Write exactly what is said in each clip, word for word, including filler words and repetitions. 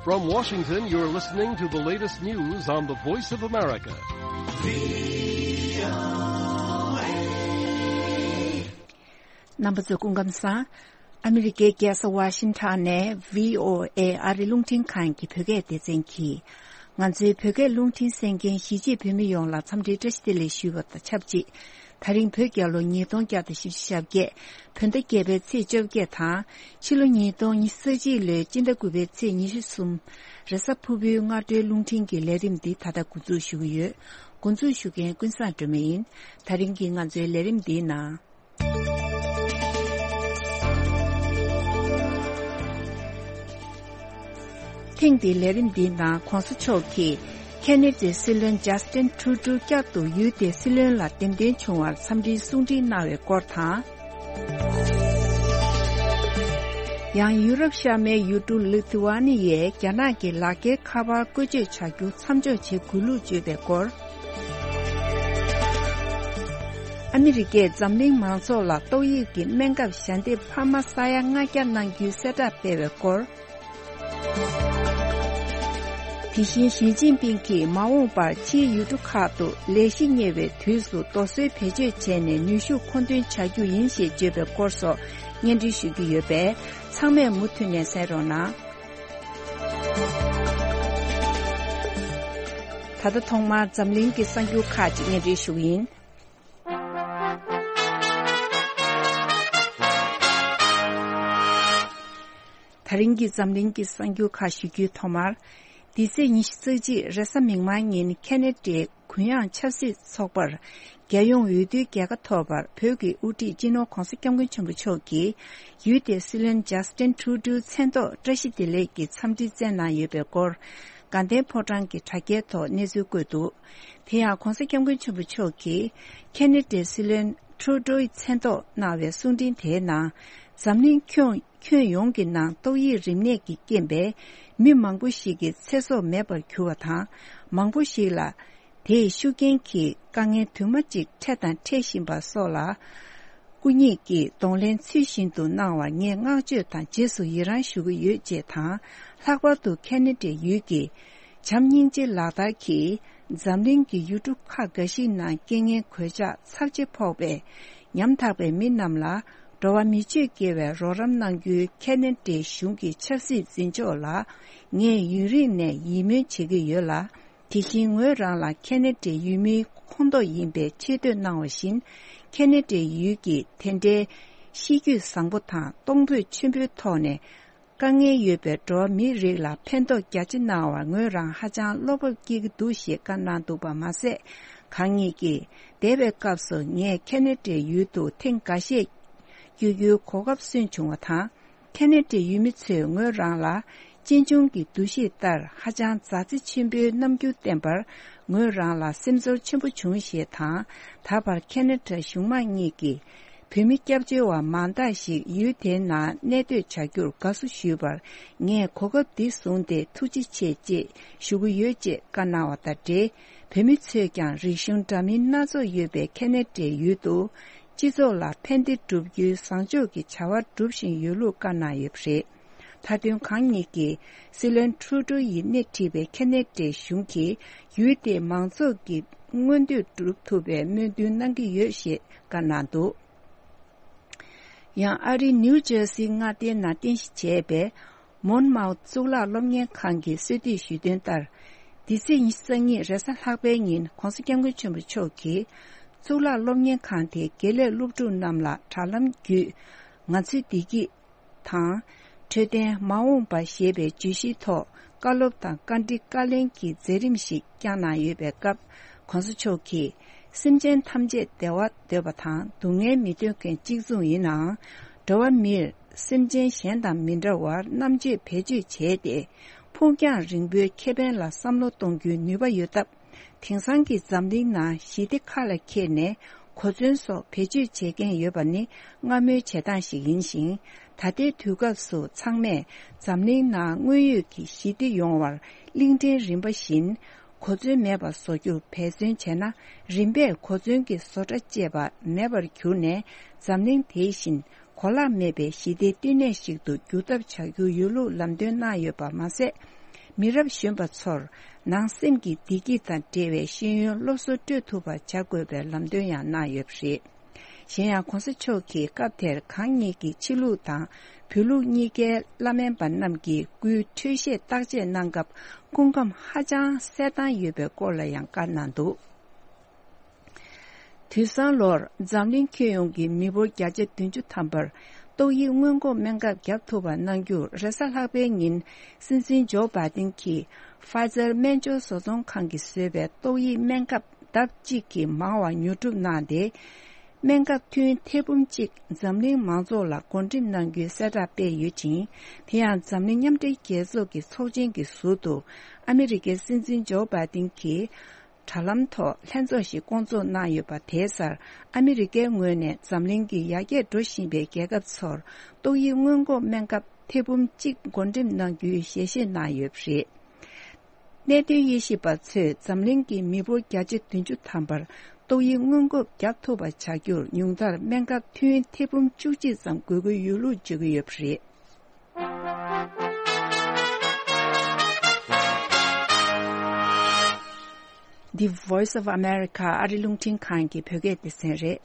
From Washington, you're listening to the latest news on the Voice of America. རྣམ་པ་ཚོ་སྐུ་ཁམས་བཟང་། ཨ་མི་རི་ཀའི་རྒྱལ་ས་ཝ་ཤིང་ཊོན་ནས་བྷི་ཨོ་ཨེ་ཨ་རི་རླུང་འཕྲིན་ཁང་གི་བོད་སྐད་སྡེ་ཚན་གྱིས། ང་ཚོའི་བོད་སྐད་རླུང་འཕྲིན་གསན་མཁན་གཞིས་བྱེས་བོད་མི་ཡོངས་ལ་འཚམས་འདྲིའི་བཀྲ་ཤིས་བདེ་ལེགས་ཞུ་བ་དང་ཆབས་ཅིག་དེ་རིང་བོད་རྒྱལ་ལོ་ཉིས་སྟོང་བརྒྱ་དང་བཞི་བཅུ་ཞེ་བརྒྱད། བོད་ཟླ་བརྒྱད་པའི་ཚེས་བཅོ་བརྒྱད་དང་། ཕྱི་ལོ་ཉིས་སྟོང་ཉི་ཤུ་རྩ་གཅིག་ལོའི་སྤྱི་ཟླ་དགུ་པའི་ཚེས་ཉི་ཤུ་གསུམ། རེས་གཟའ་ཕུར་བུའི་སྔ་དྲོའི་རླུང་འཕྲིན་གྱི་ལས་རིམ་འདི་ད་ལྟ་འགོ་འཛུགས་ཞུ་གི་ཡོད། འགོ་འཛུགས་ཞུ་མཁན་ཀུན་བཟང་སྒྲོལ་མ་ཡིན། དེ་རིང་གི་ང་ཚོའི་ལས་རིམ་འདིའི་ནང་། ཐེངས་འདིའི་ལས་རིམ་འདིའི་ནང་གོང་ས་མཆོག་གིས་ཁེ་ནེ་ཌའི་སྲིད་བློན་ཇཱ་སི་ཏིན་ཁྲུ་ཌོ་བསྐྱར་དུ་ཡུལ་དེའི་སྲིད་བློན་ལ་འདེམས་ཐོན་བྱུང་བར་འཚམས་འདྲིའི་གསུང་འཕྲིན་གནང་བའི་སྐོར་དང་། ཡང་ཡུ་རོབ་ཤར་མའི་ཡུལ་གྲུ་ལི་ཐུ་ཝ་ནི་ཡས་རྒྱ་ནག་གི་ལག་འཁྱེར་ཁ་པར་བཀོལ་སྤྱོད་བྱ་རྒྱུ་མཚམས་འཇོག་བྱེད་དགོས་ལུགས་བརྗོད་པའི་སྐོར། ཨ་མི་རི་ཀས་འཛམ་གླིང་མང་ཚོགས་ལ་ཏོག་དབྱིབས་ཀྱི་སྨན་ཁབ་ཞལ་འདེབས་འཕར་མ་ས་ཡ་ལྔ་བརྒྱ་གནང་རྒྱུའི་གསལ་བསྒྲགས་སྤེལ་བའི་སྐོར། དེ་བཞིན་ཞི་ཅིན་ཕིང་གིས་མ་འོངས་པར་ཕྱིའི་ཡུལ་གྲུ་ཁག་ཏུ་ལས་གཞི་གཉེར་བའི་དུས་སུ་རྡོ་སོལ་བེད་སྤྱོད་བྱས་ནས་ནུས་ཤུགས་མཁོ་འདོན་བྱ་རྒྱུ་ཡིན་ཞེས་བརྗོད་པའི་སྐོར་སོགས་སྙན་སྒྲོན་ཞུ་རྒྱུ་ཡོད་པས། ཚང་མས་མུ་མཐུད་ནས་གསན་རོགས་གནང་། ད་ལྟ་ཐོག་མར་འཛམ་གླིང་གི་གསར་འགྱུར་ཁག་ཅིག་སྙན་སྒྲོན་ཞུ་གི་ཡིན། ད་རིང་གི་འཛམ་གླིང་གི་གསར་འགྱུར་ཁག་ཞུ་རྒྱུའི་ཐོག་མར། འདི་ཚེས་ཉི་ཤུ་རྩ་གཅིག་རེས་གཟའ་མིག་དམར་ཉིན་ཁེ་ནེ་ཌའི་གུ་ཡངས་ཆབ་སྲིད་ཚོགས་པར་རྒྱལ་ཡོངས་འོས་བསྡུའི་རྒྱལ་ཁ་ཐོབ་པར་བོད་ཀྱི་དབུ་ཁྲིད་སྤྱི་ནོར་༧གོང་ས་༧སྐྱབས་མགོན་ཆེན་པོ་མཆོག་གིས་ཡུལ་དེའི་སྲིད་བློན་ཇཱ་སི་ཏིན་ཁྲུ་ཌོའི་མཚན་ཐོག་བཀྲ་ཤིས་བདེ་ལེགས་ཀྱི་འཚམས་འདྲི་བསྩལ་གནང་ཡོད་པའི་སྐོར། དགའ་ལྡན་ཕོ་བྲང་གི་དྲ་རྒྱའི་ཐོག་གནས་ཚུལ་བཀོད་འདུག་དེ་ཡང་༧གོང་ས་༧སྐྱབས་མགོན་ཆེན་པོ་མཆོག་གིས་ཁེ་ནེ་ཌའི་སྲིད་བློན་ཁྲུ་ཌོའི་མཚན་ཐོག་གནང་བའི་གསུང་འཕྲིན་དེའི་ནང་། འཛམ་གླིང་ཁྱོན་ཁྱོན་ཡོངས་ཀྱི་ནང་ཏོག་དབྱིབས་རིམས་ནད་ཀྱི་རྐྱེན་པས་མི་མང་པོ་ཞིག་གི་ཚེ་སྲོག་མེད་པར་གྱུར་བ་དང་། མང་པོ་ཞིག་ལ་དེའི་ཤུགས་རྐྱེན་གྱིས་དཀའ་ངལ་དུ་མ་གཅིག་འཕྲད་དང་འཕྲད་བཞིན་པ་སོགས་ལ། སྐུ་ཉིད་ཀྱིས་གདོང་ལེན་ཚུལ་བཞིན་དུ་གནང་བར་ངས་བསྔགས་བརྗོད་དང་རྗེས་སུ་ཡི་རང་ཞུ་གི་ཡོད་ཅེས་དང་། ལྷག་པར་དུ་ཁེ་ནེ་ཌའི་ཡུལ་གྱི་བྱམས་སྙིང་རྗེ་ལག་བསྟར་གྱིས་འཛམ་གླིང་གི་ཡུལ་གྲུ་ཁག་འགའ་ཞིག་ནང་རྐྱེན་ངན་གོད་ཆག་ཚབས་ཆེ་ཕོག་པའི་ཉམ་ཐག་པའི་མི་རྣམས་ལ་འགྲོ་བ་མི་ཆོས་དགེ་བའི་རོགས་རམ་གནང་རྒྱུའི་ཁེ་ནེ་ཌའི་གཞུང་གི་ཆབ་སྲིད་འཛིན་ཕྱོགས་ལ་ངས་ཡུན་རིང་ནས་ཡིད་སྨོན་བྱེད་ཀྱི་ཡོད་ལ། དེ་བཞིན་ངོས་རང་ལ་ཁེ་ནེ་ཌའི་ཡུལ་མིའི་ཁོངས་གཏོགས་ཡིན་པའི་ཆེ་བསྟོད་གནང་བ་བཞིན། ཁེ་ནེ་ཌའི་ཡུལ་གྱི་དེ་འདྲའི་གཤིས་རྒྱུད་བཟང་པོ་དང་གཏོང་ཕོད་ཆེན་པོའི་ཐོག་ནས་དཀའ་ངལ་ཡོད་པའི་འགྲོ་བ་མིའི་རིགས་ལ་ཕན་ཐོགས་རྒྱ་ཆེ་གནང་བར་ངོས་རང་ཧ་ཅང་བློ་སྤོབས་སྐྱེ་གི་འདུག་ཞེས་བཀའ་གནང་འདུག་པ་མ་ཟད། གང་ཉིད་ཀྱིས་འདས་པའི་སྐབས་སུ་ངས་ཁེ་ནེ་ཌའི་ཡུལ་དུ་ཐེངས་འགའ་ཤས་བསྐྱོད་རྒྱུའི་གོ་སྐབས་སོན་བྱུང་བ་དང་། ཁེ་ནེ་ཌའི་ཡུལ་མི་ཚོས་ངོས་རང་ལ་གཅེན་གཅུང་གི་འདུ་ཤེས་ལྟར་ཧ་ཅང་མཛའ་བརྩེ་ཆེན་པོའི་རྣམ་འགྱུར་བསྟན་པར་ངོས་རང་ལ་སེམས་ཚོར་ཆེན་པོ་བྱུང་ཞེས་དང་། ད་བར་ཁེ་ནེ་ཌ་གཞུང་མང་གཉིས་ཀྱིས་བོད་མི་སྐྱབས་བཅོལ་བ་མང་དག་ཞིག་ཡུལ་དེའི་ནང་གནས་སྡོད་བྱ་རྒྱུར་དགའ་བསུ་ཞུས་པར་ངས་གོ་སྐབས་འདི་བཟུང་སྟེ་ཐུགས་རྗེ་ཆེ་ཅེས་ཞུ་གི་ཡོད་ཅེས་བཀའ་གནང་བ་དང་འབྲེལ། བོད་མི་ཚོས་ཀྱང་རིག་གཞུང་འདྲ་མིན་སྣ་ཚོགས་ཡོད་པའི་ཁེ་ནེ་ཌའི་ཡུལ་དུ། སྤྱི་ཚོགས་ལ་ཕན་བདེ་བསྒྲུབ་རྒྱུའི་བཟང་ཕྱོགས་ཀྱི་བྱ་བ་སྒྲུབ་བཞིན་ཡོད་ལུགས་བཀའ་གནང་ཡོད་པ་རེད། མཐའ་དོན་གང་ཉིད་ཀྱིས་སྲིད་བློན་ཁྲུ་ཌོ་ཡིས་སྣེ་ཁྲིད་པའི་ཁེ་ནེ་ཌའི་གཞུང་གིས་ཡུལ་དེའི་མང་ཚོགས་ཀྱི་མངོན་འདོད་སྒྲུབ་ཐུབ་པའི་སྨོན་འདུན་གནང་གི་ཡོད་ཞེས་བཀའ་གནང་འདུག་ཡང་ཨ་རིའི་ནིའུ་ཇར་སིའི་མངའ་སྡེའི་ནང་རྟེན་གཞི་བྱས་པའི་མོན་མའོ་གཙུག་ལག་སློབ་གཉེར་ཁང་གིས་གསོལ་འདེབས་ཞུས་དོན་ལྟར། འདི་ཚེས་ཉི་ཤུ་རྩ་གཉིས་རེས་གཟའ་ལྷག་པའི་ཉིན་༧གོང་ས་༧སྐྱབས་མགོན་ཆེན་པོ་མཆོག་གིས་གཙུག་ལག་སློབ་གཉེར་ཁང་དེའི་དགེ་ལས་སློབ་ཕྲུག་རྣམས་ལ་དྲ་ལམ་བརྒྱུད་ང་ཚོའི་བདེ་སྐྱིད་དང་། འཕྲོད་བསྟེན་མ་འོངས་པ་ཞེས་པའི་བརྗོད་གཞིའི་ཐོག་བཀའ་སློབ་དང་བཀའ་འདྲི་བཀའ་ལན་གྱི་མཛད་རིམ་ཞིག་བསྐྱངས་གནང་ཡོད་པའི་སྐབས། ༸གོང་ས་མཆོག་གིས། སེམས་ཅན་ཐམས་ཅད་བདེ་བ་འདོད་པ་དང་སྡུག་བསྔལ་མི་འདོད་མཁན་གཅིག་མཚུངས་ཡིན་ནའང་། འགྲོ་བ་མིར་སེམས་ཅན་གཞན་དང་མི་འདྲ་བར་རྣམ་དཔྱོད་བེད་སྤྱོད་བྱས་ཏེ། ཕུགས་རྒྱང་རིང་པོའི་ཁེ་ཕན་ལ་བསམ་བློ་གཏོང་རྒྱུའི་ནུས་པ་ཡོད་སྟབས། དེང་སང་གི་འཛམ་གླིང་ནང་ཞི་བདེ་ཁ་ལ་འཁྱེར་ནས་གོ་མཚོན་སོགས་བེད་སྤྱོད་བྱེད་མཁན་ཡོད་པ་ནི་སྔ་མོའི་བྱེད་སྟངས་ཤིག་ཡིན་ཞིང་། ད་ལྟའི་དུས་སྐབས་སུ་ཚང་མས་འཛམ་གླིང་ནང་དངོས་ཡོད་ཀྱི་ཞི་བདེ་ཡོང་བར་གླིང་ཕྲན་རིམ་པ་བཞིན་གོ་མཚོན་མེད་པ་བཟོ་རྒྱུར་འབད་བརྩོན་བྱས་ན། རིམ་པས་གོ་མཚོན་གྱི་བཟོ་གྲྭ་བཅས་པ་མེད་པར་གྱུར་ནས། འཛམ་གླིང་དེ་བཞིན་གོ་ལག་མེད་པའི་ཞི་བདེའི་བསྟི་གནས་ཤིག་ཏུ་འགྱུར་ཐབས་བྱ་རྒྱུ་ཡོད་ལུགས་ལམ་སྟོན་གནང་ཡོད་པ་མ་ཟད། མི་རབས་གཞོན་པ་ཚོར་ནང་སེམས་ཀྱི་བདེ་སྐྱིད་དང་འབྲེལ་བའི་ཤེས་ཡོན་སློབ་གསོ་སྤྲོད་ཐུབ་པ་བྱ་དགོས་པའི་ལམ་སྟོན་ཡང་གནང་ཡོད་པ་རེད། གཞན་ཡང་གོང་ས་མཆོག་གིས་སྐབས་དེར་གང་ཉིད་ཀྱི་ཕྱི་ལུགས་དང་བོད་ལུགས་གཉིས་ཀའི་བླ་སྨན་པ་རྣམས་ཀྱིས་སྐུའི་འཕྲོད་བཞེས་བརྟག་དཔྱད་གནང་སྐབས་སྐུ་ཁམས་ཧ་ཅང་གསལ་ཐང་ཡོད་པའི་སྐོར་ལ་ཡང་བཀའ་གནང་འདུག་དུས་སང་ལོར་འཛམ་གླིང་ཁྱོན་ཡོངས་ཀྱི་མི་འབོར་བརྒྱ་ཆ་བདུན་ཅུ་ཐམ་པར་ཏོག་དབྱིབས་སྔོན་འགོག་སྨན་ཁབ་བརྒྱབ་ཐུབ་པ་གནང་རྒྱུར་རེས་གཟའ་ལྷག་པའི་ཉིན་སྲིད་འཛིན་ཇོ་བྷའི་ཏིན་གྱིས་ཕ་ཛར་སྨན་སྦྱོར་བཟོ་ཚོང་ཁང་གིས་བཟོས་པའི་ཏོག་དབྱིབས་སྨན་ཁབ་ལྡབ་གཅིག་གིས་མང་བ་ཉོ་སྒྲུབ་གནང་སྟེ། སྨན་ཁབ་ཐུན་ཐེར་འབུམ་གཅིག་འཛམ་གླིང་མང་ཚོགས་ལ་བགོ་འགྲེམས་གནང་རྒྱུའི་གསལ་བསྒྲགས་སྤེལ་ཡོད་ཅིང་། དེ་ཡང་འཛམ་གླིང་མཉམ་འབྲེལ་རྒྱལ་ཚོགས་ཀྱི་ཚོགས་ཆེན་གྱི་ཟུར་དུ་ཨ་མི་རི་ཀའི་སྲིད་འཛིན་ཇོ་བྷའི་ཏིན་གྱིས། དྲ་ལམ་ཐོག་ལྷན་ཚོགས་ཤིག་བསྐོང་ཚོགས་གནང་ཡོད་པ་དེའི་སར་ཨ་མི་རི་ཀའི་ངོས་ནས་འཛམ་གླིང་གི་ཡར་རྒྱས་འགྲོ་བཞིན་པའི་རྒྱལ་ཁབ་ཚོར་ཏོག་དབྱིབས་སྔོན་འགོག་སྨན་ཁབ་ཐེར་འབུམ་གཅིག་བགོ་འགྲེམས་གནང་རྒྱུའི་ཞལ་བཞེས་གནང་ཡོད་པ་རེད། གནད་དོན་དབྱེ་ཞིབ་པ་ཚོས་འཛམ་གླིང་གི་མི་འབོར་བརྒྱ་ཆ་བདུན་ཅུ་ཐམ་པར་ཏོག་དབྱིབས་སྔོན་འགོག་བརྒྱབ་ཐུབ་པ་བྱ་རྒྱུར་ཉུང་མཐར་སྨན་ཁབ་ཐུན་ཐེར་འབུམ་བཅུ་གཅིག་ཙམ་དགོས་ཀྱི་ཡོད་ལུགས་བརྗོད་ཀྱི་ཡོད་པ་རེད། The Voice of America ཨ་རི་རླུང་འཕྲིན་ཁང་གི་བོད་སྐད་སྡེ་ཚན་རེད།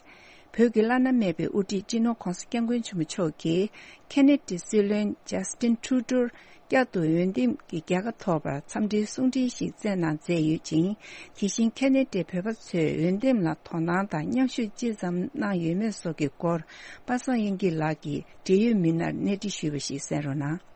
བོད་ཀྱི་བླ་ན་མེད་པའི་དབུ་ཁྲིད་སྤྱི་ནོར་༧གོང་ས་༧སྐྱབས་མགོན་ཆེན་པོ་མཆོག་གིས་ཁེ་ན་ཌའི་སྲིད་བློན་ཇཱ་སི་ཊིན་ཁྲུ་ཌོར་བསྐྱར་དུ་འོས་འདེམས་ཀྱི་རྒྱལ་ཁ་ཐོབ་པར་འཚམས་འདྲིའི་གསུང་འཕྲིན་ཞིག་བསྩལ་གནང་མཛད་ཡོད་ཅིང་། དེ་བཞིན་ཁེ་ན་ཌའི་བོད་པ་ཚོས་འོས་འདེམས་ལ་དོ་སྣང་དང་མཉམ་ཞུགས་ཅི་ཙམ་གནང་ཡོད་མེད་སོགས་ཀྱི་སྐོར་པ་སངས་དབྱངས་སྐྱིད་ལགས་ཀྱིས་འབྲེལ་ཡོད་མི་སྣར་གནས་འདྲི་ཞུས་པ་ཞིག་གསན་རོགས་གནང་།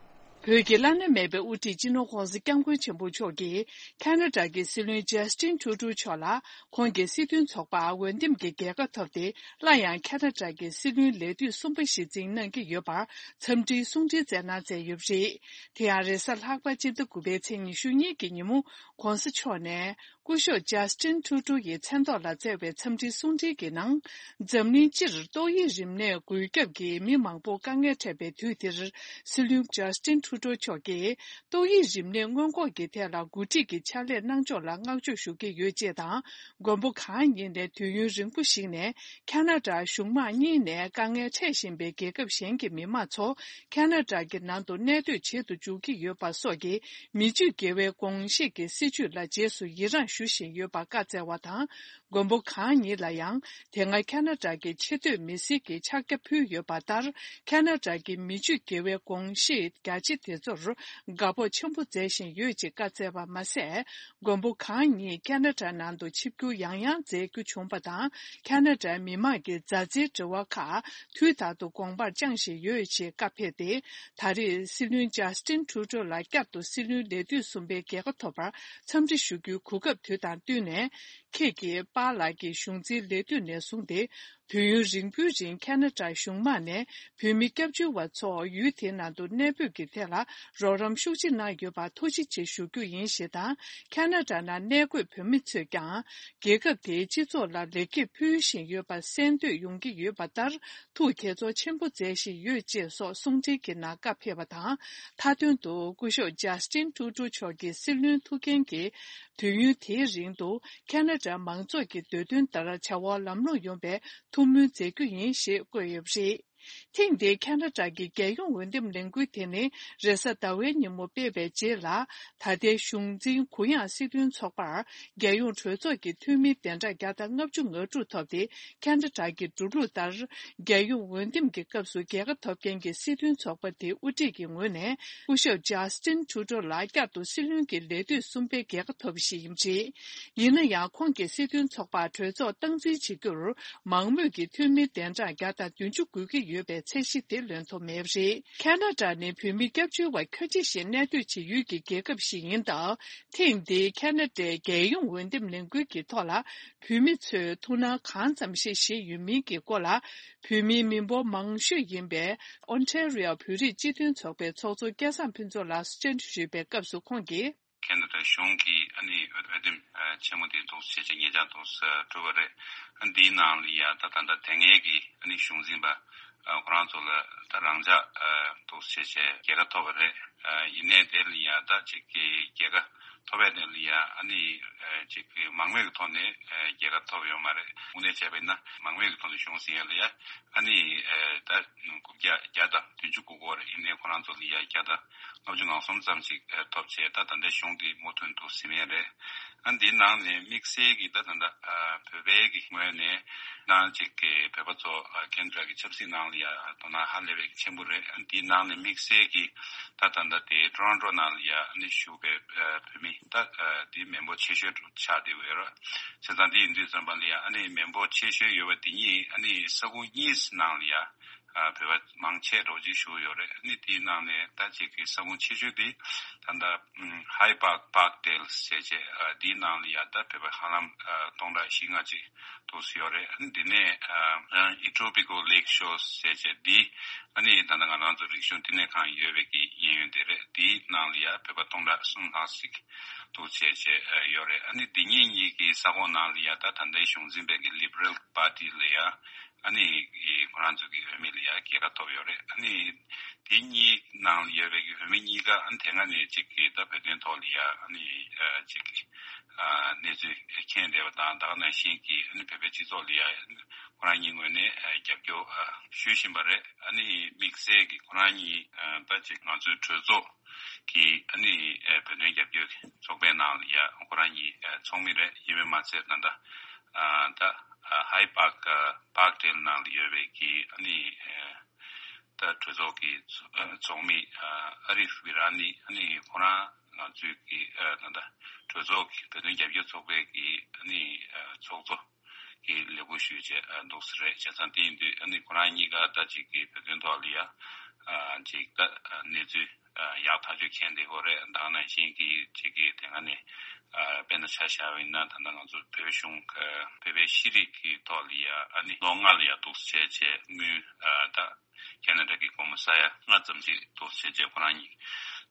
བོད་ཀྱི་བླ་ན་མེད་པའི་དབུ་ཁྲིད་སྤྱི་ནོར་༧གོང་ས་༧སྐྱབས་མགོན་ཆེན་པོ་མཆོག་གིས་ཁ་ན་ཌ་གི་སྲིད་བློན་ཇཱ་སི་ཊིན་ཁྲུ་ཌོ་མཆོག་ལ་ཁོང་གི་སྲིད་དོན་ཚོགས་པར་འོས་འདེམས་ཀྱི་རྒྱལ་ཁ་ཐོབ་སྟེ། སླར་ཡང་ཁ་ན་ཌ་གི་སྲིད་བློན་ལས་དུས་གསུམ་པ་ཞིག་འཛིན་གནང་གི་ཡོད་པར་འཚམས་འདྲིའི་གསུང་འཕྲིན་བསྩལ་གནང་མཛད་ཡོད་པ་རེད། དེ་ཡང་རེས་གཟའ་ལྷག་པ་སྤྱི་ཟླ་དགུ་པའི་ཚེས་ཉི་ཤུ་གཉིས་ཀྱི་ཉིན་མོ་༧གོང་ས་མཆོག་ནས། སྐུ་ཞབས་ཇཱ་སི་ཊིན་ཁྲུ་ཌོ་ཡི་མཚན་ཐོག་ལ་བསྩལ་བའི་འཚམས་འདྲིའི་གསུང་འཕྲིན་གྱི་ནང་། འཛམ་གླིང་སྤྱིར་ཏོག་དབྱིབས་རིམས་ནད་འགོས་ཁྱབ་ཀྱིས་མི་མང་པོ་དཀའ་ངལ་འཕྲད་པའི་དུས་འདིར། སྲིད་བློན་ཇཱ་སི་ཊིན་ཁྲུ་ཌོ་མཆོག་གིས་ཏོག་དབྱིབས་རིམས་ནད་སྔོན་འགོག་གི་ཐད་ལ་འགོ་ཁྲིད་ཀྱི་ཕྱག་ལས་གནང་ཕྱོགས་ལ་བསྔགས་བརྗོད་ཞུ་གི་ཡོད་ཅེས་དང་། མགོན་པོ་གང་ཉིད་ནས་དུས་ཡུན་རིང་པོ་ཞིག་ནས་ཁ་ན་ཌ་གཞུང་མང་གཉིས་ནས་དཀའ་ངལ་འཕྲད་བཞིན་པའི་རྒྱལ་ཁབ་གཞན་གྱི་མི་མང་ཚོ་ཁ་ན་ཌ་གི་ནང་དུ་གནས་སྡོད་བྱེད་དུ་འཇུག་གི་ཡོད་པ་སོགས་ཀྱི་མི་ཆོས་དགེ་བའི་དགོངས་བཞེད་ཀྱི་སྲིད་བྱུས་ལ་རྗེས་སུ་ཡི་རངས་ཞུ་བཞིན་ཡོད་པར་བཀའ་སྩལ་བ་དང་། མགོན་པོ་གང་ཉིད་ལ་ཡང་དེ་སྔ་ཁ་ན་ཌ་གི་ཆེས་མཐོའི་མི་སེར་གྱི་ཕྱག་རྒྱ་ཕུལ་ཡོད་པ་ལྟར། ཁ་ན་ཌ་གི་མི་ཆོས་དགེ་བའི་དགོངས་བཞེད་རྒྱ་ཆེ་དེ་ཚོར་དགའ་སྤོབས་ཆེན་པོ་མཛད་བཞིན་ཡོད་ཅེས་བཀའ་སྩལ་བ་མ་ཟད། མགོན་པོ་གང་ཉིད་ཁ་ན་ཌ་ནང་དུ་ཆིབས་བསྒྱུར་ཡང་ཡང་མཛད་རྒྱུ་བྱུང་བ་དང་། ཁ་ན་ཌའི་མི་མང་གི་མཛའ་བརྩེའི་འབྲེལ་བ་ཁག་དུས་རྟག་ཏུ་དགོངས་པར་བཅངས་བཞིན་ཡོད་ཅེས་བཀའ་ཕེབས་ཏེ། ད་རེས་སྲིད་བློན་ཇཱ་སི་ཊིན་ཁྲུ་ཌོ་ལ་བསྐྱར་དུ་སྲིད་བློན་ལས་དུས་གསུམ་པའི་རྒྱལ་ཁ་ཐོབ་པར་འཚམས་འདྲི་ཞུ་རྒྱུའི་གོ་སྐབས་དུས་དང་བསྟུན་ནས། ཁྱེད་ཀྱིས་པཱ་ལགས་ཀྱི་གཞུང་འཛིན་ལས་དུས་ནས་བཟུང་སྟེ། དུས་ཡུན་རིང་པོའི་རིང་ཁ་ན་ཌ་གཞུང་མང་ནས་བོད་མི་སྐྱབས་བཅོལ་བ་ཚོ་ཡུལ་དེའི་ནང་དུ་གནས་སྤོས་ཀྱི་ཐད་ལ་རོགས་རམ་ཤུགས་ཆེ་གནང་ཡོད་པར་ཐུགས་རྗེ་ཆེ་ཞུ་རྒྱུ་ཡིན་ཞེས་དང་། ཁ་ན་ཌ་ནང་གནས་འཁོད་བོད་མི་ཚོས་ཀྱང་རྒྱལ་ཁབ་དེའི་སྤྱི་ཚོགས་ལ་ལེགས་སྐྱེས་ཕུལ་བཞིན་ཡོད་པ་གསན་འདོད་ཡོང་གི་ཡོད་པ་ལྟར། ཐུགས་དགྱེས་ཚོར་ཆེན་པོ་མཛད་བཞིན་ཡོད་ཅེས་སོགས་གསུང་འཕྲིན་གྱི་ནང་བཀའ་ཕེབས་པ་དང་། མཐའ་དོན་དུ་སྐུ་ཞབས་ཇཱ་སི་ཊིན་ཁྲུ་ཌོ་མཆོག་གི་སྲིད་བློན་ཐུགས་འགན་གྱི་དུས་ཡུན་དེའི་རིང་དུ། ཁ་ན་ཌ་མང་ཚོགས་ཀྱི་འདོད་འདུན་ལྟར་བྱ་བ་ལམ་ལྷོང་ཡོང་བའི་ཐུགས་སྨོན་མཛད་རྒྱུ་ཡིན་ཞེས་བཀོད་ཡོད་པ་རེད། ཐེངས་འདིའི་ཁ་ན་ཌ་གི་རྒྱལ་ཡོངས་འོས་འདེམས་ལས་འགུལ་དེ་ནི་རེས་གཟའ་ཟླ་བའི་ཉིན་མོ་སྤེལ་བའི་རྗེས་ལ། ད་ལྟའི་གཞུང་འཛིན་གུ་ཡངས་སྲིད་དོན་ཚོགས་པར་རྒྱལ་ཡོངས་གྲོས་ཚོགས་ཀྱི་འཐུས་མི་བདུན་ཕྲག་བརྒྱ་དང་ལྔ་བཅུ་ང་དྲུག་ཐོབ་སྟེ། ཁ་ན་ཌ་གི་འགྲོ་ལུགས་ལྟར། རྒྱལ་ཡོངས་འོས་འདེམས་ཀྱི་སྐབས་སུ་རྒྱལ་ཁ་ཐོབ་མཁན་གྱི་སྲིད་དོན་ཚོགས་པ་དེའི་དབུ་ཁྲིད་ཀྱི་ངོས་ནས། སྐུ་ཞབས་ཇཱ་སི་ཊིན་ཁྲུ་ཌོ་ལ་བསྐྱར་དུ་སྲིད་བློན་གྱི་ལས་དུས་གསུམ་པའི་རྒྱལ་ཁ་ཐོབ་པ་ཞིག་ཡིན་པ་རེད། ཡིན་ན་ཡང་། ཁོང་གི་སྲིད་དོན་ཚོགས་པར་གྲོས་ཚོགས་སྟངས་འཛིན་བྱེད་རྒྱུར། མང་མོས་ཀྱི་འཐུས་མི་གདན་གྲངས་བརྒྱ་དང་བདུན་ཅུ་དགོས་ཀྱི་ཡོད་པའི་ཚད་གཞི་དེ་ལོན་ཐུབ་མེད་པ་རེད། ཁ་ན་ཌ་ནི་བོད་མི་སྐྱབས་བཅོལ་བ་ཁྱོན་ཆེ་ཞིག་གནས་སྡོད་བྱེད་ཡུལ་གྱི་རྒྱལ་ཁབ་ཞིག་ཡིན་སྟབས། ཐེངས་འདིའི་ཁ་ན་ཌའི་རྒྱལ་ཡོངས་འོས་འདེམས་ལས་འགུལ་གྱི་ཐོག་ལ། བོད་མི་ཚོས་ཐུགས་སྣང་གང་ཙམ་ཞིག་བཞེས་ཡོད་མིན་གྱི་སྐོར་ལ། བོད་མིའི་མི་འབོར་མང་ཤོས་ཡིན་པའི་ཨོན་ཊ་རི་ཨོ་བོད་རིགས་སྤྱི་མཐུན་ཚོགས་པའི་ཚོགས་གཙོ་སྐལ་བཟང་ཕུན་ཚོགས་ལགས་སུ་བཅར་འདྲི་ཞུས་པའི་སྐབས་སུ་ཁོང་གིས། ཁ་ན་ཌ་གཞུང་གིས་ཨ་ནི་འོས་འོས་འདེམས་ཆེན་མོ་དེ་འདུག་སེ་བྱས་ཉེ་ཆར་འདུག་སེ་གྲུབ་པ་རེད། ཨ་འདིའི་ནང་ལ་ཡ་ད་ད་ལྟ་དེ་སྔའི་གི་ཨ་ནི་གཞུང་འཛིན་པ་ཁོ་རང་ཚོ་ལ་ད་རང་འཇགས་འདུག་སེ་བྱས་རྒྱལ་ཁ་ཐོབ་པ་རེད། ཡིན་ནའི་དེ་ལ་ཡ་ད་ཅིག་གི་རྒྱལ་ཁ་ ཐོབ་པའི་གནས་ལ་ཡ་ཨ་ནི་ཅིག་མང་མོས་ཀྱི་ཐོག་ནས་རྒྱལ་ཁ་ཐོབ་ཡོད་མ་རེད། དངོས་གནས་བྱས་པ་ཡིན་ན་མང་མོས་ཀྱི་ཐོག་ནས་གཞུང་ཟིན་ཡ་ལ་ཡ་ཨ་ནི་ད་དགུ་བརྒྱ་བརྒྱ་དང་བདུན་ཅུ་དགུ་སྐོར་ཡིན་ནའི་ཁོ་རང་ཚོ་ལ་ཡ་བརྒྱ་དང་ལྔ་བཅུ་ང་གསུམ་ཙམ་ཞིག་ཐོབ་བྱས། ད་ད་ལྟའི་གཞུང་འདི་མུ་མཐུད་དུ་ཟིན་ཡ་རེད། ཨ་འདིའི་ནང་ནས་དམིགས་བསལ་གྱི་ད་ད་ལྟ་བོད་པའི་གི་ངོས་ནས་ནང་ཅིག་གི་བོད་པ་ཚོ་ཁེ་ན་ཌ་གི་ཆབ་སྲིད་ནང་ལ་ཡ་དོ་སྣང་ཧ་ལས་པའི་ཆེན་པོ་རེད། ཨ་འདིའི་ནང་ནས་དམིགས་བསལ་གྱི་ད་ད་ལྟ་དེ་ཊོ་རོན་ཊོ་ནང་ལ་ཡ་ཨ་ནི་བཞུགས་པའི་བོད་མི་ད་འདི་མི་འབོར་ཆེ་ཤོས་ཆགས་བསྡད་ཡོད་རེད། བྱས་ཙང་འདི་ཡིན་དུས་ཙམ་པ་ལ་ཡ་ཨ་ནི་མི་འབོར་ཆེ་ཤོས་ཡོད་པ་འདི་གཉིས་ཨ་ནི་ས་ཁུངས་གཉིས་ནང་ལ་ཡ་བོད་པ་མང་ཆེ་རོགས་གཅིག་བཞུགས་ཡོད་རེད། ཨ་ནི་དེའི་ནང་ནས་ད་ཅིག་གི་ས་ཁུངས་ཆེ་ཤོས་དེ་ད་ལྟ་ཧའི་པཱག་པཱག་ཌེལ་ཟེར་བྱས་དེའི་ནང་ལ་ཡ་ད་བོད་པ་ཧ་ལམ་སྟོང་ཕྲག་བཞི་ལྔ་ཅིག་འདུག་སེ་ཡོད་རེད། ཨ་ནི་དེ་ནས་ཨི་ཊོ་པི་ཀོ་ལེག་ཤོར་ཟེར་བྱས་དེ་ཨ་ནི་ད་ལྟ་ང་རང་ཚོ་རིག་གཞུང་བསྟི་གནས་ཁང་ཡོད་པའི་གི་གཡས་གཡོན་དེ་རེད། དེའི་ནང་ལ་ཡ་བོད་པ་སྟོང་ཕྲག་གསུམ་ལྷག་ཅིག་འདུག་བྱས་བྱས་ཡོད་རེད། ཨ་ནི་དེ་གཉིས་གཉིས་ཀྱི་ས་ཁོངས་ནང་ལ་ཡ་ད་ད་ལྟའི་གཞུང་འཛིན་པའི་གི་ལི་བྷ་རལ་པར་ཊི་ལ་ཡ་ཨ་ནི་ཁོ་རང་ཚོ་གི་འོས་མི་ལ་ཡ་རྒྱལ་ཁ་ཐོབ་ཡོད་རེད། ཨ་ནི་དེ་གཉིས་ནང་ལ་ཡོད་པའི་གི་འོས་མི་གཉིས་ཀ་ཨ་ནི་དེ་སྔ་ནས་ཅིག་གི་ད་བོད་དོན་ཐོག་ལ་ཡ་ཨ་ནི་ཅིག་གི་གནས་ཚུལ་མཁྱེན་བསྡད་པ་དང་། ད་ག་ནང་བཞིན་གི་ཨ་ནི་བོད་པའི་སྤྱི་ཚོགས་ལ་ཡ་ཁོ་རང་གཉིས་ངོས་ནས་རྒྱབ་སྐྱོར་ཞུ་བཞིན་པ་རེད། ཨ་ནི་དམིགས་བསལ་གི་ཁོ་རང་གཉིས་ད་ཅིག་ང་ཚོའི་གྲོས་ཚོགས་ཀྱི་ཨ་ནི་བོད་དོན་རྒྱབ་སྐྱོར་གྱི་ཚོགས་པའི་ནང་ལ་ཡ་ཁོ་རང་གཉིས་ཚོགས་མི་རེད། ཡིན་པས་མ་ཚད་ད་ལྟ་ད་ཧའི་པཱག་པཱག་ཌེལ་ནང་ལ་ཡོད་པའི་གི་ཨ་ནི་ད་གྲོས་ཚོགས་ཀྱི་ཚོགས་མི་ཨ་རིབ་བི་ར་ནི་ཨ་ནི་ཁོ་རང་ང་ཚོའི་གི་ད་ལྟ་གྲོས་ཚོགས་ཀྱི་བོད་དོན་རྒྱབ་སྐྱོར་ཚོགས་པའི་གི་ཨ་ནི་ཚོགས་གཙོ་གི་ལས་ཁུར་ཞུས་བྱས་འདུག་སེ་རེད། བྱས་ཙང་དེ་ཡིན་དུས་ཨ་ནི་ཁོ་རང་གཉིས་ཀ་ད་ཅིག་གི་བོད་དོན་ཐོག་ལ་ཡ་ཅིག་ད་གནས་ཚུལ་ཡག་ཐག་ཆོད་མཁྱེན་བསྡད་ཡོད་རེད། ད་ག་ནང་བཞིན་གི་ཅིག་གི་དེ་སྔ་ནས་དཔེར་ན་ཆ་བཞག་པ་ཡིན་ན་ད་ལྟ་ང་ཚོ་བོད་གཞུང་བོད་པའི་ཤེས་རིག་གི་ཐོག་ལ་ཡ་ཨ་ནི་ལོ་ལྔ་ལ་ཡ་འདུག་སེ་བྱས་བྱས་དངུལ་ད་ཁེ་ན་ཌ་གི་སྒོར་མོ་ས་ཡ་ལྔ་ཙམ་ཞིག་འདུག་སེ་བྱས་ཁོ་རང་གཉིས་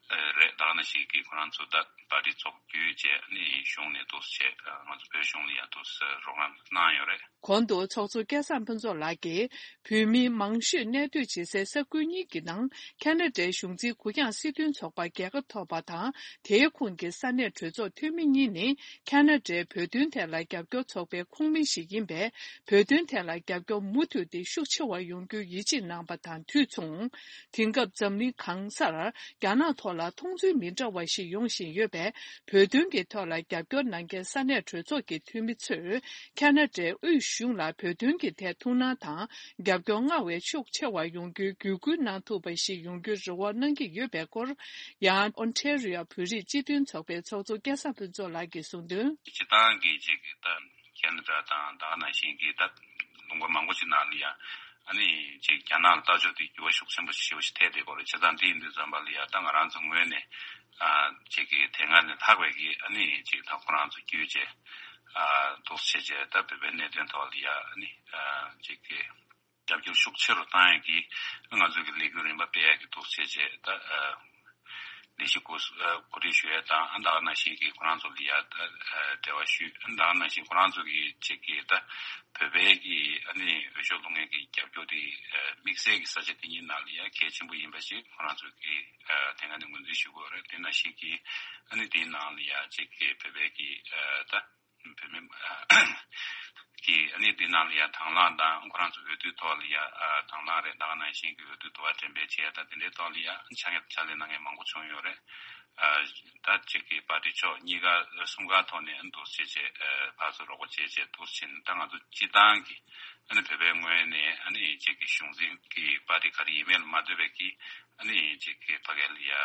རེད། ད་ག་ནང་བཞིན་གི་ཁོ་རང་ཚོ་ད་པར་ཊི་ཚོགས་བརྒྱུད་བྱས་ཨ་ནི་གཞུང་ནས་འདུག་སེ་བྱས་ང་ཚོ་བོད་གཞུང་ལ་ཡ་འདུག་སེ་རོགས་རམ་གནང་ཡོད་རེད། གོང་དུ་ཚོགས་གཙོ་སྐལ་བཟང་ཕུན་ཚོགས་ལགས་ཀྱིས་བོད་མི་མང་ཤོས་གནས་སྡོད་བྱེད་སའི་ས་ཁུལ་གཉིས་ཀྱི་ནང་ཁེ་ན་ཌའི་གཞུང་འཛིན་གུ་ཡངས་སྲིད་དོན་ཚོགས་པ་རྒྱལ་ཁ་ཐོབ་པ་དང་། དེའི་ཁོངས་ཀྱི་ས་གནས་གྲོས་ཚོགས་འཐུས་མི་གཉིས་ནི་ཁེ་ན་ཌའི་བོད་དོན་ཐད་ལ་རྒྱབ་སྐྱོར་ཚོགས་པའི་ཁོངས་མི་ཞིག་ཡིན་པས། བོད་དོན་ཐད་ལ་རྒྱབ་སྐྱོར་མུ་མཐུད་དེ་ཤུགས་ཆེ་བ་ཡོང་རྒྱུའི་ཡིད་ཆེས་གནང་བ་དང་དུས་མཚུངས། དེང་སྐབས་འཛམ་གླིང་གང་སར་རྒྱ་ནག་ཐོག་ལ་མཐོང་ཚུལ་མི་འདྲ་བ་ཞིག་ཡོང་བཞིན་ཡོད་པས། བོད་དོན་གྱི་ཐོག་ལ་རྒྱབ་སྐྱོར་གནང་མཁན་ས་གནས་གྲོས་ཚོགས་ཀྱི་འཐུས་མི་ཚོས་ཁེ་ན་ཌའི་དབུས་གཞུང་ལ་བོད་དོན་གྱི་ཐད་ཐུགས་སྣང་དང་རྒྱབ་སྐྱོར་སྔར་བས་ཤུགས་ཆེ་བ་ཡོང་རྒྱུའི་བརྒྱུད་སྐུལ་གནང་ཐུབ་པ་ཞིག་ཡོང་རྒྱུའི་རེ་བ་གནང་གི་ཡོད་པའི་སྐོར། ཡང་ཨོན་ཊེ་རི་ཡོ་བོད་རིགས་སྤྱི་མཐུན་ཚོགས་པའི་ཚོགས་གཙོ་སྐལ་བཟང་ཕུན་ཚོགས་ལགས་ཀྱིས་གསུངས་དོན། སྤྱིར་བཏང་གི་ཅིག་གི་ད་ཁེ་ན་ཌ་དང་ད་ག་ནང་བཞིན་གྱི་ད་ལུང་པ་མང་པོ་ཅིག་ནང་ལ་ཡ་ཨ་ནི་ཅིག་རྒྱ་ནག་ལ་ལྟ་ཕྱོགས་དེ་འགྱུར་བ་ཤུགས་ཆེན་པོ་ཞེ་པོ་ཞིག་ཐེབས་བསྡད་ཡོད་རེད། བྱས་ཙང་དེ་ཡིན་དུས་ཙམ་པ་ལ་ཡ་ད་ང་རང་ཚོ་ངོས་ནས་ཨ་ཅིག་གི་དེ་སྔ་ནས་ལྷག་པའི་གི་ཨ་ནི་ཅིག་ད་ཁོ་རང་ཚོ་བརྒྱུད་བྱས་ཨ་འདུག་སེ་བྱས་བྱས་ད་བོད་པའི་གནད་དོན་ཐོག་ལ་ཡ་ཨ་ནི་ཨ་ཅིག་གི་རྒྱབ་སྐྱོར་ཤུགས་ཆེ་རུ་བཏང་ཡག་གི་ང་ཚོ་གི་ལས་འགུལ་རིམ་པ་སྤེལ་ཡག་གི་འདུག་བྱས་བྱས་ད་ཨ་ལས་གཞི་གོ་ཨ་གོ་སྒྲིག་ཞུ་ཡག་དང་ཨ་ད་ག་ནང་བཞིན་གི་ཁོ་རང་ཚོ་ལ་ཡ་ད་ཨ་འབྲེལ་བ་ཞུས། ཨ་ད་ག་ནང་བཞིན་ཁོ་རང་ཚོ་གི་ཅིག་གི་ད་བོད་པའི་གི་ཨ་ནི་འོས་ཤོག་བླུག་མཁན་གི་རྒྱབ་སྐྱོར་དེ་ཨ་དམིགས་བསལ་གི་ས་ཆ་དེ་གཉིས་ནང་ལ་ཡ་གལ་ཆེན་པོ་ཡིན་པ་ཞིག་ཁོ་རང་ཚོ་གི་ཨ་དེ་སྔ་ནས་ངོས་འཛིན་ཞུ་གི་ཡོད་རེད། དེ་ནང་བཞིན་གི་ཨ་ནི་དེའི་ནང་ལ་ཡ་ཅིག་གི་བོད་པའི་གི་ཨ་ད་བོད་མི་གི་ཨ་ནི་འདི་ནང་ལ་ཡ་དང་བླངས་དང་ཁོ་རང་ཚོ་འོས་བསྡུ་ཐོག་ལ་ཡ་ཨ་དང་བླངས་རེད། ད་ག་ནང་བཞིན་གྱི་འོས་བསྡུ་དུ་བ་འགྲེམས་སྤེལ་བྱས་དང་དེ་འདྲའི་ཐོག་ལ་ཡ་ཕྱག་ཕྱག་ལས་གནང་མཁན་མང་པོ་བྱུང་ཡོད་རེད། ཨ་ད་གཅིག་གི་པར་ཏི་ཕྱོགས་གཉིས་ཀ་གསུམ་ཀ་ཐོག་ནས་འདུག་བྱས་བྱས་ཨ་ཕར་ཚུར་རོགས་པ་བྱས་བྱས་འདུག་བྱས་ནས་ད་ང་ཚོ་སྤྱི་བཏང་གི་ཨ་ནི་བོད་པའི་ངོས་ནས་ཨ་ནི་གཅིག་གི་གཞུང་འཛིན་གྱི་པར་ཏི་ག་རེ་ཡིན་མིན་ལ་མ་ལྟོས་པའི་གི་ཨ་ནི་གཅིག་གི་ཕ་གི་ལ་ཡ་ཨ་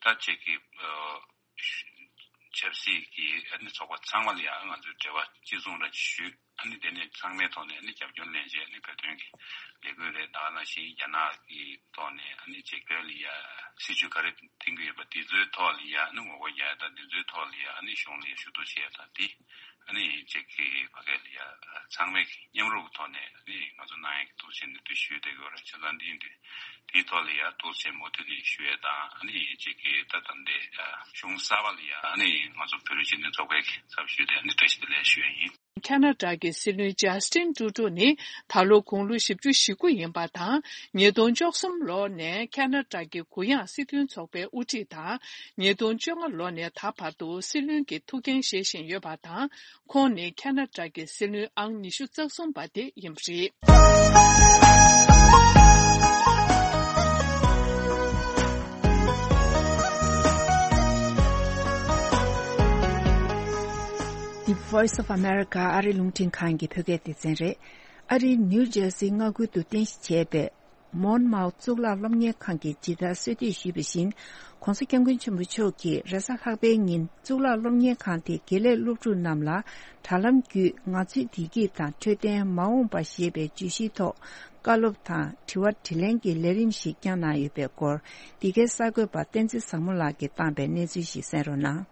ད་གཅིག་གི་ཨ་ཆབ་སྲིད་ཀྱི་ཨ་ནི་ཚོགས་པ་ཚང་མ་ལ་ཡང་ང་ཚོས་འབྲེལ་བ་གཅིག་མཚུངས་ར་ཞུས། ཨ་ནི་དེ་ནས་ཚང་མའི་ཐོག་ནས་ཨ་ནི་རྒྱབ་སྐྱོར་ལེན་བྱས་ཨ་ནི་བོད་དོན་གྱི་ལས་འགུལ་རེད། ད་ག་ནང་བཞིན་རྒྱ་ནག་གི་ཐོག་ནས་ཨ་ནི་ཅིག་བོད་ལ་ཡ་སྲིད་ཇུས་ག་རེ་འཐེན་གྱི་ཡོད་པ་དེ་ཚོའི་ཐོག་ལ་ཡ་ཨ་ནི་ངོ་རྒོལ་རྒྱག་ཡ་དང་དེ་ཚོའི་ཐོག་ལ་ཡ་ཨ་ནི་གཞུང་ལ་ཡ་ཞུ་གཏུག་བྱེད་ཡ་དང་དེ་ཨ་ནི་ཅིག་གི་ཕ་གི་ལ་ཡ་ཚང་མས་མཉམ་རུབ་ཐོག་ནས་ཨ་ནི་ང་ཚོ་གནང་ཡ་གི་འདུག་བྱས་ནས་དུ་ཞུས་བསྡད་ཡོད་རེད། བྱས་ཙང་འདི་ཡིན་དུས། དེའི་ཐོག་ལ་ཡང་འདུག་སེ་མུ་མཐུད་ནས་ཞུ་ཡས་དང་ཨ་ནི་གཅིག་གི་ད་ད་ལྟའི་གཞུང་གསར་པ་ལ་ཡང་ཨ་ནི་ང་ཚོ་བོད་རིགས་སྤྱི་མཐུན་ཚོགས་པའི་ཚབ་ཞུས་ཏེ་ཨ་ནི་བཀྲ་ཤིས་བདེ་ལེགས་ཞུ་ཡས་ཡིན། ཁ་ན་ཌ་གི་སྲིད་བློན་ཇ་སི་ཊིན་ཀྲུ་ཌོ་ནི་ད་ལོ་དགུང་ལོ་བཞི་བཅུ་ཞེ་དགུ་ཡིན་པ་དང་། ཉིས་སྟོང་བཅུ་གསུམ་ལོ་ནས་ཁ་ན་ཌ་གི་གུ་ཡངས་སྲིད་དོན་ཚོགས་པའི་དབུ་ཁྲིད་དང་། ཉིས་སྟོང་བཅོ་ལྔ་ལོ་ནས་ད་བར་དུ་སྲིད་བློན་གྱི་ཐུགས་འགན་བཞེས་བཞིན་ཡོད་པ་དང་། ཁོང་ནི་ཁ་ན་ཌ་གི་སྲིད་བློན་ཨང་ཉི་ཤུ་རྩ་གསུམ་པ་དེ་ཡིན་པ་རེད། The Voice of America ཨ་རི་རླུང་འཕྲིན་ཁང་གི་བོད་སྐད་སྡེ་ཚན་རེད། ཨ་རིའི་ནིའུ་ཇར་སིའི་མངའ་ཁུལ་དུ་རྟེན་གཞི་བྱས་པའི་མོན་མའོ་གཙུག་ལག་སློབ་གཉེར་ཁང་གིས་ཇི་ལྟར་གསོལ་འདེབས་ཞུས་པ་བཞིན། ྋགོང་ས་ྋསྐྱབས་མགོན་ཆེན་པོ་མཆོག་གིས་རེས་གཟའ་ལྷག་པའི་ཉིན་གཙུག་ལག་སློབ་གཉེར་ཁང་དེའི་དགེ་ལས་སློབ་ཕྲུག་རྣམས་ལ་དྲ་ལམ་བརྒྱུད་ང་ཚོའི་བདེ་སྐྱིད་དང་འཕྲོད་བསྟེན་མ་འོངས་པ་ཞེས་པའི་བརྗོད་གཞིའི་ཐོག་བཀའ་སློབ་དང་དྲི་བ་དྲིས་ལན་གྱི་ལས་རིམ་ཞིག་བསྐྱངས་གནང་ཡོད་པའི་སྐོར། འདི་གའི་གསར་འགོད་པ་བསྟན་འཛིན་བཟང་མོ་ལགས་ཀྱིས་བཏང་པའི་གནས་ཚུལ་ཞིག་གསན་རོགས་གནང་།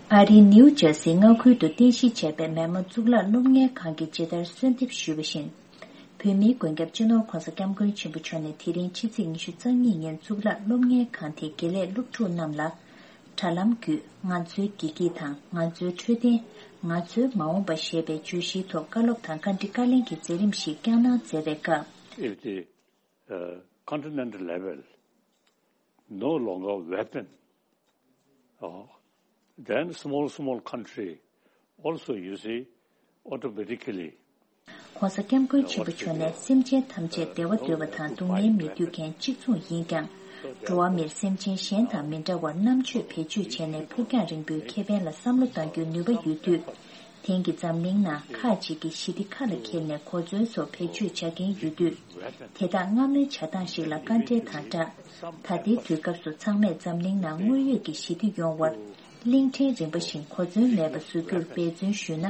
ཨ་རིའི་ནིའུ་ཇར་སིའི་མངའ་ཁུལ་དུ་རྟེན་གཞི་བྱས་པའི་མོན་མའོ་གཙུག་ལག་སློབ་གཉེར་ཁང་གིས་ཇི་ལྟར་གསོལ་འདེབས་ཞུས་པ་བཞིན། བོད་མིའི་མགོན་སྐྱབས་སྤྱི་ནོར་༧གོང་ས་༧སྐྱབས་མགོན་ཆེན་པོ་མཆོག་ནས་དེ་རིང་ཕྱི་ཚེས་ཉི་ཤུ་རྩ་གཉིས་ཉིན་གཙུག་ལག་སློབ་གཉེར་ཁང་དེའི་དགེ་ལས་སློབ་ཕྲུག་རྣམས་ལ་དྲ་ལམ་བརྒྱུད་ང་ཚོའི་བདེ་སྐྱིད་དང་ང་ཚོའི་འཕྲོད་བསྟེན། ང་ཚོའི་མ་འོངས་པ་ཞེས་པའི་བརྗོད་གཞིའི་ཐོག་བཀའ་སློབ་དང་བཀའ་འདྲི་བཀའ་ལན་གྱི་མཛད་རིམ་ཞིག་བསྐྱངས་གནང་མཛད་པའི་སྐབས། If the uh, continental level no longer weapon, uh, then small, small country also, you see, automatically. ྋགོང་ས་ྋསྐྱབས་མགོན་ཆེན་པོ་མཆོག་ནས་སེམས་ཅན་ཐམས་ཅད་བདེ་བ་འདོད་པ་དང་སྡུག་བསྔལ་མི་འདོད་མཁན་གཅིག་མཚུངས་ཡིན་ཀྱང་། འགྲོ་བ་མིར་སེམས་ཅན་གཞན་དང་མི་འདྲ་བར་རྣམ་དཔྱོད་བེད་སྤྱོད་བྱས་ནས་ཕུགས་རྒྱང་རིང་པོའི་ཁེ་ཕན་ལ་བསམ་བློ་གཏང་རྒྱུའི་ནུས་པ་ཡོད་དུས། དེང་གི་འཛམ་གླིང་ནང་ཁག་ཅིག་གིས་ཞི་བདེ་ཁ་ལ་འཁྱེར་ནས་གོ་མཚོན་སོགས་བེད་སྤྱོད་བྱ་མཁན་ཡོད་དུས། དེ་དག་སྔ་མོའི་བྱ་སྟངས་ཤིག་ལ་དཀའ་འགྲེལ་དང་སྦྲགས། ད་ལྟའི་དུས་སྐབས་སུ་ཚང་མས་འཛམ་གླིང་ནང་དངོས་ཡོད་ཀྱི་ཞི་བདེ་ཡོང་བར། གླིང་ཕྲན་རིམ་པ་བཞིན་གོ་མཚོན་མེད་པ་བཟོ་རྒྱུར་འབད་བརྩོན་ཞུས་ན།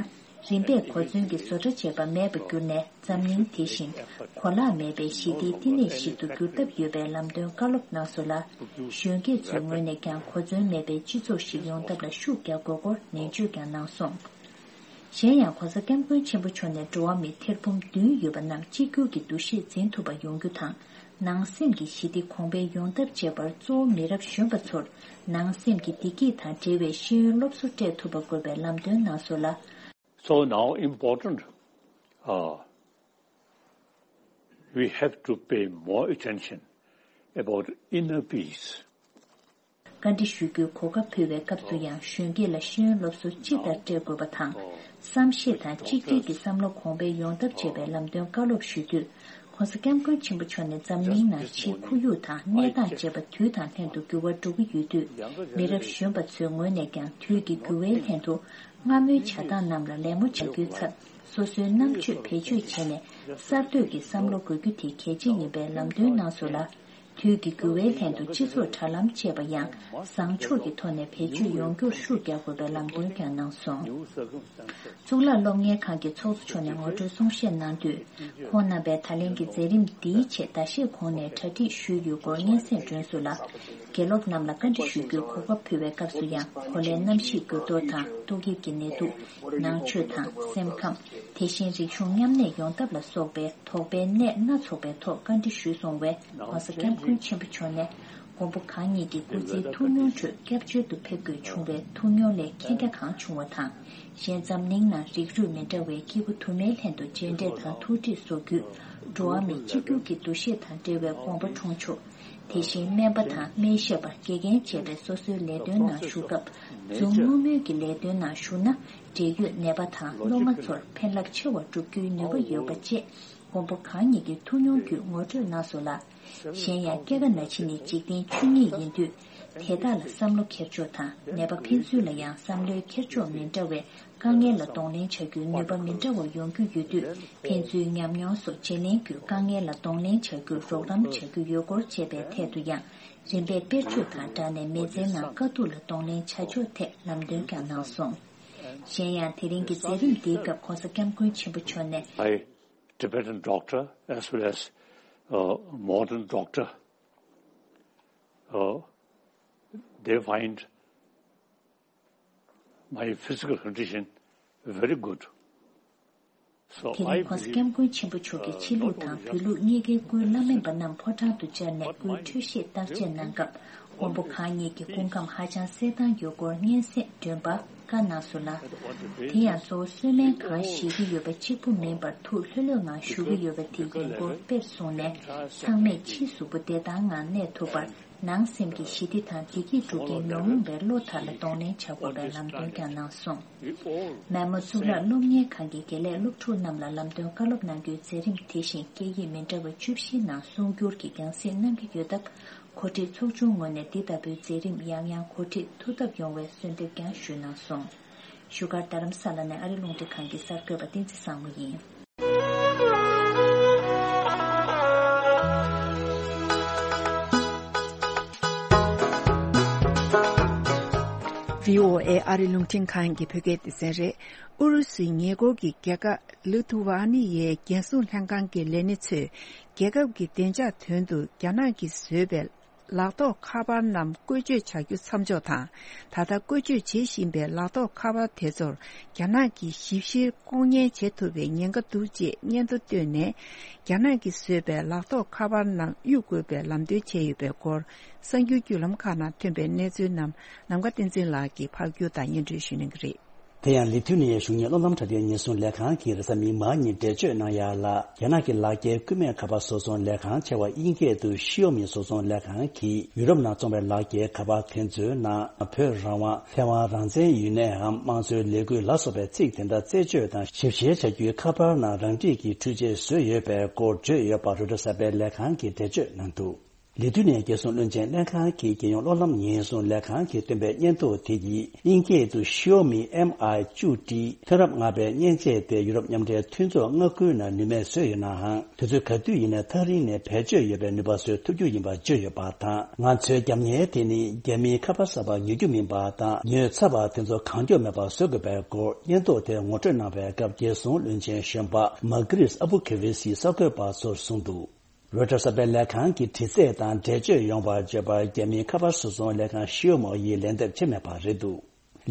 རིམ་པས་གོ་མཚོན་གྱི་བཟོ་གྲྭ་བྱས་པ་མེད་པར་གྱུར་ནས། འཛམ་གླིང་དེ་བཞིན་གོ་ལག་མེད་པའི་ཞི་བདེའི་བསྟི་གནས་ཤིག་ཏུ་འགྱུར་ཐབས་ཡོད་པའི་ལམ་སྟོན་བཀའ་སློབ་གནང་སོང་ལ། གཞོན་སྐྱེས་ཚོའི་ངོས་ནས་ཀྱང་གོ་མཚོན་མེད་པའི་སྤྱི་ཚོགས་ཤིག་ཡོང་ཐབས་ལ་ཤུགས་རྒྱག་དགོས་སྐོར་ནན་བརྗོད་ཀྱང་གནང་སོང་། གཞན་ཡང་༧གོང་ས་༧སྐྱབས་མགོན་ཆེན་པོ་མཆོག་ནས་འགྲོ་བ་མི་ཐེར་འབུམ་བདུན་ཡོད་པ་རྣམས་གཅིག་གྱུར་གྱི་འདུ་ཤེས་འཛིན་ཐུབ་པ་ཡོང་རྒྱུ་དང་། ནང་སེམས་ཀྱི་ཞི་བདེ་གོང་འཕེལ་ཡོང་ཐབས་བྱེད་པར་གཙོ་བོ་མི་རབས་གཞོན་པ་ཚོར་ནང་སེམས་ཀྱི་བདེ་སྐྱིད་དང་འབྲེལ་བའི་ཤེས་ཡོན་སློབ་གསོ་སྤྲད་ཐུབ་པ་དགོས་པའི་ལམ་སྟོན་གནང་སོང་ལ། So now important, uh, we have to pay more attention about inner peace. བཀའ་འདྲི་ཞུ་རྒྱུའི་གོ་སྐབས་ཕུལ་བའི་སྐབས་སུ་ཡང་། གཞོན་སྐྱེས་ལ་ཤེས་ཡོན་སློབ་གསོ་ཅི་ལྟར་སྤྲད་དགོས་པ་དང་། བསམ་ཤེས་དང་གཅིག་སྒྲིལ་གྱི་བསམ་བློ་གོང་འཕེལ་ཡོང་ཐབས་བྱེད་པའི་ལམ་སྟོན་བཀའ་སློབ་ཞུ་དུས། ྋགོང་ས་ྋསྐྱབས་མགོན་ཆེན་པོ་མཆོག་ནས་འཛམ་གླིང་ནང་ཕྱིའི་ཁོར་ཡུག་དང་གནས་སྟངས་བཅས་པ་དུས་དང་ལྷན་དུ་འགྱུར་བ་འགྲོ་གི་ཡོད་དུས། མི་རབས་གཞོན་པ་ཚོའི་ངོས་ནས་ཀྱང་དུས་ཀྱི་འགྱུར་བའི་ལྷན་དུ། སྔ་མོའི་བྱ་སྟངས་རྣམས་ལ་ལད་མོ་བྱ་རྒྱུའི་ཚབ། སོ་སོའི་རྣམ་དཔྱོད་བེད་སྤྱོད་བྱས་ནས་གསར་གཏོད་ཀྱི་བསམ་བློ་དགོས་རྒྱུ་དེ་གལ་ཆེ་ཡིན་པའི་ལམ་སྟོན་གནང་སོང་ལ། དུས་ཀྱི་འགྱུར་བའི་ལྷན་དུ་སྤྱི་ཚོགས་དྲ་ལམ་བཅས་པ་ཡང་བཟང་ཕྱོགས་ཀྱི་ཐོག་ནས་བེད་སྤྱོད་ཡོང་རྒྱུར་ཤུགས་རྒྱག་དགོས་པའི་ལམ་སྟོན་ཀྱང་གནང་སོང་། གཙུག་ལག་སློབ་གཉེར་ཁང་གི་ཚོགས་གཙོ་མཆོག་ནས་ངོ་སྤྲོད་གསུང་བཤད་གནང་དུས། ཁོང་རྣམ་པས་ད་ལན་གྱི་མཛད་རིམ་འདིའི་ཆེད་ཟླ་ཤས་གོང་ནས་གྲ་སྒྲིག་ཞུས་ཡོད་སྐོར་སྙན་སེང་བསྒྲོན་སོང་ལ། དགེ་སློབ་རྣམས་ལ་བཀའ་འདྲི་ཞུ་རྒྱུའི་གོ་སྐབས་ཕུལ་བའི་སྐབས་སུ་ཡང་། གོ་ལའི་གནམ་གཤིས་འགྱུར་ལྡོག་དང་ཏོག་དབྱིབས་ཀྱི་ནད་དུག་ནང་ཆོས་དང་སེམས་ཁམས། དེ་བཞིན་རིག་གཞུང་མཉམ་གནས་ཡོང་ཐབས་ལ་སོགས་པའི་དོགས་པའི་གནད་སྣ་ཚོགས་པའི་ཐོག་བཀའ་འདྲི་ཞུས་སོང་བས། ྋགོང་ས་ྋསྐྱབས་མགོན་ཆེན་པོ་མཆོག་ནས་མགོན་པོ་གང་ཉིད་ཀྱི་སྐུ་ཚེའི་ཐུགས་མྱོང་ཁྲོད་སྐྱབས་བཅོལ་དུ་ཕེབས་དགོས་བྱུང་བའི་ཐུགས་མྱོང་ལས་མཁྱེན་རྒྱ་གང་བྱུང་བ་དང་། གཞན་འཛམ་གླིང་ནང་རིགས་རུས་མི་འདྲ་བའི་སྐྱེས་བུ་དུ་མའི་ལྷན་དུ་མཇལ་འཕྲད་དང་ཐུག་འཕྲད་བཟོ་རྒྱུས། འགྲོ་བ་མི་གཅིག་གྱུར་གྱི་འདུ་ཤེས་དང་འབྲེལ་བའི་དགོངས་པ་འཁྲུངས་ཆོག་དེ་བཞིན་སྨན་པ་དང་སྨན་ཞབས་པ། དགེ་རྒན་བཅས་པའི་སོ་སོའི་ལས་དོན་ནང་ཞུགས་སྐབས། འཛུམ་དམུལ་དམུལ་གྱི་ལས་དོན་ནང་ཞུགས་ན། འབྲེལ་ཡོད་ནད་པ་དང་སློབ་མ་ཚོར་ཕན་རླབས་ཆེ་བ་བསྒྲུབ་རྒྱུའི་ནུས་པ་ཡོད་པ་བཅས་མགོན་པོ་གང་ཉིད་ཀྱི་ཐུགས་མྱོང་བརྒྱུད་ངོ་སྤྲོད་གནང་སོང་ལ། གཞན་ཡང་སྐྱེ་རྒ་ན་འཆི་ནི་འཇིག་རྟེན་ཆོས་ཉིད་ཡིན་དུས། དེ་དག་ལ་བསམ་བློ་འཁྱེར་ཕྱོགས་དང་ནད་པ་ཕན་ཚུན་ལ་ཡང་བསམ་བློའི་འཁྱེར་ཕྱོགས་མི་འདྲ་བས། དཀའ་ངལ་ལ་གདོང་ལེན་བྱ་རྒྱུའི་ནུས་པ་མི་འདྲ་བ་ཡོང་རྒྱུ་ཡོད་དུས། ཕན་ཚུན་ཉམས་མྱོང་སོགས་བརྗེ་ལེན་བརྒྱུད་དཀའ་ངལ་ལ་གདོང་ལེན་བྱ་རྒྱུར་རོགས་རམ་བྱ་རྒྱུ་ཡོད་སྐོར་བཅས་པའི་ཐད་དུ་ཡང་། རིམ་པས་དཔེར་བརྗོད་དང་སྦྲགས་ནས་མི་ཚེའི་ནང་དཀའ་སྡུག་ལ་གདོང་ལེན་བྱ་ཕྱོགས་ཐད་ལམ་སྟོན་ཀྱང་གནང་སོང་། གཞན་ཡང་། དེ་རིང་གི་མཛད་རིམ་འདིའི་སྐབས་ྋགོང་ས་ྋསྐྱབས་མགོན་ཆེན་པོ་མཆོག་ནས། By Tibetan doctor as well as, uh, modern doctor, uh, they find my physical condition very good. So དེ་I རིང་ྋགོང་ས་believe, ྋསྐྱབས་མགོན་ཆེན་པོ་མཆོག་གིས་ཕྱི་ལུགས་དང་བོད་ལུགས་གཉིས་ཀའི་སྐུའི་བླ་སྨན་པ་རྣམས་ཕོ་བྲང་དུ་བཅར་ནས་སྐུའི་འཕྲོད་བཞེས་བརྟག་དཔྱད་གནང་སྐབས། མགོན་པོ་གང་ཉིད་ཀྱི་སྐུ་ཁམས་ཧ་ཅང་གསལ་ཐང་ཡོད་སྐོར་སྙན་སེང་བསྒྲོན་པ། བཀའ་གནང་སོང་ལ། དེ་ཡང་གཙོ་བོ་གསོལ་སྨན་གང་བཞེས་ཀྱི་ཡོད་པ་གཅིག་པུ་མིན་པར་ཐུགས་ལྷོད་ལྷོད་ངང་བཞུགས་ཀྱི་ཡོད་པ་དེ་ཡིན་སྐོར་དཔེར་བཟུང་ནས། ཚང་མས་ཕྱིའི་གཟུགས་པོ་བདེ་ཐང་ངང་གནས་ཐུབ་པར། ནང་སེམས་ཀྱི་ཞི་བདེ་དང་བདེ་སྐྱིད་སྒྲུབ་མཁན་ཉོན་མོངས་པའི་བློ་དག་ལ་གདོང་ལེན་བྱ་དགོས་པའི་ལམ་སྟོན་ཀྱང་གནང་སོང་། མེ་མོ་གཙུག་ལག་སློབ་གཉེར་ཁང་གི་དགེ་ལས་སློབ་ཕྲུག་རྣམས་ལ་ལམ་སྟོན་བཀའ་སློབ་གནང་རྒྱུའི་མཛད་རིམ་དེ་བཞིན་སྐད་ཡིག་མི་འདྲ་བ་བཅུ་བཞིའི་ནང་གསུང་སྒྱུར་གྱི་རྒྱང་སྲིང་གནང་གི་ཡོད་སྟབས། གོ་སྒྲིག་ཚོགས་ཆུང་ངོས་ནས་འདི་ལྟ་བུའི་མཛད་རིམ་ཡང་ཡང་གོ་སྒྲིག་ཐུབ་ཐབས་ཡོང་བའི་གསོལ་འདེབས་ཀྱང་ཞུས་གནང་སོང་། བཞུགས་སྒར་རྡ་རམ་ས་ལ་ནས་ཨ་རི་རླུང་འཕྲིན་ཁང་གི་གསར་འགོད་པ་བསྟན་འཛིན་བཟང་མོ་ཡིན། བྷི་ཨོ་ཨེ་ཨ་རི་རླུང་འཕྲིན་ཁང་གི་བོད་སྐད་སྡེ་ཚན་རེད། ཨུ་རུ་སུའི་ཉེ་འཁོར་གྱི་རྒྱལ་ཁབ་ལི་ཐུ་ཝ་ནི་ཡའི་རྒྱལ་སྲུང་ལྷན་ཁང་གི་ལས་སྣེ་ཚོས། རྒྱལ་ཁབ་ཀྱི་བདེ་འཇགས་དོན་དུ་རྒྱ་ནག་གིས་བཟོས་པའི་ལག་ཐོགས་ཁ་པར་རྣམས་བཀོལ་སྤྱོད་བྱ་རྒྱུ་མཚམས་འཇོག་དང་། ད་ལྟ་བཀོལ་སྤྱོད་བྱེད་བཞིན་པའི་ལག་ཐོགས་ཁ་པར་དེ་ཚོར་རྒྱ་ནག་གིས་ཞིབ་བཤེར་ལྐོག་ཉན་བྱེད་ཐུབ་པའི་ཉེན་ཁ་འདུག་ཅེས་སྙན་ཐོ་བཏོན་ནས། རྒྱ་ནག་གིས་བཟོས་པའི་ལག་ཐོགས་ཁ་པར་རྣམས་གཡུག་དགོས་པའི་ལམ་སྟོན་བྱས་ཡོད་པའི་སྐོར། གསར་འགྱུར་བརྒྱུད་ལམ་ཁག་ནང་ཐོན་པའི་གནས་ཚུལ་རྣམས་ནམ་མཁའ་བསྟན་འཛིན་ལགས་ཀྱིས་ཕབ་སྒྱུར་དང་སྙན་སྒྲོན་ཞུ་གནང་གི་རེད། དེ་ཡང་ལི་ཐུ་ནི་ཡའི་གཞུང་གཉེར་སློབ་ལམ་དྲ་རྒྱའི་ཉེན་སྲུང་ལས་ཁང་གིས་རེས་གཟའ་མིག་དམར་ཉིན་འགྲེལ་བརྗོད་གནང་ཡ་ལ། རྒྱ་ནག་གི་ལག་འཁྱེར་སྐུད་མེད་ཁ་པར་བཟོ་ཚོང་ལས་ཁང་ཆེ་བ་དབྱིན་སྐད་དུ་ཤིའོ་མི་བཟོ་ཚོང་ལས་ཁང་གིས་ཡུ་རོབ་ནང་བཙོང་བའི་ལག་འཁྱེར་ཁ་པར་དེ་ཚོའི་ནང་བོད་རང་དབང་ཐའེ་ཝན་རང་བཙན་ཡུན་ནའམ་དམངས་གཙོའི་ལས་འགུལ་ལ་སོགས་པའི་ཚིག་དེ་འདྲ་རྩད་གཅོད་དང་ཞིབ་བཤེར་བྱ་རྒྱུའི་ཁ་པར་ནང་རང་འཁྲིས་ཀྱི་འཕྲུལ་ཆས་བཟོས་ཡོད་པའི་སྐོར་བརྗོད་ཡོད་པ་རོའི་ཊར་གསར་པའི་ལས་ཁང་གིས་འགྲེལ་བརྗོད་གནང་འདུག་ལི་ཐུ་ནི་ཡའི་རྒྱལ་སྲུང་བློན་ཆེན་ལྷན་ཁང་གི་རྒྱལ་ཡོངས་གློག་ལམ་ཉེན་སྲུང་ལས་ཁང་གིས་བཏོན་པའི་སྙན་ཐོ་དེ་ཡིས་དབྱིན་སྐད་དུ་Xiaomi Mi བཅུ་ཏི་ཐོན་རབས་ལྔ་པའི་མཉེན་ཆས་དེ་ཡུ་རོབ་མཉམ་འབྲེལ་མཐུན་ཚོགས་མངའ་ཁུལ་ནང་ནུས་མེད་བཟོས་ཡོད་ནའང་། དུས་ཚོད་ག་དུས་ཡིན་ནའི་ཐག་རིང་ནས་བེད་སྤྱོད་ཡོད་པའི་ནུས་པ་བཟོ་ཐུབ་རྒྱུ་ཡིན་པ་བརྗོད་ཡོད་པ་དང་། ང་ཚོའི་རྒྱབ་གཉེར་དེ་ནི་རྒྱ་མིའི་ཁ་པར་གསར་པ་ཉོ་རྒྱུ་མིན་པ་དང་། ཉོས་ཚར་བ་དེ་ཚོ་གང་མགྱོགས་མེད་པར་བཟོ་དགོས་པའི་སྐོར་སྙན་ཐོ་དེ་ངོ་སྤྲོད་གནང་བའི་སྐབས། རྒྱལ་སྲུང་བློན་ཆེན་གཞོན་པ་མར་ཀི་རིས་ཨ་བུ་ཁེ་ཝེ་སིས་གསར་འགོད་པ་ཚོར་གསུངས་འདུག་རོའི་ཊར་གསར་པའི་ལས་ཁང་གི་དྲི་རྩད་དང་འགྲེལ་བརྗོད་ཡོང་བར་བརྗོད་པར། རྒྱ་མིའི་ཁ་པར་བཟོ་ཚོང་ལས་ཁང་ཤིའོ་མོ་ཡིས་ལན་འདེབས་བྱས་མེད་པ་རེད་འདུག་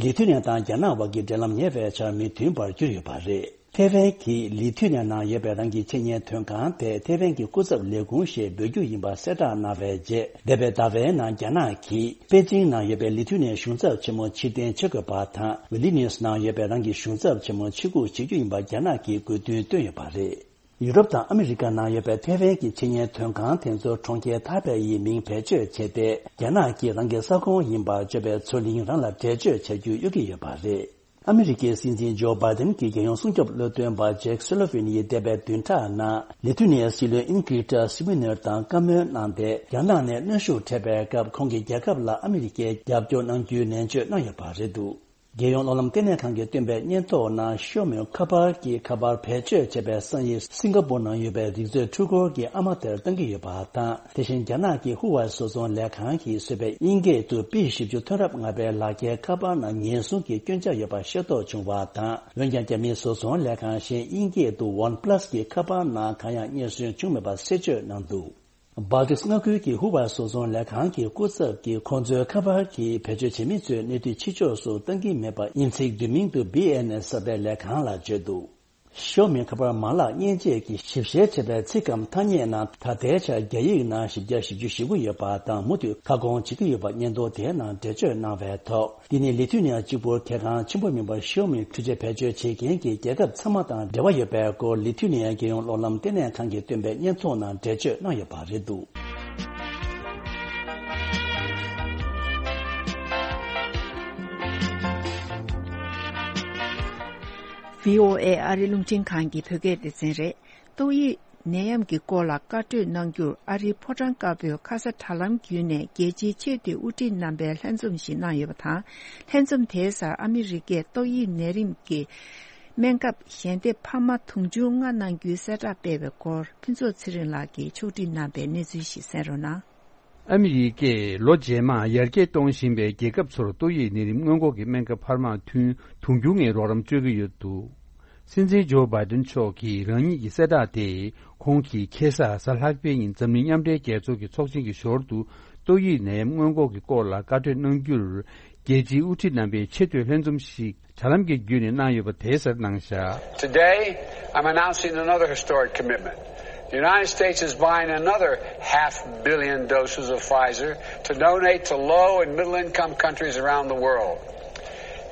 ལི་ཐུ་ནི་ཡ་དང་རྒྱ་ནག་དབར་གྱི་འབྲེལ་ལམ་ཉེ་བའི་ཆར་མི་མཐུན་པར་གྱུར་ཡོད་པ་རེད། ཐེ་ཝན་གྱིས་ལི་ཐུ་ནི་ཡ་ནང་ཡོད་པའི་རང་གི་ཆེད་གཉེར་དོན་ཁང་དེ་ཐེ་ཝན་གྱི་སྐུ་ཚབ་ལས་ཁུངས་ཞེས་འབོད་རྒྱུ་ཡིན་པ་གསལ་བསྒྲགས་གནང་བའི་རྗེས། འདས་པའི་ཟླ་བའི་ནང་རྒྱ་ནག་གིས་པེ་ཅིང་ནང་ཡོད་པའི་ལི་ཐུ་ནི་ཡའི་གཞུང་ཚབ་ཆེན་མོ་ཕྱིར་འཐེན་བྱེད་དགོས་པ་དང་། ཝི་ལི་ནིས་ནང་ཡོད་པའི་རང་གི་གཞུང་ཚབ་ཆེན་མོ་ཕྱིར་འགུག་བྱེད་རྒྱུ་ཡིན་པ་རྒྱ་ནག་གིས་དགོས་འདུན་བཏོན་ཡོད་པ་རེད། ཡུ་རོབ་དང་ཨ་མི་རི་ཀ་ནང་ཡོད་པའི་ཐེ་ཝན་གྱི་ཆེད་གཉེར་དོན་ཁང་དེ་ཚོར་གྲོང་ཁྱེར་ཐའེ་པེ་ཡི་མིང་བེད་སྤྱོད་བྱས་ཏེ། རྒྱ་ནག་གིས་རང་གི་ས་ཁོངས་ཡིན་པར་བརྗོད་པའི་མཚོ་གླིང་རང་ལ་འགྲེལ་བརྗོད་བྱ་རྒྱུར་གཡོལ་གྱི་ཡོད་པ་རེད། ཨ་མི་རི་ཀའི་སྲིད་འཛིན་ཇོ་བྷའི་ཏིན་གྱི་རྒྱལ་ཡོངས་སྲུང་སྐྱོབ་བློ་འདོན་པ་ཇེག་སུ་ལོ་ཝིན་ཡིས་འདས་པའི་བདུན་ཕྲག་ནང་ལི་ཐུ་ནི་ཡའི་སྲིད་བློན་ཨིན་གྷི་ཊ་སི་ཝི་ནེར་དང་བཀའ་མོལ་གནང་སྟེ། རྒྱ་ནག་ནས་གནོན་ཤུགས་འཕྲད་པའི་སྐབས། ཁོང་གི་རྒྱལ་ཁབ་ལ་ཨ་མི་རི་ཀས་རྒྱབ་སྐྱོར་གནང་རྒྱུའི་ནན་བརྗོད་གནང་ཡོད་པ་རེད་འདུག་རྒྱལ་ཡོངས་གློག་ལམ་ལྟེ་གནས་ཁང་གིས་བཏོན་པའི་སྙན་ཐོ་ནང་ཤོ་མོའི་ཁ་པར་གྱི་ཁ་པར་བེད་སྤྱོད་བྱས་པའི་སང་ཉིན་སིང་ག་པོར་ནང་ཡོད་པའི་རིག་མཛོད་འཕྲུལ་འཁོར་གྱི་ཨ་མ་དེར་བཏང་གི་ཡོད་པ་དང་། དེ་བཞིན་རྒྱ་ནག་གི་ཧུ་ཝའེ་བཟོ་ཚོང་ལས་ཁང་གིས་བཟོས་པའི་དབྱིན་སྐད་དུ་པི་བཞི་བཅུ་ཐོན་རབས་ལྔ་པའི་ལག་འཁྱེར་ཁ་པར་ནང་ཉེན་སྲུང་གི་སྐྱོན་ཆ་ཡོད་པ་ཤེས་རྟོགས་བྱུང་བ་དང་། འོན་ཀྱང་རྒྱ་མིའི་བཟོ་ཚོང་ལས་ཁང་གཞན་དབྱིན་སྐད་དུ་ཝན་པ་ལ་སི་གི་ཁ་པར་ནང་གང་ཡང་རྙེད་སོན་བྱུང་མེད་པ་གསལ་བརྗོད་གནང་འདུག་བལ་ཏིག་མངའ་ཁུལ་གྱི་ཧུ་ཝའེ་བཟོ་ཚོང་ལས་ཁང་གི་སྐུ་ཚབ་ཀྱིས་ཁོང་ཚོའི་ཁ་པར་གྱི་བེད་སྤྱོད་བྱེད་མི་ཚོའི་གནས་དུས་ཕྱི་ཕྱོགས་སུ་གཏང་གི་མེད་པ་ཡིན་ཚིག་བསྡུས་མིང་དུ་བི་ཨེན་ཨེལ་གསར་པའི་ལས་ཁང་ལ་བརྗོད་འདུག་ཤོ་མི་ཁ་པར་མ་ལག་མཉེན་ཆས་ཀྱི་ཞིབ་བཤེར་བྱས་པའི་ཚིག་གམ་ཐ་སྙད་ནང་ད་ལྟའི་ཆར་རྒྱ་ཡིག་ནང་བཞི་བརྒྱ་བཞི་བཅུ་ཞེ་དགུ་ཡོད་པ་དང་མུ་མཐུད་ཁ་སྐོང་བྱེད་ཀྱི་ཡོད་པ་སྙན་ཐོ་དེའི་ནང་འགྲེལ་བརྗོད་གནང་བའི་ཐོག་འདི་ནི་ལི་ཐུ་ནི་ཡ་གཅིག་པུར་གལ་འགངས་ཆེན་པོ་མིན་པར་ཤོ་མི་འཕྲུལ་ཆས་བེད་སྤྱོད་བྱེད་མཁན་གྱི་རྒྱལ་ཁབ་ཚང་མ་དང་འབྲེལ་བ་ཡོད་པའི་སྐོར་ལི་ཐུ་ནི་ཡའི་རྒྱལ་ཡོངས་གློག་ལམ་ལྟེ་གནས་ཁང་གིས་བཏོན་པའི་སྙན་ཐོ་ནང་འགྲེལ་བརྗོད་གནང་ཡོད་པ་རེད་འདུག་བྷི་ཨོ་ཨེ་ཨ་རི་རླུང་འཕྲིན་ཁང་གི་བོད་སྐད་སྡེ་ཚན་རེད། ཏོག་དབྱིབས་ནད་ཡམས་ཀྱི་སྐོར་ལ་བཀའ་གྲོས་གནང་རྒྱུར་ཨ་རིའི་ཕོ་བྲང་དཀར་པོའི་ཁ་ས་དྲ་ལམ་བརྒྱུད་ནས་རྒྱལ་སྤྱིའི་ཆེས་མཐོའི་དབུ་ཁྲིད་རྣམ་པའི་ལྷན་འཛོམས་ཤིག་གནང་ཡོད་པ་དང་། ལྷན་འཛོམས་དེའི་སར་ཨ་མི་རི་ཀས་ཏོག་དབྱིབས་ནད་རིམས་ཀྱི་སྨན་ཁབ་ཞལ་འདེབས་འཕར་མ་དུང་ཕྱུར་ལྔ་གནང་རྒྱུའི་གསལ་བསྒྲགས་སྤེལ་བའི་སྐོར། ཕུན་ཚོགས་ཚེ་རིང་ལགས་ཀྱིས་ཕྱོགས་སྒྲིག་གནང་པའི་གནས་ཚུལ་ཞིག་གསན་རོགས་གནང་། ཨ་མི་རི་ཀས་ལོ་རྗེས་མར་ཡར་རྒྱས་གཏོང་བཞིན་པའི་རྒྱལ་ཁབ་ཚོར་ཏོག་དབྱིབས་ནད་རིམས་སྔོན་འགོག་གི་སྨན་ཁབ་འཕར་མ་ཐུན་དུང་ཕྱུར་ལྔའི་རོགས་རམ་སྤྲོད་ཀྱི་ཡོད་འདུག་སྲིད་འཛིན་ཇོ་བྷའི་ཏིན་མཆོག་གིས་རང་ཉིད་ཀྱི་གསལ་བསྒྲགས་དེ་ཁོང་གིས་ཁ་སང་གཟའ་ལྷག་པའི་ཉིན་འཛམ་གླིང་མཉམ་འབྲེལ་རྒྱལ་ཚོགས་ཀྱི་ཚོགས་ཆེན་གྱི་ཞོར་དུ་ཏོག་དབྱིབས་ནད་ཡམས་སྔོན་འགོག་གི་སྐོར་ལ་བཀའ་གྲོས་གནང་རྒྱུར། རྒྱལ་སྤྱིའི་དབུ་ཁྲིད་རྣམ་པའི་ཆེས་མཐོའི་ལྷན་འཛོམས་ཤིག་དྲ་ལམ་གྱི་བརྒྱུད་ནས་གནང་ཡོད་པ་དེའི་སར་གནང་བཞག Today, I'm announcing another historic commitment. The United States is buying another half billion doses of Pfizer to donate to low and middle income countries around the world.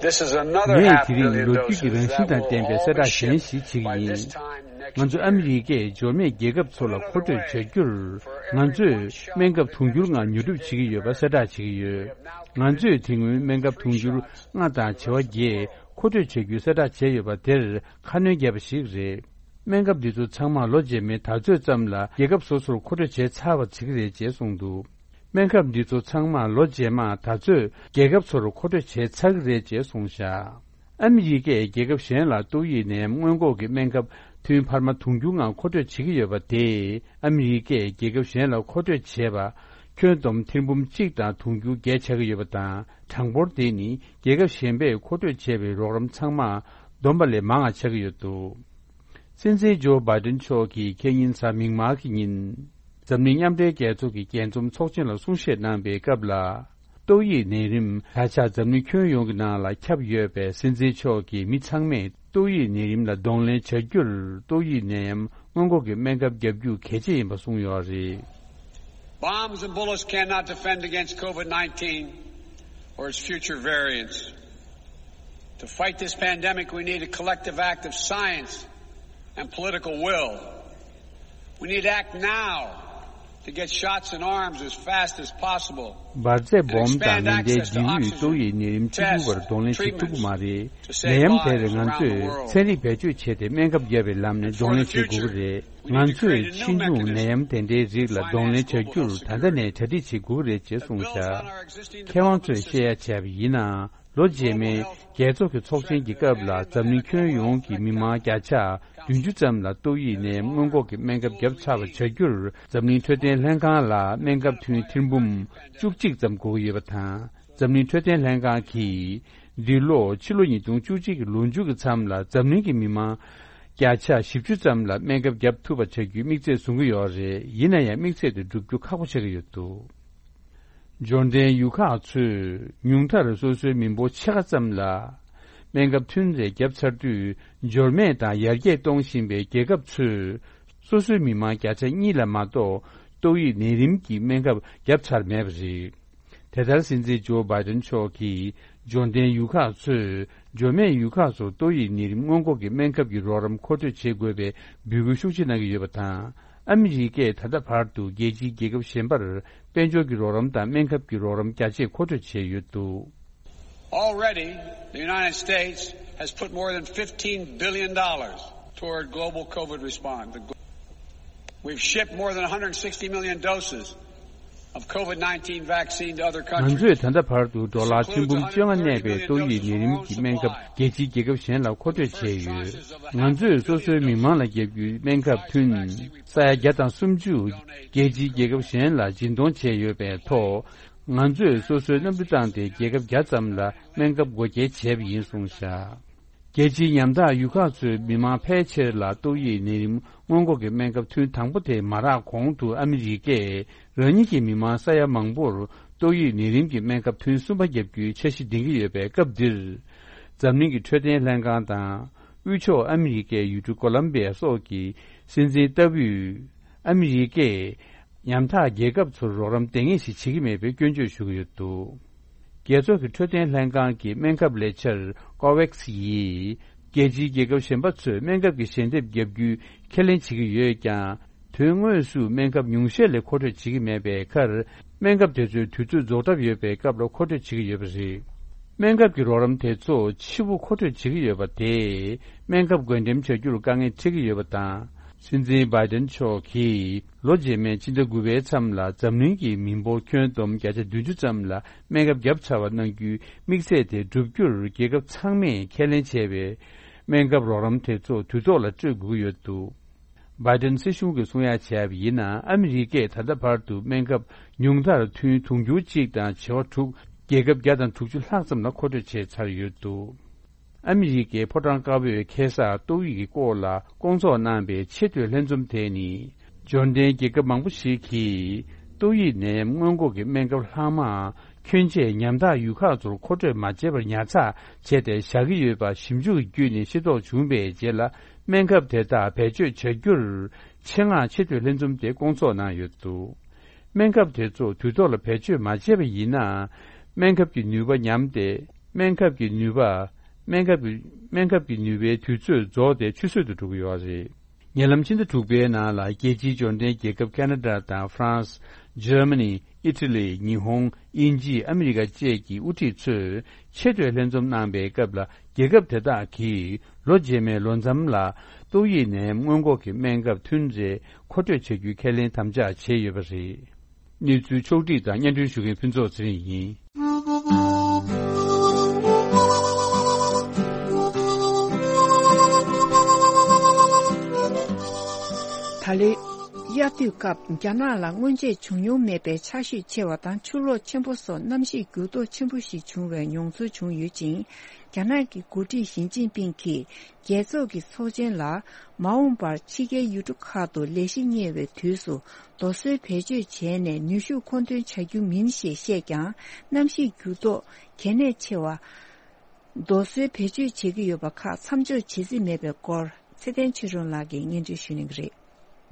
This is another ངས half དེ་རིང་billion ལོ་རྒྱུས་ཀྱི་doses རང་བཞིན་དང་ལྡན་པའི་གསལ་བསྒྲགས་གཞན་ཞིག་བྱེད་ཀྱི་ཡིན། ང་ཚོ་ཨ་མི་རི་ཀས་འབྱོར་མེད་རྒྱལ་ཁབ་ཚོ་ལ་མཁོ་སྤྲོད་བྱ་རྒྱུར། ང་ཚོས་སྨན་ཁབ་དུང་ཕྱུར་ལྔ་ཉོ་སྒྲུབ་བྱེད་ཀྱི་ཡོད་པ་གསལ་བསྒྲགས་བྱེད་ཀྱི་ཡོད། ང་ཚོས་དེ་སྔོན་སྨན་ཁབ་དུང་ཕྱུར་ལྔ་དང་བྱེ་བ་བརྒྱད་མཁོ་སྤྲོད་བྱ་རྒྱུའི་གསལ་བསྒྲགས་བྱས་ཡོད་པ་དེར་ཁ་སྣོན་བརྒྱབ་པ་ཞིག་རེད། སྨན་ཁབ་འདི་ཚོ་ཚང་མ་ལོ་རྗེས་མའི་ད་ཚོད་ཙམ་ལ་རྒྱལ་ཁབ་སོ་སོར་མཁོ་སྤྲོད་བྱས་ཚར་བ་བྱེད་ཀྱི་རེད་ཅེས་གསུངས་འདུག་སྨན་ཁབ་འདི་ཚོ་ཚང་མ་ལོ་རྗེས་མ་ད་ཚོད་རྒྱལ་ཁབ་ཚོར་མཁོ་སྤྲོད་བྱས་ཚར་གྱི་རེད་ཅེས་གསུངས་བཞག་ཨ་མི་རི་ཀས་རྒྱལ་ཁབ་གཞན་ལ་ཏོག་དབྱིབས་ནད་ཡམས་སྔོན་འགོག་གི་སྨན་ཁབ་ཐུན་འཕར་མ་དུང་ཕྱུར་ལྔ་མཁོ་སྤྲོད་བྱེད་ཀྱི་ཡོད་པ་དེས། ཨ་མི་རི་ཀས་རྒྱལ་ཁབ་གཞན་ལ་མཁོ་སྤྲོད་བྱས་པ་ཁྱོན་བསྡོམས་ཐེར་འབུམ་གཅིག་དང་དུང་ཕྱུར་བརྒྱད་ཆགས་ཀྱི་ཡོད་པ་དང་། གྲངས་འབོར་དེ་ནི་རྒྱལ་ཁབ་གཞན་པས་མཁོ་སྤྲོད་བྱས་པའི་རོགས་རམ་ཚང་མ་བསྡོམས་པ་ལས་མང་བ་ཆགས་ཀྱི་ཡོད་འདུག་སྲིད་འཛིན་ཇོ་བྷའི་ཏིན་མཆོག་གིས་ཁེ་ཉིན་གཟའ་མིག་དམར་གྱི་ཉིན། འཛམ་གླིང་མཉམ་འབྲེལ་རྒྱལ་ཚོགས་ཀྱི་རྒྱས་འཛོམས་ཚོགས་ཆེན་ལ་གསུང་བཤད་གནང་པའི་སྐབས་ལ། ཏོག་དབྱིབས་ནད་རིམས་ད་ཆ་འཛམ་གླིང་ཁྱོན་ཡོངས་ཀྱི་ནང་ལ་ཁྱབ་ཡོད་པས། སྲིད་འཛིན་མཆོག་གིས་མི་ཚང་མས་ཏོག་དབྱིབས་ནད་རིམས་ལ་གདོང་ལེན་བྱ་རྒྱུར། ཏོག་དབྱིབས་ནད་ཡམས་སྔོན་འགོག་གི་སྨན་ཁབ་བརྒྱབ་རྒྱུ་གལ་ཆེ་ཡིན་པ་གསུངས་ཡོད་རེད། Bombs and bullets cannot defend against COVID nineteen or its future variants. To fight this pandemic, we need a collective act of science and political will. We need to act now to get shots in arms as fast as possible. འབར་རྫས་སྦོམ་དང་མེ་མདའི་འཇིགས་ཡུལ་ཏོག་དབྱིབས་ནད་རིམས་འཆི་འཕོ་བར་གདོང་ལེན་བྱེད་ཐུབ་ཀྱི་མ་རེད། ནད་ཡམས་དེར་ང་ཚོས་ཚན་རིག་བེད་སྤྱོད་བྱས་ཏེ་སྨན་ཁབ་བརྒྱབ་པའི་ལམ་ནས་གདོང་ལེན་བྱེད་དགོས་ཀྱི་རེད། ང་ཚོས་ཕྱིས་འབྱུང་ནད་ཡམས་དེ་འདྲའི་རིགས་ལ་གདོང་ལེན་བྱ་རྒྱུར་ད་ལྟ་ནས་གྲ་སྒྲིག་བྱེད་དགོས་ཀྱི་རེད་ཅེས་གསུངས་བཞག་མཁས་དབང་ཚོས་བཤད་ཡ་བྱས་པ་ཡིན་ན། ལོ་རྗེས་མའི་རྒྱལ་ཚོགས་ཀྱི་ཚོགས་ཆེན་གྱི་སྐབས་ལ་འཛམ་གླིང་ཁྱོན་ཡོངས་ཀྱི་མི་མང་བརྒྱ་ཆ་བདུན་ཅུ་ཙམ་ལ་ཏོག་དབྱིབས་ནད་སྔོན་འགོག་གི་སྨན་ཁབ་བརྒྱབ་ཚར་བ་བྱ་རྒྱུར། འཛམ་གླིང་འཕྲོད་བསྟེན་ལྷན་ཁང་ལ་སྨན་ཁབ་ཐུན་ཐེར་འབུམ་བཅུ་གཅིག་ཙམ་དགོས་ཀྱི་ཡོད་པ་དང་། འཛམ་གླིང་འཕྲོད་བསྟེན་ལྷན་ཁང་གིས་འདི་ལོ་ཕྱི་ལོ་ཉིས་སྟོང་བཅུ་གཅིག་གི་ལོ་མཇུག་གི་མཚམས་ལ་འཛམ་གླིང་གི་མི་མང་བརྒྱ་ཆ་བཞི་བཅུ་ཙམ་ལ་སྨན་ཁབ་བརྒྱབ་ཐུབ་པ་བྱ་རྒྱུའི་དམིགས་ཚད་བཟུང་གི་ཡོད་རེད། ཡིན་ན་ཡང་དམིགས་ཚད་དེ་འགྲུབ་རྒྱུ་ཁག་པོ་ཆགས་ཀྱི་ཡོད་འདུག་འབྱོར་ལྡན་ཡུལ་ཁག་ཚོས་ཉུང་མཐར་སོ་སོའི་མི་འབོར་ཕྱེད་ཀ་ཙམ་ལ་སྨན་ཁབ་ཐུན་རེ་བརྒྱབ་ཚར་དུས། འབྱོར་མེད་དང་ཡར་རྒྱས་གཏོང་བཞིན་པའི་རྒྱལ་ཁབ་ཚོས་སོ་སོའི་མི་མང་བརྒྱ་ཆ་གཉིས་ལ་མ་གཏོགས་ཏོག་དབྱིབས་ནད་རིམས་ཀྱི་སྨན་ཁབ་བརྒྱབ་ཚར་མེད་པ་རེད། དེ་ལྟར་སྲིད་འཛིན་ཇོ་བྷའི་ཏིན་མཆོག་གིས་འབྱོར་ལྡན་ཡུལ་ཁག་ཚོས་འབྱོར་མེད་ཡུལ་ཁག་ཚོར་ཏོག་དབྱིབས་ནད་རིམས་སྔོན་འགོག་གི་སྨན་ཁབ་ཀྱི་རོགས་རམ་མཁོ་སྤྲོད་བྱེད་དགོས་པའི་འབོད་སྐུལ་ཤུགས་ཆེ་གནང་གི་ཡོད་པ་དང་། ཨ་མི་རི་ཀས་ད་ལྟ་བར་དུ་རྒྱལ་སྤྱིའི་རྒྱལ་ཁབ་གཞན་པར་དཔལ་འབྱོར་གྱི་རོགས་རམ་དང་སྨན་ཁབ་ཀྱི་རོགས་རམ་རྒྱ་ཆེ་མཁོ་སྤྲོད་བྱས་ཡོད་འདུག Already, the United States has put more than fifteen billion dollars toward global COVID response. The glo- We've shipped more than one hundred sixty million doses of COVID nineteen vaccine to other ང་ཚོས་ད་ལྟ་བར་དུ་ཌོ་ལར་ཁྲི་འབུམ་བཅོ་ལྔ་གནས་པའི་ཏོག་དབྱིབས་ནད་རིམས་ཀྱི་སྨན་ཁབ་རྒྱལ་སྤྱིའི་རྒྱལ་ཁབ་གཞན་ལ་མཁོ་སྤྲོད་བྱས་ཡོད། ང་ཚོས་སོ་སོའི་མི་མང་ལ་བརྒྱབ་རྒྱུའི་སྨན་ཁབ་ཐུན་ས་ཡ་བརྒྱ་དང་སུམ་ཅུ་རྒྱལ་སྤྱིའི་རྒྱལ་ཁབ་གཞན་ལ་སྦྱིན་གཏོང་བྱས་ཡོད་པའི་ཐོག་ང་ཚོས་སོ་སོའི་གནམ་གྲུ་བཏང་སྟེ་རྒྱལ་ཁབ་བརྒྱ་ཙམ་ལ་སྨན་ཁབ་བགོ་སྐྱེལ་བྱས་པ་ཡིན་གསུངས་བཞག་རྒྱལ་སྤྱིའི་ཉམ་ཐག་ཡུལ་ཁག་ཚོའི་མི་མང་ཕལ་ཆེར་ལ་ཏོག་དབྱིབས་ནད་རིམས་སྔོན་འགོག་གི་སྨན་ཁབ་ཐུན་དང་པོ་དེ་མ་རག་གོང་དུ་ཨ་མི་རི་ཀས་རང་ཉིད་ཀྱི་མི་མང་ས་ཡ་མང་པོར་ཏོག་དབྱིབས་ནད་རིམས་ཀྱི་སྨན་ཁབ་ཐུན་གསུམ་པ་བརྒྱབ་རྒྱུའི་འཆར་གཞི་འདིང་གི་ཡོད་པའི་སྐབས་འདིར། འཛམ་གླིང་གི་འཕྲོད་བསྟེན་ལྷན་ཁང་དང་། དབུས་ཕྱོགས་ཨ་མི་རི་ཀའི་ཡུལ་གྲུ་ཀོ་ལམ་བི་ཡ་སོགས་ཀྱི་སྲིད་འཛིན་ལྟ་བུས། ཨ་མི་རི་ཀས་ཉམ་ཐག་རྒྱལ་ཁབ་ཚོར་རོགས་རམ་འདང་ངེས་ཤིག་བྱེད་ཀྱི་མེད་པའི་སྐྱོན་བརྗོད་ཞུ་གི་ཡོད་འདུག་རྒྱལ་ཚོགས་ཀྱི་འཕྲོད་བསྟེན་ལྷན་ཁང་གི་སྨན་ཁབ་ལས་འཆར་ཀོ་ཝེག་སི་ཡིས། རྒྱལ་སྤྱིའི་རྒྱལ་ཁབ་གཞན་པ་ཚོས་སྨན་ཁབ་ཀྱི་ཞལ་འདེབས་བརྒྱབ་རྒྱུའི་ཁས་ལེན་བྱེད་ཀྱི་ཡོད་ཀྱང་། དོན་དངོས་སུ་སྨན་ཁབ་ཉུང་ཤས་ལས་མཁོ་སྤྲོད་བྱེད་ཀྱི་མེད་པའི་ཁར། སྨན་ཁབ་དེ་ཚོའི་དུས་ཚོད་རྫོགས་གྲབས་ཡོད་པའི་སྐབས་ལ་མཁོ་སྤྲོད་བྱེད་ཀྱི་ཡོད་པ་རེད། སྨན་ཁབ་ཀྱི་རོགས་རམ་དེ་ཚོ་ཕྱི་པོ་མཁོ་སྤྲོད་བྱེད་ཀྱི་ཡོད་པ་དེས། སྨན་ཁབ་བགོ་འགྲེམས་བྱ་རྒྱུར་དཀའ་ངལ་འཕྲད་ཀྱི་ཡོད་པ་དང་། སྲིད་འཛིན་བྷའི་ཏིན་མཆོག་གིས། ལོ་རྗེས་མའི་ཕྱི་ཟླ་དགུ་པའི་མཚམས་ལ་འཛམ་གླིང་གི་མི་འབོར་ཁྱོན་བསྡོམས་བརྒྱ་ཆ་བདུན་ཅུ་ཙམ་ལ་སྨན་ཁབ་བརྒྱབ་ཚར་བ་གནང་རྒྱུའི་དམིགས་ཚད་དེ་བསྒྲུབ་རྒྱུར་རྒྱལ་ཁབ་ཚང་མས་ཁས་ལེན་བྱས་པའི་སྨན་ཁབ་རོགས་རམ་དེ་ཚོ་དུས་ཐོག་ལ་སྤྲོད་དགོས་ཀྱི་ཡོད་འདུག་བྷའི་ཏིན་སྲིད་གཞུང་གིས་གསུང་ཡ་བྱས་པ་ཡིན་ན། ཨ་མི་རི་ཀས་ད་ལྟ་བར་དུ་སྨན་ཁབ་ཉུང་མཐར་ཐུན་དུང་ཕྱུར་གཅིག་དང་བྱེ་བ་དྲུག་རྒྱལ་ཁབ་བརྒྱ་དང་དྲུག་ཅུ་ལྷག་ཙམ་ལ་མཁོ་སྤྲོད་བྱས་ཚར་ཡོད་འདུག་ཨ་མི་རི་ཀའི་ཕོ་བྲང་དཀར་པོས་ཁ་སང་ཏོག་དབྱིབས་ཀྱི་སྐོར་ལ་སྐོང་ཚོགས་གནང་པའི་ཆེས་མཐོའི་ལྷན་འཛོམས་དེ་ནི། འབྱོར་ལྡན་རྒྱལ་ཁབ་མང་པོ་ཞིག་གིས་ཏོག་དབྱིབས་ནད་སྔོན་འགོག་གི་སྨན་ཁབ་ལྷག་མ་ཁྱོན་ཆེ་ཉམ་ཐག་ཡུལ་ཁག་ཚོར་མཁོ་སྤྲོད་མ་བྱས་པར་ཉར་ཚགས་བྱས་ཏེ་བཞག་གི་ཡོད་པ་ཞིབ་འཇུག་བརྒྱུད་ནས་ཤེས་རྟོགས་བྱུང་བའི་རྗེས་ལ། སྨན་ཁབ་དེ་དག་བེད་སྤྱོད་བྱ་རྒྱུར་ཆེད་མངགས་ཆེས་མཐོའི་ལྷན་འཛོམས་དེ་སྐོང་ཚོགས་གནང་ཡོད་འདུག་སྨན་ཁབ་དེ་ཚོ་དུས་ཐོག་ལ་བེད་སྤྱོད་མ་བྱས་པ་ཡིན་ན། སྨན་ཁབ་ཀྱི་ནུས་པ་ཉམས་ཏེ། སྨན་ཁབ་ཀྱི་ནུས་པ། སྨན་ཁབ་ཀྱི་སྨན་ཁབ་ཀྱི་ནུས་པའི་དུས་ཚོད་རྫོགས་ཏེ་ཆུད་ཟོས་སུ་འགྲོ་གི་ཡོད་རེད། ཉེ་ལམ་ཕྱི་ཟླ་དྲུག་པའི་ནང་ལ་རྒྱལ་སྤྱིའི་འབྱོར་ལྡན་རྒྱལ་ཁབ་ཁ་ན་ཌ་དང་ཧྥ་རན་སི། འཇར་མ་ནི། ཨི་ཊ་ལི། ཉི་ཧོང་། དབྱིན་ཇི། ཨ་མི་རི་ཀ་བཅས་ཀྱི་དབུ་ཁྲིད་ཚོས་ཆེས་མཐོའི་ལྷན་འཛོམས་གནང་པའི་སྐབས་ལ། རྒྱལ་ཁབ་དེ་དག་གིས་ལོ་རྗེས་མའི་ལོ་མཚམས་ལ་ཏོག་དབྱིབས་ནད་ཡམས་སྔོན་འགོག་གི་སྨན་ཁབ་ཐུན་རེ་མཁོ་སྤྲོད་བྱ་རྒྱུའི་ཁས་ལེན་དམ་བཅའ་བྱས་ཡོད་པ་རེད། གནས་ཚུལ་ཕྱོགས་བསྒྲིགས་དང་སྙན་སྒྲོན་ཞུ་མཁན་ཕུན་ཚོགས་ཚེ་རིང་ཡིན། ད་ལོའི་དབྱར་དུས་སྐབས་རྒྱ་ནག་ལ་སྔོན་ཆད་བྱུང་མྱོང་མེད་པའི་ཆར་ཞོད་ཆེ་བ་དང་ཆུ་ལོག་ཆེན་པོ་སོགས་གནམ་གཤིས་འགྱུར་ལྡོག་ཆེན་པོ་ཞིག་བྱུང་བའི་མྱོང་ཚོར་བྱུང་ཡོད་ཅིང་། རྒྱ་ནག་གི་འགོ་ཁྲིད་ཞི་ཅིན་ཕིང་གིས་རྒྱལ་ཚོགས་ཀྱི་ཚོགས་ཆེན་ལ་མ་འོངས་པར་ཕྱི་རྒྱལ་ཡུལ་གྲུ་ཁག་ཏུ་ལས་གཞི་གཉེར་བའི་དུས་སུ་རྡོ་སོལ་བེད་སྤྱོད་བྱས་ནས་ནུས་ཤུགས་མཁོ་འདོན་བྱ་རྒྱུ་མིན་ཞེས་བཤད་ཀྱང་། གནམ་གཤིས་འགྱུར་ལྡོག་གལ་གནད་ཆེ་བ། རྡོ་སོལ་བེད་སྤྱོད་བྱེད་ཀྱི་ཡོད་པ་ཁག་མཚམས་འཇོག་བྱེད་རྩིས་མེད་པའི་སྐོར་ཚེ་བརྟན་ཆོས་སྒྲོན་ལགས་ཀྱིས་སྙན་སྒྲོན་ཞུ་གནང་གི་རེད།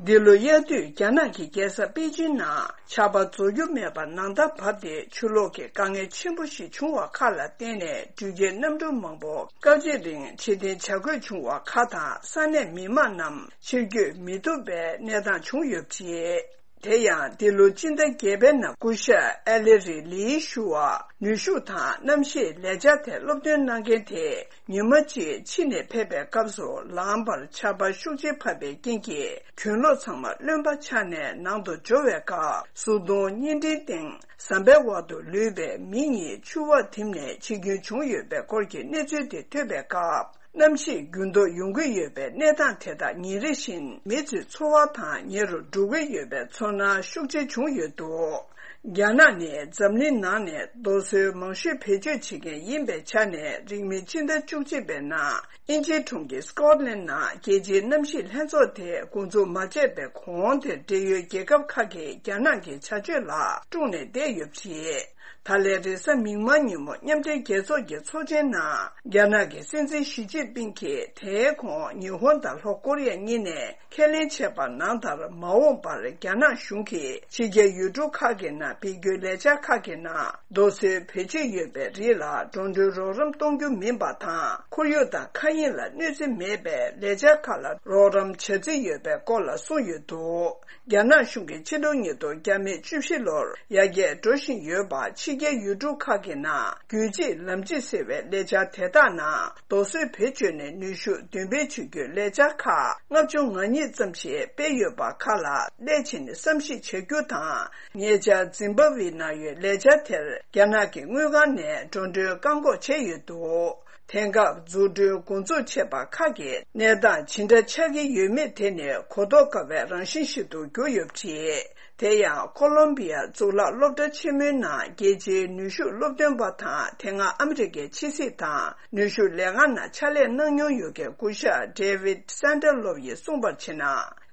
འདི་ལོ་དབྱར་དུས་རྒྱ་ནག་གི་རྒྱལ་ས་པེ་ཅིན་ནང་ཆར་པ་རྫོགས་རྒྱུ་མེད་པར་ནང་ཟླ་བབས་ཏེ་ཆུ་ལོག་གི་དཀའ་ངལ་ཆེན་པོ་ཞིག་བྱུང་བ་ཁག་ལ་བརྟེན་ནས་འགྲུལ་སྐྱེལ་གནམ་གྲུ་མང་པོ་སྐབས་གཅིག་རིང་ཕྱིར་འཐེན་བྱ་དགོས་བྱུང་བ་ཁག་དང་། ས་གནས་མི་མང་རྣམས་ཕྱིར་སྐྱོད་མི་ཐུབ་པའི་གནས་སྟངས་བྱུང་ཡོད་པ་རེད། དེ་ཡང་འདི་ལོ་སྤྱི་ཟླ་བརྒྱད་པའི་ནང་སྐུ་ཞབས་ཨེ་ལེ་རི་ལིས་ཞུ་བ་ནུས་ཤུགས་དང་གནམ་གཤིས་ལས་འཆར་ཐད་སློབ་སྟོན་གནང་མཁན་དེ། ཉི་མ་གཅིག་ཕྱི་ནས་ཕེབས་པའི་སྐབས་སུ་ལམ་བར་ཆར་པ་ཤུགས་ཆེ་བབས་པའི་རྐྱེན་གྱིས་གྱེན་ལོག་ཚང་མ་རློན་པ་ཆགས་ནས་ནང་དུ་འབྱོར་བའི་སྐབས། གཟུགས་མཐོང་བརྙན་འཕྲིན་སྟེང་ཟམ་པའི་འོག་ཏུ་ལུས་པའི་མི་གཉིས་ཆུ་འོག་ཐིམ་ནས་འཆི་སྐྱོན་བྱུང་ཡོད་པའི་སྐོར་གྱི་གནས་ཚུལ་དེ་ཐོས་པའི་སྐབས། གནམ་གཤིས་འགྱུར་ལྡོག་ཡོང་གི་ཡོད་པའི་གནས་སྟངས་དེ་དག་ཉིན་རེ་བཞིན་མི་ཚོའི་འཚོ་བ་དང་ཉེ་རུ་འགྲོ་གི་ཡོད་པའི་ཚོར་སྣང་ཤུགས་ཆེ་བྱུང་ཡོད་འདུག་རྒྱ་ནག་ནི་འཛམ་གླིང་ནང་ནས་རྡོ་སོལ་མང་ཤོས་བེད་སྤྱོད་བྱེད་མཁན་ཡིན་པའི་ཆ་ནས། རིང་མིན་ཕྱི་ཟླ་བཅུ་གཅིག་པའི་ནང་དབྱིན་ཇིའི་གྲོང་ཁྱེར་སྐོཊ་ལན་ནང་རྒྱལ་སྤྱིའི་གནམ་གཤིས་ལྷན་ཚོགས་དེ་འགོ་འཛུགས་མ་བྱས་པའི་གོང་དེར་འབྲེལ་ཡོད་རྒྱལ་ཁབ་ཁག་གིས་རྒྱ་ནག་གི་བྱ་སྤྱོད་ལ་དཀྲུགས་ནས་བསྡད་ཡོད་པ་རེད། ད་ལན་རེས་གཟའ་མིག་དམར་ཉིན་མོ་མཉམ་འབྲེལ་རྒྱལ་ཚོགས་ཀྱི་ཚོགས་ཆེན་ནང་རྒྱ་ནག་གི་སྲིད་འཛིན་ཞི་ཅིན་ཕིང་གིས་དེའི་གོང་ཉི་ཧོང་དང་ལྷོ་ཀོ་རི་ཡ་གཉིས་ནས་ཁས་ལེན་བྱས་པ་ནང་ལྟར། མ་འོངས་པར་རྒྱ་ནག་གཞུང་གིས་ཕྱི་རྒྱལ་ཡུལ་གྲུ་ཁག་གི་ནང་སྦས་སྐུའི་ལས་འཆར་ཁག་གི་ནང་རྡོ་སོལ་བེད་སྤྱོད་ཡོད་པའི་རིགས་ལ་འགྲོ་གྲོན་རོགས་རམ་གཏོང་རྒྱུ་མིན་པ་དང་། ཁོར་ཡུག་དང་མཁའ་དབྱིངས་ལ་གནོད་འཚེ་མེད་པའི་ལས་འཆར་ཁག་ལ་རོགས་རམ་བྱ་རྩིས་ཡོད་པའི་སྐོར་ལ་གསུངས་ཡོད་འདུག་རྒྱ་ནག་གཞུང་གིས་ཕྱི་ལོ་ཉིས་སྟོང་བརྒྱ་མེད་བཅུ་བཞི་ལོར་ཡར་རྒྱས་འགྲོ་བཞིན་ཡོད་པ། ཕྱི་རྒྱལ་ཡུལ་གྲུ་ཁག་གི་ནང་རྒྱུད་གཅིག་ལམ་གཅིག་ཟེར་བའི་ལས་འཆར་དེ་དག་ནང་རྡོ་སོལ་བེད་སྤྱོད་ནས་ནུས་ཤུགས་འདོན་སྤེལ་བྱེད་རྒྱུའི་ལས་འཆར་ཁག་ལྔ་བཅུ་ང་གཉིས་ཙམ་ཞིག་སྤེལ་ཡོད་པ་ཁག་ལ་སླད་ཕྱིན་བསམ་གཞིག་བྱ་རྒྱུ་དང་། ཉེ་ཆར་འཛིམ་བྷ་ཝེའི་ནང་ཡོད་ལས་འཆར་དེར་རྒྱ་ནག་གི་དངུལ་ཁང་ནས་འགྲོ་གྲོན་བཀག་འགོག་བྱས་ཡོད་འདུག་དེང་སྐབས་འཛུགས་སྐྲུན་འགོ་འཛུགས་བྱས་པ་ཁག་གི་གནས་སྟངས་ཇི་འདྲ་ཆགས་ཀྱི་ཡོད་མེད་དེ་ནི་གོ་རྟོགས་དཀའ་བའི་རང་བཞིན་ཞིག་ཏུ་གྱུར་ཡོད་པ་རེད། དེ་ཡང་ཁོ་ལོམ་བི་ཡ་གཙུག་ལག་སློབ་གྲྭ་ཆེན་མོའི་ནང་རྒྱལ་སྤྱིའི་ནུས་ཤུགས་སློབ་སྟོན་པ་དང་། དེ་སྔ་ཨ་མི་རི་ཀའི་ཕྱི་སྲིད་དང་ནུས་ཤུགས་ལས་ཁང་ནང་ཕྱག་ལས་གནང་མྱོང་ཡོད་མཁན་སྐུ་ཞབས་David Sanderlov ཡིས་གསུངས་པར་བྱས་ན།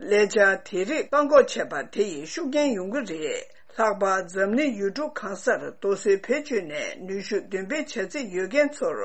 ལས་འཆར་དེ་རིགས་བཀག་འགོག་བྱས་པ་དེ་ཡིས་ཤུགས་རྐྱེན་ཡོང་གི་རེད། ལྷག་པར་འཛམ་གླིང་ཡུལ་གྲུ་གང་སར་རྡོ་སོལ་བེད་སྤྱོད་ནས་ནུས་ཤུགས་འདོན་སྤེལ་བྱ་རྩིས་ཡོད་མཁན་ཚོར་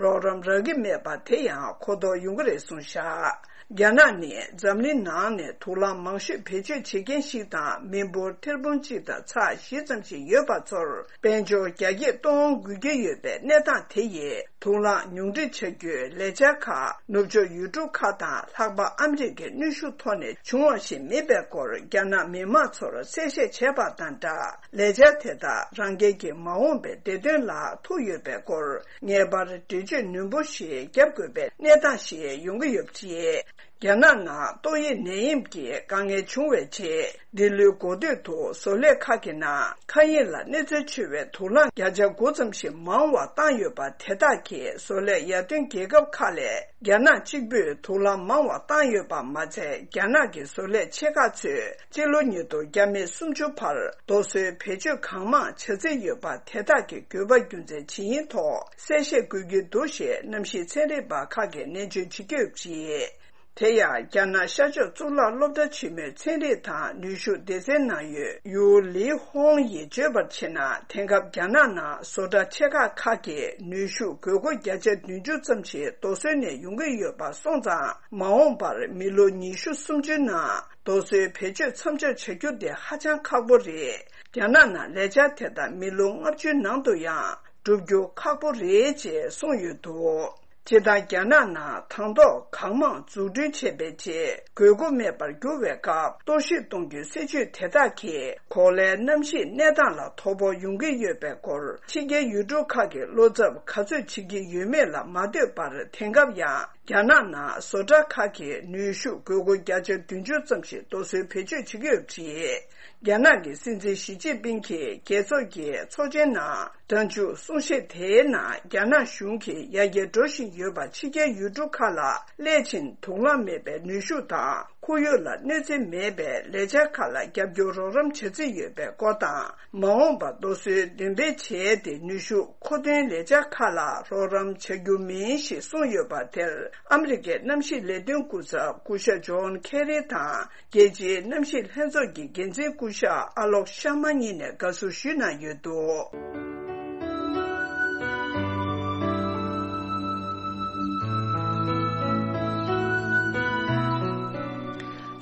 རོགས་རམ་རག་གི་མེད་པ་དེ་ཡང་གོ་རྟོགས་ཡོང་གི་རེད་གསུངས་བཞག་རྒྱ་ནག་ནི་འཛམ་གླིང་ནང་ནས་དུག་རླངས་མང་ཤོས་བེད་སྤྱོད་བྱེད་མཁན་ཞིག་དང་། མི་འབོར་ཐེར་འབུམ་གཅིག་དང་ཚེག་བཞི་ཙམ་ཞིག་ཡོད་པ་ཚོར་དཔལ་འབྱོར་རྒྱ་སྐྱེད་གཏོང་དགོས་ཀྱི་ཡོད་པའི་གནས་སྟངས་དེ་ཡིས། དུག་རླངས་ཉུང་འཕྲི་བྱ་རྒྱུའི་ལས་འཆར་ཁག་ནུབ་ཕྱོགས་ཡུལ་གྲུ་ཁག་དང་། ལྷག་པར་ཨ་མི་རི་ཀའི་གནོན་ཤུགས་ཐོག་ནས་བྱུང་བ་ཞིག་མིན་པའི་སྐོར་རྒྱ་ནག་མི་མང་ཚོར་གསལ་བཤད་བྱས་པ་དང་སྦྲགས། ལས་འཆར་དེ་དག་རང་རྒྱལ་གྱི་མ་འོངས་པའི་བདེ་དོན་ལ་ཐུག་ཡོད་པའི་སྐོར་ངེས་པར་འགྲེལ་བརྗོད་ནན་པོ་ཞིག་བརྒྱབ་དགོས་པའི་གནས་སྟངས་ཤིག་ཡོང་གི་ཡོད་པ་རེད། རྒྱ་ནག་ནང་ཏོག་དབྱིབས་ནད་ཡམས་ཀྱི་དཀའ་ངལ་བྱུང་བའི་རྗེས། འདི་ལོའི་འགོ་སྟོད་དུ་བཟོ་ལས་ཁག་གི་ནང་མཁའ་དབྱིངས་ལ་གནོད་འཚེ་ཆེ་བའི་དུག་རླངས་བརྒྱ་ཆ་དགུ་ཙམ་ཞིག་མང་བ་བཏང་ཡོད་པ། དེ་དག་གིས་བཟོ་ལས་ཡར་ཐོན་རྒྱལ་ཁབ་ཁག་ལས་རྒྱ་ནག་གཅིག་པུས་དུག་རླངས་མང་བ་བཏང་ཡོད་པ་མ་ཚད། རྒྱ་ནག་གི་བཟོ་ལས་ཆེ་ཁག་ཚོས་སྤྱི་ལོ་ཉིས་སྟོང་བརྒྱ་མེད་སུམ་ཅུ་བར་རྡོ་སོལ་བེད་སྤྱོད་གང་མང་བྱ་རྩིས་ཡོད་པ། དེ་དག་གི་དགོས་པ་རྒྱུ་མཚན་ཇི་ཡིན་ཐོག་གསལ་བཤད་དགོས་ཀྱི་འདུག་ཞེས་གནམ་གཤིས་ཚན་རིག་པ་ཁག་གིས་ནན་བརྗོད་བྱེད་ཀྱི་ཡོད་པ་རེད། དེ་ཡང་རྒྱ་ནག་ཤར་ཕྱོགས་གཙུག་ལག་སློབ་གྲྭ་ཆེན་མོའི་ཚན་རིག་དང་ནུས་ཤུགས་སྡེ་ཚན་ནང་ཡོད་ཡུའུ་ལི་ཧོང་ཡིས་བརྗོད་པར་བྱས་ན། དེང་སྐབས་རྒྱ་ནག་ནང་བཟོ་གྲྭ་ཆེ་ཁག་ཁག་གིས་ནུས་ཤུགས་དགོས་མཁོ་བརྒྱ་ཆ་བདུན་ཅུ་ཙམ་ཞིག་རྡོ་སོལ་ནས་ཡོང་གི་ཡོད་པ་སོང་ཙང་། མ་འོངས་པར་མི་ལོ་ཉི་ཤུ་སུམ་ཅུའི་ནང་རྡོ་སོལ་བེད་སྤྱོད་མཚམས་འཇོག་བྱ་རྒྱུ་དེ་ཧ་ཅང་ཁག་པོ་རེད། རྒྱ་ནག་ནང་ལས་འཆར་དེ་དག་མི་ལོ་ལྔ་བཅུའི་ནང་དུ་ཡང་། བསྒྲུབ་རྒྱུ་ཁག་པོ་རེད་ཅེས་གསུངས་ཡོད་འདུག་སྤྱིར་བཏང་རྒྱ་ནག་ནང་དང་ཐོག་གང་མང་འཛུགས་སྐྲུན་བྱས་པའི་རྗེས་དགོས་མཁོ་མེད་པར་གྱུར་བའི་སྐབས་གཏོར་བཤིག་གཏོང་རྒྱུའི་སྲིད་ཇུས་དེ་དག་གིས་གོ་ལའི་གནམ་གཤིས་གནས་སྟངས་ལ་དོ་ཕོག་ཡོང་གི་ཡོད་པའི་སྐོར་ཕྱི་རྒྱལ་ཡུལ་གྲུ་ཁག་གིས་བློ་འཚབ་ག་ཚོད་བྱེད་ཀྱི་ཡོད་མེད་ལ་མ་ལྟོས་པར། དེང་སྐབས་ཡང་རྒྱ་ནག་ནང་བཟོ་གྲྭ་ཁག་གིས་ནུས་ཤུགས་དགོས་མཁོ་བརྒྱ་ཆ་བདུན་ཅུ་ཙམ་ཞིག་རྡོ་སོལ་བེད་སྤྱོད་བྱེད་ཀྱི་ཡོད་པ་རེད། རྒྱ་ནག་གི་སྲིད་འཛིན་ཞི་ཅིན་ཕིང་གིས་རྒྱལ་ཚོགས་ཀྱི་ཚོགས་ཆེན་ནང་སྒྲ་འཇུག་གསུང་བཤད་དེའི་ནང་རྒྱ་ནག་གཞུང་གིས་ཡར་རྒྱས་འགྲོ་བཞིན་ཡོད་པ་ཕྱི་རྒྱལ་ཡུལ་གྲུ་ཁག་ལ་སླད་ཕྱིན་དུག་རླངས་མེད་པའི་ནུས་ཤུགས་དང་ཁོར་ཡུག་ལ་གནོད་འཚེ་མེད་པའི་ལས་འཆར་ཁག་ལ་རྒྱབ་སྐྱོར་རོགས་རམ་བྱ་རྩིས་ཡོད་པའི་སྐོར་དང་། མ་འོངས་པར་རྡོ་སོལ་འདོན་སྤེལ་བྱས་ཏེ་ནུས་ཤུགས་མཁོ་འདོན་ལས་འཆར་ཁག་ལ་རོགས་རམ་བྱ་རྒྱུ་མིན་ཞེས་གསུངས་ཡོད་པ་དེར་ཨ་མི་རི་ཀའི་གནམ་གཤིས་ལས་དོན་སྐུ་ཚབ་སྐུ་ཞབས་ཇོན་ཁེ་རི་དང་། རྒྱལ་སྤྱིའི་གནམ་གཤིས་ལྷན་ཚོགས་ཀྱི་འགན་འཛིན་སྐུ་ཞབས་ཨ་ལོག་ཤར་མ་གཉིས་ནས་དགའ་བསུ་ཞུས་གནང་ཡོད་འདུག་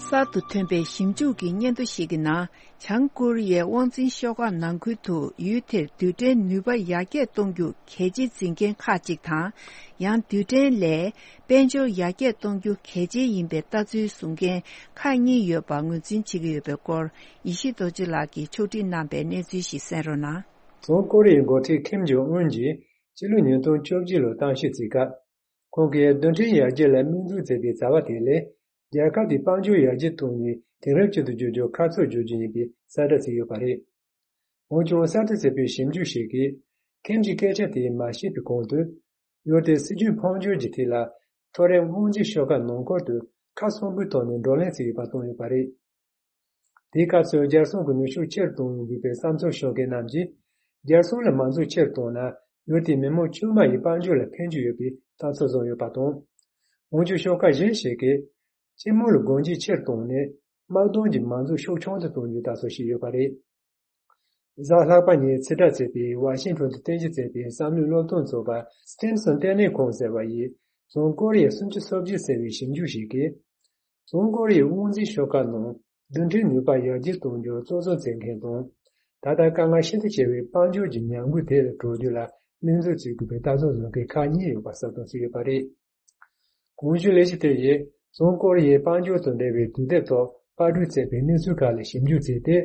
གསར་དུ་ཐོན་པའི་ཞིབ་འཇུག་གི་སྙན་ཐོ་ཞིག་གི་ནང་། བྱང་ཀོ་རི་ཡའི་དབང་འཛིན་ཤོག་ཁག་ནང་ཁུལ་དུ་ཡུལ་དེར་རྡུལ་ཕྲན་ནུས་པ་ཡར་རྒྱས་གཏོང་རྒྱུ་གལ་ཆེ་འཛིན་མཁན་ཁག་ཅིག་དང་། ཡང་རྡུལ་ཕྲན་ལས་དཔལ་འབྱོར་ཡར་རྒྱས་གཏོང་རྒྱུ་གལ་ཆེ་ཡིན་པའི་ལྟ་ཚུལ་བཟུང་མཁན་ཁག་གཉིས་ཡོད་པ་ངོས་འཛིན་བྱེད་ཀྱི་ཡོད་པའི་སྐོར་ཡེ་ཤེས་རྡོ་རྗེ་ལགས་ཀྱིས་ཕྱོགས་སྒྲིག་གནང་པའི་གནས་ཚུལ་ཞིག་གསན་རོགས་གནང་། བྱང་ཀོ་རི་ཡའི་འགོ་ཁྲིད་ཁིམ་ཇོང་ཨུན་གྱིས་ཕྱི་ལོ་ཉིས་སྟོང་བཅོ་བརྒྱད་ལོར་གཏམ་བཤད་བྱེད་སྐབས། ཁོང་གིས་རྡུལ་ཕྲན་ཡར་རྒྱས་ལ་དམིགས་འཛུགས་མཛད་པའི་བྱ་བ་དེ་ལས། རྒྱལ་ཁབ་དེའི་དཔལ་འབྱོར་ཡར་རྒྱས་གཏོང་ནས་དེང་རབས་ཅན་དུ་བསྒྱུར་རྒྱུར་ཁ་ཕྱོགས་བསྒྱུར་རྒྱུ་ཡིན་པའི་གསལ་བསྒྲགས་བྱས་ཡོད་པ་རེད། འོན་ཀྱང་གསར་དུ་བྱས་པའི་ཞིབ་འཇུག་ཞིག་གིས། ཁིམ་གྱི་སྐད་ཆ་དེ་མ་བཤད་པའི་གོང་དུ། ཡུལ་དེའི་སྲིད་ཇུས་འཕོ་འགྱུར་གྱི་ཐད་ལ། མཐོ་རིམ་དབང་འཛིན་ཤོག་ཁག་ནང་ཁུལ་དུ་ཁ་གསོན་པོའི་ཐོག་ནས་བགྲོ་གླེང་བྱས་ཡོད་པ་བཏོན་ཡོད་པ་རེད། དེའི་སྐབས་སུ་རྒྱལ་སྲུང་གི་ནུས་ཤུགས་ཆེ་རུ་གཏོང་དགོས་པའི་བསམ་ཚུལ་ཤོད་མཁན་རྣམས་ཀྱིས། རྒྱལ་སྲུང་ལ་མང་ཚོགས་ཆེར་བཏང་ན། ཡུལ་དེའི་མི་མང་ཕྱུག་མ་ཡི་དཔལ་འབྱོར་ལ་ཕན་རྒྱུ་ཡོད་པའི་ལྟ་ཚུལ་བཟུང་ཡོད་པ་དང་། འོན་ཀྱང་ཤོག་ཁག་གཞན་ཞིག་གིས། སྤྱི་དམངས་ལ་སྒོ་འབྱེད་ཆེར་བཏང་ནས། དམག་དོན་གྱི་མང་ཚོགས་ཤུགས་ཆུང་དུ་གཏོང་རྒྱུའི་ལྟ་ཚུལ་བྱས་ཡོད་པ་རེད། གཟའ་ལྷག་པ་ཉིན་ཕྱིར་བསྒྲགས་བྱས་པའི་ཝ་ཤིང་ཊོན་དུ་རྟེན་གཞི་བྱས་པའི་བསམ་བློའི་སློབ་སྟོན་ཚོགས་པ་སི་ཊེན་སོན་ལྟེ་གནས་ཁང་ཟེར་བ་ཡིས། བྱང་ཀོ་རི་ཡའི་སུམ་ཅུ་སོ་བརྒྱད་ཟེར་བའི་ཞིབ་འཇུག་ཞིག་གིས། བྱང་ཀོ་རི་ཡའི་དབང་འཛིན་ཤོག་ཁག་ནང་རྡུལ་ཕྲན་ནུས་པ་ཡར་རྒྱས་གཏོང་རྒྱུར་གཙོ་བཟུང་བྱེད་མཁན་དང་། ད་ལྟ་དཀའ་ངལ་ཤིན་ཏུ་ཆེ་བའི་དཔལ་འབྱོར་གྱི་ཉམས་རྒུད་དེ་ལས་གྲོལ་རྒྱུ་ལ་དམིགས་འཛུགས་བྱེད་དགོས་པའི་ལྟ་ཚུལ་བཟུང་མཁན་ཁག་གཉིས་ཡོད་པ་གསལ་སྟོན་བྱས་ཡོད་པ་རེད། གོང་ཞུས་ལས་གཞི་དེ་ཡིས་བྱང་ཀོ་རི་ཡའི་དཔལ་འབྱོར་དང་འབྲེལ་བའི་དུས་དེབ་ཐོག་པར་སྐྲུན་བྱས་པའི་གནས་ཚུལ་ཁག་ལ་ཞིབ་འཇུག་བྱས་ཏེ།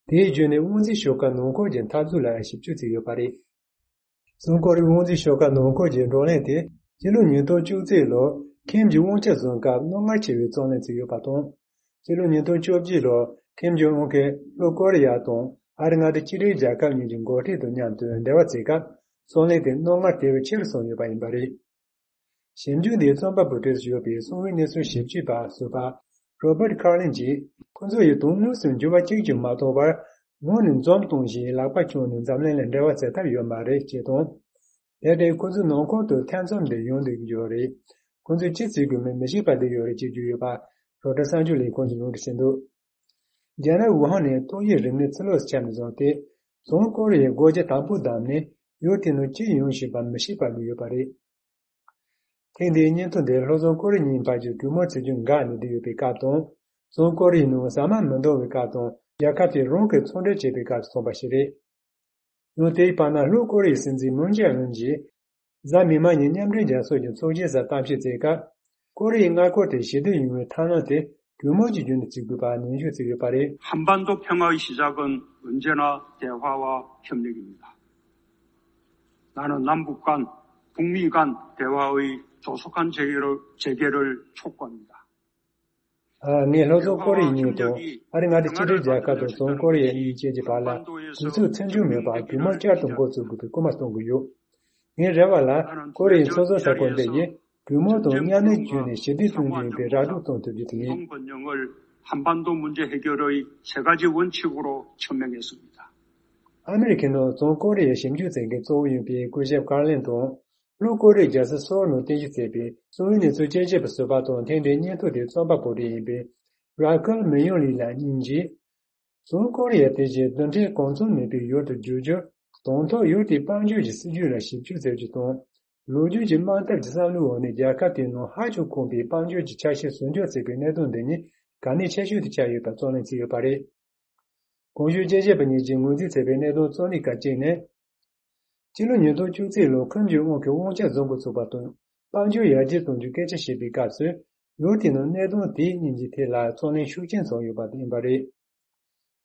དེའི་བརྒྱུད་ནས་དབང་འཛིན་ཤོག་ཁག་ནང་ཁུལ་གྱི་འཐབ་རྩོད་ལ་ཞིབ་འཇུག་བྱས་ཡོད་པ་རེད། བྱང་ཀོ་རི་དབང་འཛིན་ཤོག་ཁག་ནང་ཁུལ་གྱི་བགྲོ་གླེང་དེ་ཕྱི་ལོ་ཉིས་སྟོང་བཅུ་གཅིག་ལོར་ཁིམ་གྱི་དབང་ཆ་བཟུང་སྐབས་རྣོ་ངར་ཆེ་བའི་རྩོད་གླེང་བྱས་ཡོད་པ་དང་། ཕྱི་ལོ་ཉིས་སྟོང་བཅོ་བརྒྱད་ལོར་ཁིམ་ཇོང་ཨུན་གྱིས་ལྷོ་ཀོ་རི་ཡ་དང་ཨ་རི་མངའ་སྡེ་གཅིག་སྒྲིལ་རྒྱལ་ཁབ་གཉིས་ཀྱི་འགོ་ཁྲིད་དང་མཉམ་དུ་འབྲེལ་བ་བྱེད་སྐབས་རྩོད་གླེང་དེ་རྣོ་ངར་དེ་བས་ཆེ་རུ་སོང་ཡོད་པ་ཡིན་པ་རེད། ཞིབ་འཇུག་འདིའི་རྩོམ་པ་པོ་གྲས་སུ་ཡོད་པའི་གསང་བའི་གནས་ཚུལ་ཞིབ་དཔྱོད་པ་ཟུར་པ་རོ་བར་ཊ་ཁར་ལིན་གྱིས། ཁོ་ཚོ་ཡིས་དོན་དངོས་སུ་འགྱུར་བ་གཅིག་ཀྱང་མ་གཏོང་བར། ངོས་ནས་འཛུམ་གཏོང་བཞིན་ལག་པ་བརྐྱངས་ནས་འཛམ་གླིང་ལ་འབྲེལ་བ་བྱེད་ཐབས་ཡོད་མ་རེད་ཅེས་དང་། དེ་ལྟར་ཁོ་ཚོའི་ནང་ཁུལ་དུ་ཐེ་ཚོམ་འདི་ཡོང་སྡོད་ཀྱི་ཡོད་རེད། ཁོ་ཚོས་ཅི་བྱེད་དགོས་མིན་མི་ཤེས་པ་བསྡད་ཡོད་རེད་ཅེས་བརྗོད་ཡོད་པ། རོའི་ཊར་གསར་འགྱུར་ལས་ཁུངས་ཀྱིས་ལུང་འདྲེན་བྱས་འདུག་རྒྱ་ནག་ཝུ་ཧན་ནས་ཏོག་དབྱིབས་རིམས་ནད་ཕྱི་ལོགས་སུ་ཁྱབ་ནས་བཟུང་སྟེ། བྱང་ཀོ་རི་ཡའི་སྒོ་རྒྱ་དམ་པོ་བསྡམས་ནས་ཡུལ་དེའི་ནང་ཅི་ཡོང་བཞིན་པ་མི་ཤེས་པར་གྱུར་ཡོད་པ་རེད། ཐེངས་འདིའི་སྙན་ཐོ་འདིར་ལྷོ་བྱང་ཀོ་རི་གཉིས་བར་གྱི་གྲོས་མོལ་བྱེད་རྒྱུ་འགག་ནས་བསྡད་ཡོད་པའི་སྐབས་དང་། བྱང་ཀོ་རི་ཡའི་ནང་ཟ་མ་མི་འདང་བའི་སྐབས་དང་། རྒྱལ་ཁབ་དེས་རང་གི་ཚོང་འབྲེལ་བྱེད་པའི་སྐབས་སུ་སོང་པ་ཞིག་རེད། ཡང་དེའི་བར་ན་ལྷོ་ཀོ་རི་ཡའི་སྲིད་འཛིན་མུན་ཇེ་ཨིན་གྱིས། གཟའ་མིག་དམར་ཉིན་མཉམ་འབྲེལ་རྒྱལ་ཚོགས་ཀྱི་ཚོགས་ཆེན་སར་གཏམ་བཤད་བྱེད་སྐབས། ཀོ་རི་ཡའི་མངའ་ཁུལ་དེ་ཞི་བདེ་ཡོང་བའི་ཐབས་ལམ་དེ་གྲོས་མོལ་གྱི་བརྒྱུད་ནས་བྱེད་དགོས་པ་ནན་བརྗོད་བྱས་ཡོད་པ་རེད། 한반도 평화의 시작은 언제나 대화와 협력입니다. 나는 남북 간, 북미 간 대화의 조속한 재개를, 재개를 촉구합니다. ཨ། ངས་ལྷོ་བྱང་ཀོ་རི་ཡ་གཉིས་དང་ཨ་རི་མངའ་སྡེ་གཅིག་སྒྲིལ་རྒྱལ་ཁབ་དང་བྱང་ཀོ་རི་ཡ་གཉིས་བཅས་ཀྱི་བར་ལ་དུས་ཚོད་ཚེགས་འཇུག་མེད་པར་གྲོས་མོལ་བསྐྱར་དུ་འགོ་བཙུགས་དགོས་པའི་སྐུལ་མ་གཏོང་གི་ཡོད། ངའི་རེ་བ་ལ་ཀོ་རི་ཡའི་སོ་སོའི་ས་ཁུལ་འདི་ཡིས་གྲོས་མོལ་དང་མཉམ་ལས་བརྒྱུད་ནས་ཞི་བདེ་གཏོང་རྒྱུ་ཡིན་པའི་ར་སྤྲོད་གཏོང་ཐུབ་རྒྱུ་དེ་ཡིན། 동 번영을 한반도 문제 해결의 세 가지 원칙으로 천명했습니다. ཨ་མི་རི་ཁའི་ནང་བྱང་ཀོ་རི་ཡའི་ཞིབ་འཇུག་མཛད་མཁན་གཙོ་བོ་ཡིན་པའི་སྐུ་ཞབས་ཀར་ལིན་དང་། ལྷོ་ཀོ་རི་ཡའི་རྒྱལ་ས་སོལ་ནང་རྟེན་གཞི་བྱས་པའི་གསང་བའི་གནས་ཚུལ་དཔྱད་བརྗོད་པ་ཟུར་པ་དང་། ཐེངས་འདིའི་སྙན་ཐོ་དེའི་རྩོམ་པ་པོ་གྲས་ཡིན་པའི་ར་ཁེལ་མི་ཡོང་ལི་ལགས་གཉིས་ཀྱིས། བྱང་ཀོ་རི་ཡ་དེ་བཞིན་རྡུལ་ཕྲན་གང་འཚམ་མེད་པའི་ཡུལ་དུ་བསྒྱུར་རྒྱུར། དང་ཐོག་ཡུལ་དེའི་དཔལ་འབྱོར་གྱི་སྲིད་ཇུས་ལ་ཞིབ་འཇུག་མཛད་རྒྱུ་དང་། ལོ་རྒྱུས་ཀྱི་དམག་འཐབ་ཀྱི་བསམ་བློའི་འོག་ནས་རྒྱལ་ཁབ་དེའི་ནང་ཧ་ཅང་ཁོམ་པའི་དཔལ་འབྱོར་གྱི་ཆ་ཤས་བཟོ་འཇོག་བྱེད་པའི་གནད་དོན་འདི་ཉིད་གལ་གནད་ཆེ་ཤོས་དེ་ཆགས་ཡོད་པ་རྩོད་ལེན་བྱས་ཡོད་པ་རེད། གོང་ཞུས་དཔྱད་བརྗོད་པ་གཉིས་ཀྱིས་ངོས་འཛིན་བྱས་པའི་གནད་དོན་གཙོ་གནད་ཁག་གཅིག་ནི། ཕྱི་ལོ་ཉིས་སྟོང་བཅུ་གཅིག་ལོར་ཁྲིམས་ཀྱི་དབང་གིས་དབང་ཆ་བཟུང་འགོ་ཚུགས་པ་དང་། དཔལ་འབྱོར་ཡར་རྒྱས་གཏོང་རྒྱུའི་སྐད་ཆ་བཤད་པའི་སྐབས་སུ། ལོ་དེའི་ནང་གནད་དོན་དེ་གཉིས་ཀྱི་ཐད་ལ་རྩོད་གླེང་ཤུགས་ཆེན་བྱུང་ཡོད་པ་དེ་ཡིན་པ་རེད།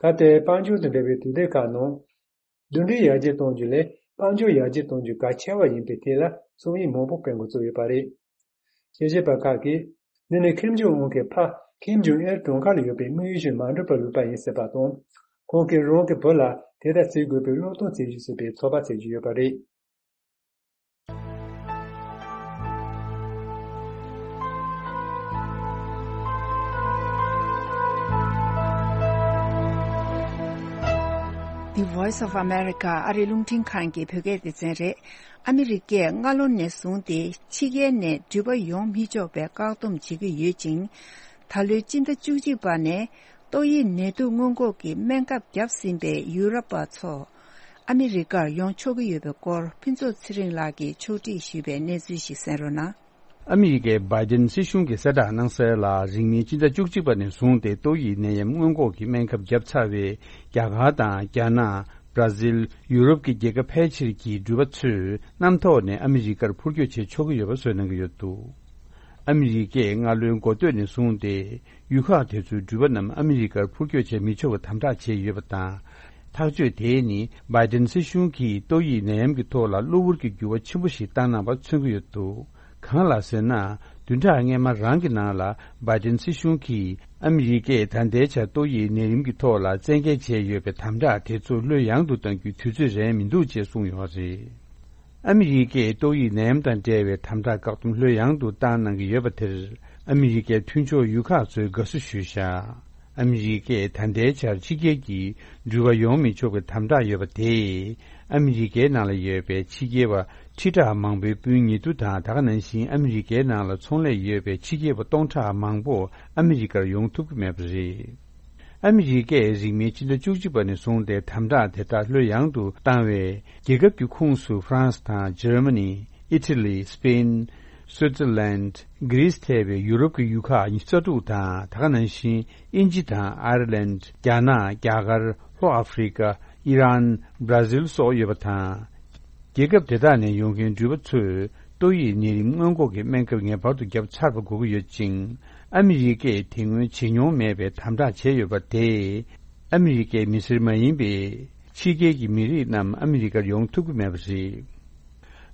ད་ལྟའི་དཔལ་འབྱོར་དང་འབྲེལ་བའི་དུས་དེབ་ཁག་ནང་། རྡུལ་ཕྲན་ཡར་རྒྱས་གཏོང་རྒྱུ་ལས་དཔལ་འབྱོར་ཡར་རྒྱས་གཏོང་རྒྱུ་གལ་ཆེ་བ་ཡིན་པའི་ཐད་ལ་རྩོམ་ཡིག་མང་པོ་སྤེལ་འགོ་བཙུགས་ཡོད་པ་རེད། དཔྱད་ཞིབ་པ་ཁག་གིས། འདི་ནི་ཁེམ་ཇོང་ཨུན་གྱི་ཕ་ཁེམ་ཇོང་ཨེར་གྲོངས་ཁ་ལ་ཡོད་པའི་དམིགས་ཡུལ་བཞིན་མ་འགྲུབ་པར་ལུས་པ་ཡིན་ཟེར་བ་དང་། ཁོང་གིས་རང་གི་བུ་ལ་དེ་ལྟར་བྱེད་དགོས་པའི་བློས་གཏོང་བྱེད་རྒྱུ་ཟེར་བའི་ཚོད་དཔག་བྱེད་ཀྱི་ཡོད་པ་རེད། The Voice of America ཨ་རིའི་རླུང་འཕྲིན་ཁང་གི་བོད་སྐད་སྡེ་ཚན་རེད། ཨ་མི་རི་ཀས་སྔ་ལོ་ནས་བཟུང་སྟེ་ཕྱི་རྒྱལ་ནས་འགྲུལ་པ་ཡོང་མི་ཆོག་པའི་བཀག་སྡོམ་བྱེད་ཀྱི་ཡོད་ཅིང་། ད་ལོའི་སྤྱི་ཟླ་བཅུ་གཅིག་པ་ནས་ཏོག་དབྱིབས་ནད་དུག་སྔོན་འགོག་གི་སྨན་ཁབ་བརྒྱབ་ཟིན་པའི་ཡུ་རོབ་པ་ཚོ་ཨ་མི་རི་ཀར་ཡོང་ཆོག་གི་ཡོད་པའི་སྐོར་ཕུན་ཚོགས་ཚེ་རིང་ལགས་ཀྱིས་ཕྱོགས་སྒྲིག་ཞུས་པའི་གནས་ཚུལ་ཞིག་གསན་རོགས་གནང་། ཨ་མི་རི་ཀའི་བྷའི་ཌེན་སྲིད་གཞུང་གིས་གསལ་བསྒྲགས་གནང་གསལ་ལ། རིང་མིན་སྤྱི་ཟླ་བཅུ་གཅིག་པ་ནས་བཟུང་སྟེ་ཏོག་དབྱིབས་ནད་ཡམས་སྔོན་འགོག་གི་སྨན་ཁབ་བརྒྱབ་ཚར་བའི་རྒྱ་གར་དང་རྒྱ་ནག་བྲ་ཟིལ། ཡུ་རོབ་ཀྱི་རྒྱལ་ཁབ་ཕལ་ཆེར་གྱི་འགྲུལ་པ་ཚོས་གནམ་ཐོག་ནས་ཨ་མི་རི་ཀར་འཕུར་སྐྱོད་བྱེད་ཆོག་གི་ཡོད་པ་བཟོས་གནང་གི་ཡོད་འདུག་ཨ་མི་རི་ཀས་སྔ་ལོའི་འགོ་སྟོད་ནས་བཟུང་སྟེ་ཡུལ་ཁག་དེ་ཚོའི་འགྲུལ་པ་རྣམས་ཨ་མི་རི་ཀར་འཕུར་སྐྱོད་བྱེད་མི་ཆོག་པའི་དམ་དྲག་བྱས་ཡོད་པ་དང་། ཐག་གཅོད་དེ་ནི་བྷའི་ཌེན་སྲིད་གཞུང་གིས་ཏོག་དབྱིབས་ནད་ཡམས་ཀྱི་ཐོག་ལ་གློ་བུར་གྱི་འགྱུར་བ་ཆེན་པོ་ཞིག་བཏང་གནང་བ་མཚོན་གྱི་ཡོད་འདུག་གང་ལགས་ཟེར་ན། བདུན་ཕྲག་སྔོན་མ་རང་གི་ནང་ལ་བྷའི་ཌེན་སྲིད་གཞུང་གིས་ཨ་མི་རི་ཀས་ད་ལྟའི་ཆར་ཏོག་དབྱིབས་ནད་རིམས་ཀྱི་ཐོག་ལ་བཙན་འགེལ་བྱས་ཡོད་པའི་དམ་དྲག་དེ་ཚོ་ལྷོད་ཡངས་དུ་གཏང་རྒྱུའི་དུས་ཚོད་རན་མི་འདུག་ཅེས་གསུངས་ཡོད་པ་རེད། ཨ་མི་རི་ཀས་ཏོག་དབྱིབས་ནད་ཡམས་དང་འབྲེལ་བའི་དམ་དྲག་བཀག་སྡོམ་ལྷོད་ཡངས་དུ་བཏང་གནང་གི་ཡོད་པ་དེར་ཨ་མི་རི་ཀའི་མཐུན་ཕྱོགས་ཡུལ་ཁག་ཚོས་དགའ་བསུ་ཞུས་བཞག་ཨ་མི་རི་ཀས་ད་ལྟའི་ཆར་ཕྱི་རྒྱལ་གྱི་འགྲུལ་པ་ཡོང་མི་ཆོག་པའི་དམ་དྲག་ཡོད་པ་དེས། ཨ་མི་རི་ཀའི་ནང་ལ་ཡོད་པའི་ཕྱི་རྒྱལ་བ་ཁྲི་ཕྲག་མང་པོའི་སྤུན་ཉེ་དུ་དང་། ད་ག་ནང་བཞིན་ཨ་མི་རི་ཀའི་ནང་ལ་ཚོང་ལས་ཡོད་པའི་ཕྱི་རྒྱལ་བ་སྟོང་ཕྲག་མང་པོ་ཨ་མི་རི་ཀར་ཡོང་ཐུབ་ཀྱི་མེད་པ་རེད། ཨ་མི་རི་ཀས་རིང་མིན་སྤྱི་ཟླ་བཅུ་གཅིག་པ་ནས་བཟུང་སྟེ་དམ་དྲག་དེ་དག་ལྷོད་ཡངས་དུ་བཏང་བས། རྒྱལ་ཁབ་ཀྱི་ཁོངས་སུ་ཧྥ་རན་སི་དང་འཇར་མ་ནི། ཨི་ཊ་ལི། སི་པེན། སུའི་ཙེར་ལན། གྷི་རིས་ཐེ་བའི་ཡུ་རོབ་ཀྱི་ཡུལ་ཁག་ཉི་ཤུ་རྩ་དྲུག་དང་། ད་ག་ནང་བཞིན་དབྱིན་ཇི་དང་ཨའི་ར་ལན། རྒྱ་ནག་རྒྱ་གར། ལྷོ་ཨ་ཧྥེ་རི་ཀ་ཨི་རན། བྲ་ཟིལ་སོགས་ཡོད་པ་དང་། རྒྱལ་ཁབ་དེ་དག་ནས་ཡོང་མཁན་འགྲུལ་པ་ཚོས་ཏོག་དབྱིབས་ནད་རིམས་སྔོན་འགོག་གི་སྨན་ཁབ་ངེས་པར་དུ་བརྒྱབ་ཚར་བ་དགོས་ཀྱི་ཡོད་ཅིང་། ཨ་མི་རི་ཀས་དེ་སྔོན་བྱེད་མྱོང་མེད་པའི་དམ་དྲག་བྱས་ཡོད་པ་དེས། ཨ་མི་རི་ཀའི་མི་སེར་མ་ཡིན་པའི་ཕྱི་རྒྱལ་གྱི་མི་རིགས་རྣམས་ཨ་མི་རི་ཀར་ཡོང་ཐུབ་ཀྱི་མེད་པ་རེད།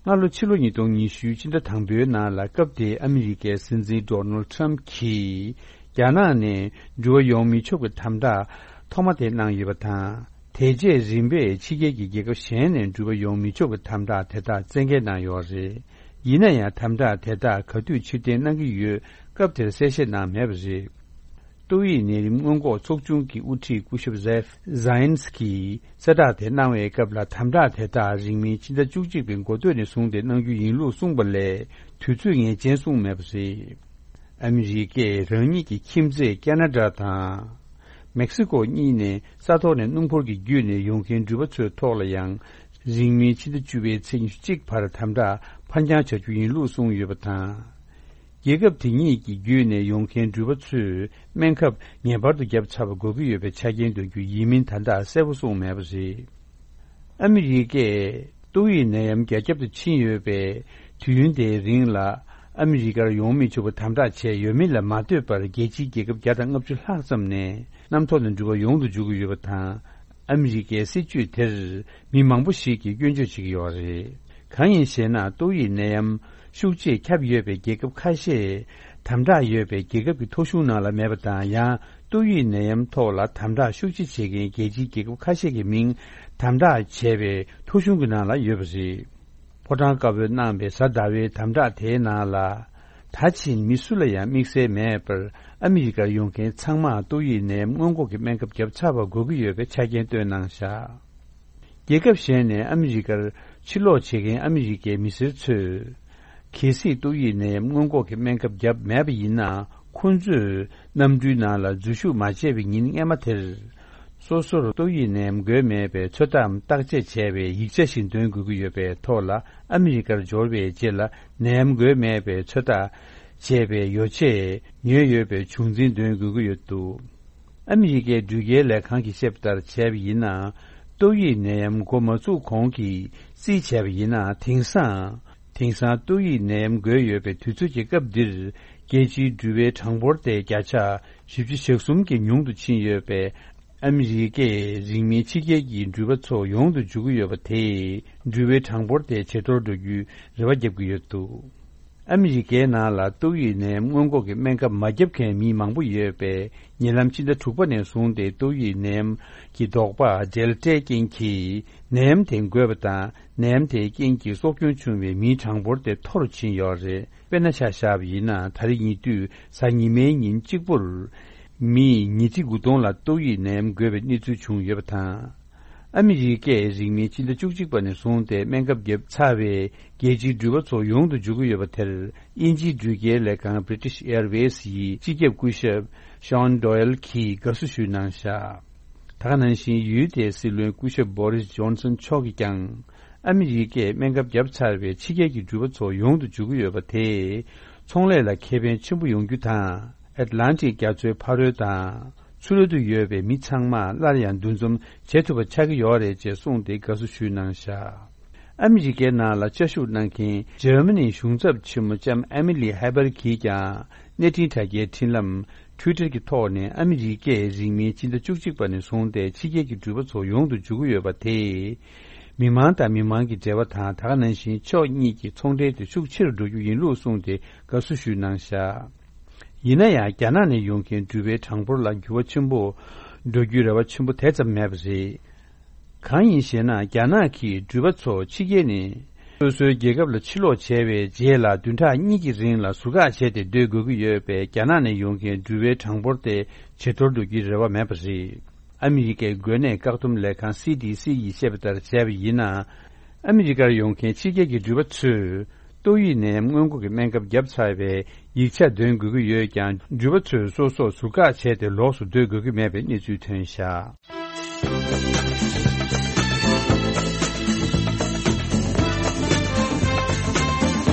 སྔ་ལོ་ཕྱི་ལོ་ཉིས་སྟོང་ཉི་ཤུའི་སྤྱི་ཟླ་དང་པོའི་ནང་ལ། སྐབས་དེའི་ཨ་མི་རི་ཀའི་སྲིད་འཛིན་ཌོ་ནལ་ཊམ་གྱིས་རྒྱ་ནག་ནས་འགྲུལ་པ་ཡོང་མི་ཆོག་པའི་དམ་དྲག་ཐོག་མ་དེ་གནང་ཡོད་པ་དང་། དེ་རྗེས་རིམ་པས་ཕྱི་རྒྱལ་གྱི་རྒྱལ་ཁབ་གཞན་ནས་འགྲུལ་པ་ཡོང་མི་ཆོག་པའི་དམ་དྲག་དེ་དག་བཙན་འགེལ་གནང་ཡོད་པ་རེད། ཡིན་ན་ཡང་། དམ་དྲག་དེ་དག་ག་དུས་ཕྱིར་འཐེན་གནང་གི་ཡོད། སྐབས་དེར་གསལ་བཤད་གནང་མེད་པ་རེད། ཏོག་དབྱིབས་ནད་རིམས་སྔོན་འགོག་ཚོགས་ཆུང་གི་དབུ་ཁྲིད་སྐུ་ཞབས་ཛེབ་ཛཱ་ཡན་སི་ཀིས་གསལ་བསྒྲགས་དེ་གནང་བའི་སྐབས་ལ། དམ་དྲག་དེ་དག་རིང་མིན་ཕྱི་ཟླ་བཅུ་གཅིག་པའི་འགོ་སྟོད་ནས་བཟུང་སྟེ་གནང་རྒྱུ་ཡིན་ལུགས་གསུངས་པ་ལས། དུས་ཚོད་ངེས་ཅན་གསུངས་མེད་པ་རེད། ཨ་མི་རི་ཀས་རང་ཉིད་ཀྱི་ཁྱིམ་མཚེས་ཁེ་ན་ཌ་དང་མེག་སི་ཀོ་གཉིས་ནས་ས་ཐོག་ནས་སྣུམ་འཁོར་གྱི་བརྒྱུད་ནས་ཡོང་མཁན་འགྲུལ་པ་ཚོའི་ཐོག་ལ་ཡང་། རིང་མིན་ཕྱི་ཟླ་བཅུ་པའི་ཚེས་ཉི་ཤུ་གཅིག་བར་དམ་དྲག་ཕར་འགྱངས་བྱ་རྒྱུ་ཡིན་ལུགས་གསུངས་ཡོད་པ་དང་། རྒྱལ་ཁབ་དེ་གཉིས་ཀྱི་བརྒྱུད་ནས་ཡོང་མཁན་འགྲུལ་པ་ཚོས་སྨན་ཁབ་ངེས་པར་དུ་བརྒྱབ་ཚར་བ་དགོས་ཀྱི་ཡོད་པའི་ཆ་རྐྱེན་འདོན་རྒྱུ་ཡིན་མིན་ད་ལྟ་གསལ་པོ་གསུངས་མེད་པ་རེད། ཨ་མི་རི་ཀས་ཏོག་དབྱིབས་ནད་ཡམས་རྒྱ་ཁྱབ་ཏུ་ཕྱིན་ཡོད་པའི་དུས་ཡུན་དེའི་རིང་ལ། ཨ་མི་རི་ཀར་ཡོང་མི་ཆོག་པའི་དམ་དྲག་བྱས་ཡོད་མིན་ལ་མ་ལྟོས་པར། རྒྱལ་སྤྱིའི་རྒྱལ་ཁབ་བརྒྱ་དང་ལྔ་བཅུ་ལྷག་ཙམ་ནས་གནམ་ཐོག་ནས་འགྲུལ་པ་ཡོང་དུ་འཇུག་གི་ཡོད་པ་དང་། ཨ་མི་རི་ཀའི་སྲིད་ཇུས་དེར་མི་མང་པོ་ཞིག་གིས་སྐྱོན་བརྗོད་བྱེད་ཀྱི་ཡོད་རེད། གང་ཡིན་ཞེ་ན། ཏོག་དབྱིབས་ནད་ཡམས་ཤུགས་ཆེས་ཁྱབ་ཡོད་པའི་རྒྱལ་ཁབ་ཁ་ཤས། དམ་དྲག་ཡོད་པའི་རྒྱལ་ཁབ་ཀྱི་ཐོ་གཞུང་ནང་ལ་མེད་པ་དང་། ཡང་ཏོག་དབྱིབས་ནད་ཡམས་ཐོག་ལ་དམ་དྲག་ཤུགས་ཆེ་བྱེད་མཁན་རྒྱལ་སྤྱིའི་རྒྱལ་ཁབ་ཁ་ཤས་ཀྱི་མིང་དམ་དྲག་བྱས་པའི་ཐོ་གཞུང་གི་ནང་ལ་ཡོད་པ་རེད། ཕོ་བྲང་དཀར་པོས་གནང་བའི་གཟའ་ཟླ་བའི་དམ་དྲག་དེའི་ནང་ལ། ད་ཕྱིན་མི་སུ་ལ་ཡང་དམིགས་བསལ་མེད་པར། ཨ་མི་རི་ཀར་ཡོང་མཁན་ཚང་མར་ཏོག་དབྱིབས་ནད་ཡམས་སྔོན་འགོག་གི་སྨན་ཁབ་བརྒྱབ་ཚར་བ་དགོས་ཀྱི་ཡོད་པའི་ཆ་རྐྱེན་བཏོན་གནང་བཞག་རྒྱལ་ཁབ་གཞན་ནས་ཨ་མི་རི་ཀར་ཕྱིར་ལོག་བྱེད་མཁན་ཨ་མི་རི་ཀའི་མི་སེར་ཚོས། གལ་སྲིད་ཏོག་དབྱིབས་ནད་ཡམས་སྔོན་འགོག་གི་སྨན་ཁབ་བརྒྱབ་མེད་པ་ཡིན་ན། ཁོང་ཚོས་གནམ་གྲུའི་ནང་ལ་འཛུལ་ཞུགས་མ་བྱས་པའི་ཉིན་སྔ་མ་དེར། སོ་སོར་ཏོག་དབྱིབས་ནད་ཡམས་འགོས་མེད་པའི་ཚོད་ལྟའམ་བརྟག་དཔྱད་བྱས་པའི་ཡིག་ཆ་ཞིག་འདོན་དགོས་ཀྱི་ཡོད་པའི་ཐོག་ལ། ཨ་མི་རི་ཀར་འབྱོར་བའི་རྗེས་ལ་ནད་ཡམས་འགོས་མེད་པའི་ཚོད་ལྟ་བྱས་པའི་ཡོ་བྱད་ཉོས་ཡོད་པའི་བྱུང་འཛིན་འདོན་དགོས་ཀྱི་ཡོད་འདུག་ཨ་མི་རི་ཀའི་འགྲུལ་སྐྱེལ་ལས་ཁང་གིས་བཤད་པ་ལྟར་བྱས་པ་ཡིན་ན། ཏོག་དབྱིབས་ནད་ཡམས་འགོ་མ་ཚུགས་གོང་གི་རྩིས་བྱས་པ་ཡིན་ན། དེང་སང་། དེང་སང་ཏོག་དབྱིབས་ནད་ཡམས་འགོས་ཡོད་པའི་དུས་ཚོད་ཀྱི་སྐབས་འདིར། རྒྱལ་སྤྱིའི་འགྲུལ་པའི་གྲངས་འབོར་དེ་བརྒྱ་ཆ་བཞི་བཅུ་ཞེ་གསུམ་གྱིས་ཉུང་དུ་ཕྱིན་ཡོད་པས། ཨ་མི་རི་ཀས་རིང་མིན་ཕྱི་རྒྱལ་གྱི་འགྲུལ་པ་ཚོ་ཡོང་དུ་འཇུག་གི་ཡོད་པ་དེས། འགྲུལ་པའི་གྲངས་འབོར་དེ་ཇེ་མཐོར་འགྲོ་རྒྱུའི་རེ་བ་བརྒྱབ་ཀྱི་ཡོད་འདུག་ཨ་མི་རི་ཀའི་ནང་ལ་ཏོག་དབྱིབས་ནད་ཡམས་སྔོན་འགོག་གི་སྨན་ཁབ་མ་བརྒྱབ་མཁན་མི་མང་པོ་ཡོད་པས། ཉེ་ལམ་ཕྱི་ཟླ་དྲུག་པ་ནས་བཟུང་སྟེ་ཏོག་དབྱིབས་ནད་ཡམས་ཀྱི་ལྡོག་པ་ཌེལ་ཊའི་རྐྱེན་གྱིས་ནད་ཡམས་དེ་འགོས་པ་དང་། ནད་ཡམས་དེའི་རྐྱེན་གྱིས་སྲོག་སྐྱོན་བྱུང་བའི་མིའི་གྲངས་འབོར་དེ་མཐོ་རུ་ཕྱིན་ཡོད་རེད། དཔེར་ན་ཆ་བཞག་པ་ཡིན་ན། ད་རེས་ཉེ་དུས་གཟའ་ཉི་མའི་ཉིན་གཅིག་པུར་མི་ཉིས་ཁྲི་དགུ་སྟོང་ལ་ཏོག་དབྱིབས་ནད་ཡམས་འགོས་པའི་གནས་ཚུལ་བྱུང་ཡོད་པ་དང་། ཨ་མི་རི་ཀས་རིང་མིན་ཕྱི་ཟླ་བཅུ་གཅིག་པ་ནས་བཟུང་སྟེ་སྨན་ཁབ་བརྒྱབ་ཚར་བའི་རྒྱལ་སྤྱིའི་འགྲུལ་པ་ཚོ་ཡོང་དུ་འཇུག་གི་ཡོད་པ་དེར། དབྱིན་ཇིའི་འགྲུལ་སྐྱེལ་ལས་ཁང་British Airways་ཡི་སྤྱི་ཁྱབ་སྐུ་ཞབས་Sean Doyle་གྱིས་དགའ་བསུ་ཞུས་གནང་བཞག་ད་ག་ནང་བཞིན་ཡུལ་དེའི་སྲིད་བློན་སྐུ་ཞབས་Boris Johnson་མཆོག་གིས་ཀྱང་། ཨ་མི་རི་ཀས་སྨན་ཁབ་བརྒྱབ་ཚར་བའི་ཕྱི་རྒྱལ་གྱི་འགྲུལ་པ་ཚོ་ཡོང་དུ་འཇུག་གི་ཡོད་པ་དེས། ཚོང་ལས་ལ་ཁེ་ཕན་ཆེན་པོ་ཡོང་རྒྱུ་དང་། ཨེཊ་ལན་ཊིག་རྒྱ་མཚོའི་ཕ་རོལ་དང་། ཚུར་ལ་དུ་ཡོད་པའི་མི་ཚང་མ་སླར་ཡང་འདུ་འཛོམས་བྱེད་ཐུབ་པ་ཆགས་ཀྱི་ཡོད་རེད་ཅེས་གསུངས་ཏེ་དགའ་བསུ་ཞུས་གནང་བཞག་ཨ་མི་རི་ཀའི་ནང་ལ་བཅའ་བཞུགས་གནང་མཁན་འཇར་མ་ནིའི་གཞུང་ཚབ་ཆེན་མོ་ལྕམ་ཨེ་མི་ལི་ཧེ་བར་གྱིས་ཀྱང་། གནས་འཕྲིན་དྲ་རྒྱའི་འཕྲིན་ལམ་Twitter་གྱི་ཐོག་ནས། ཨ་མི་རི་ཀས་རིང་མིན་ཕྱི་ཟླ་བཅུ་གཅིག་པ་ནས་བཟུང་སྟེ་ཕྱི་རྒྱལ་གྱི་འགྲུལ་པ་ཚོ་ཡོང་དུ་འཇུག་གི་ཡོད་པ་དེས། མི་མང་དང་མི་མང་གི་འབྲེལ་བ་དང་། ད་ག་ནང་བཞིན་ཕྱོགས་གཉིས་ཀྱི་ཚོང་འབྲེལ་དེ་ཤུགས་ཆེ་རུ་འགྲོ་རྒྱུ་ཡིན་ལུགས་གསུངས་ཏེ་དགའ་བསུ་ཞུས་གནང་བཞག་ཡིན་ན་ཡང་། རྒྱ་ནག་ནས་ཡོང་མཁན་འགྲུལ་པའི་གྲངས་འབོར་ལ་འགྱུར་བ་ཆེན་པོ་འགྲོ་རྒྱུའི་རེ་བ་ཆེན་པོ་དེ་ཙམ་མེད་པ་རེད། གང་ཡིན་ཞེ་ན། རྒྱ་ནག་གིས་འགྲུལ་པ་ཚོ་ཕྱི་རྒྱལ་ནས་སོ་སོའི་རྒྱལ་ཁབ་ལ་ཕྱིར་ལོག་བྱས་པའི་རྗེས་ལ། བདུན་ཕྲག་གཉིས་ཀྱི་རིང་ལ་ཟུར་བཀག་བྱས་ཏེ་སྡོད་དགོས་ཀྱི་ཡོད་པས། རྒྱ་ནག་ནས་ཡོང་མཁན་འགྲུལ་པའི་གྲངས་འབོར་དེ་ཇེ་མཐོར་འགྲོ་རྒྱུའི་རེ་བ་མེད་པ་རེད། ཨ་མི་རི་ཀའི་འགོས་ནད་བཀག་སྡོམ་ལས་ཁང་སི་ཌི་སི་ཡིས་བཤད་པ་ལྟར་བྱས་པ་ཡིན་ན། ཨ་མི་རི་ཀར་ཡོང་མཁན་ཕྱི་རྒྱལ་གྱི་འགྲུལ་པ་ཚོས་ཏོག་དབྱིབས་ནད་ཡམས་སྔོན་འགོག་གི་སྨན་ཁབ་བརྒྱབ་ཚར་བའི་ཡིག་ཆ་འདོན་དགོས་ཀྱི་ཡོད་ཀྱང་། འགྲུལ་པ་ཚོས་སོ་སོར་ཟུར་བཀག་བྱས་ཏེ་ལོགས་སུ་སྡོད་དགོས་ཀྱི་མེད་པའི་གནས་ཚུལ་ཐོན་བཞག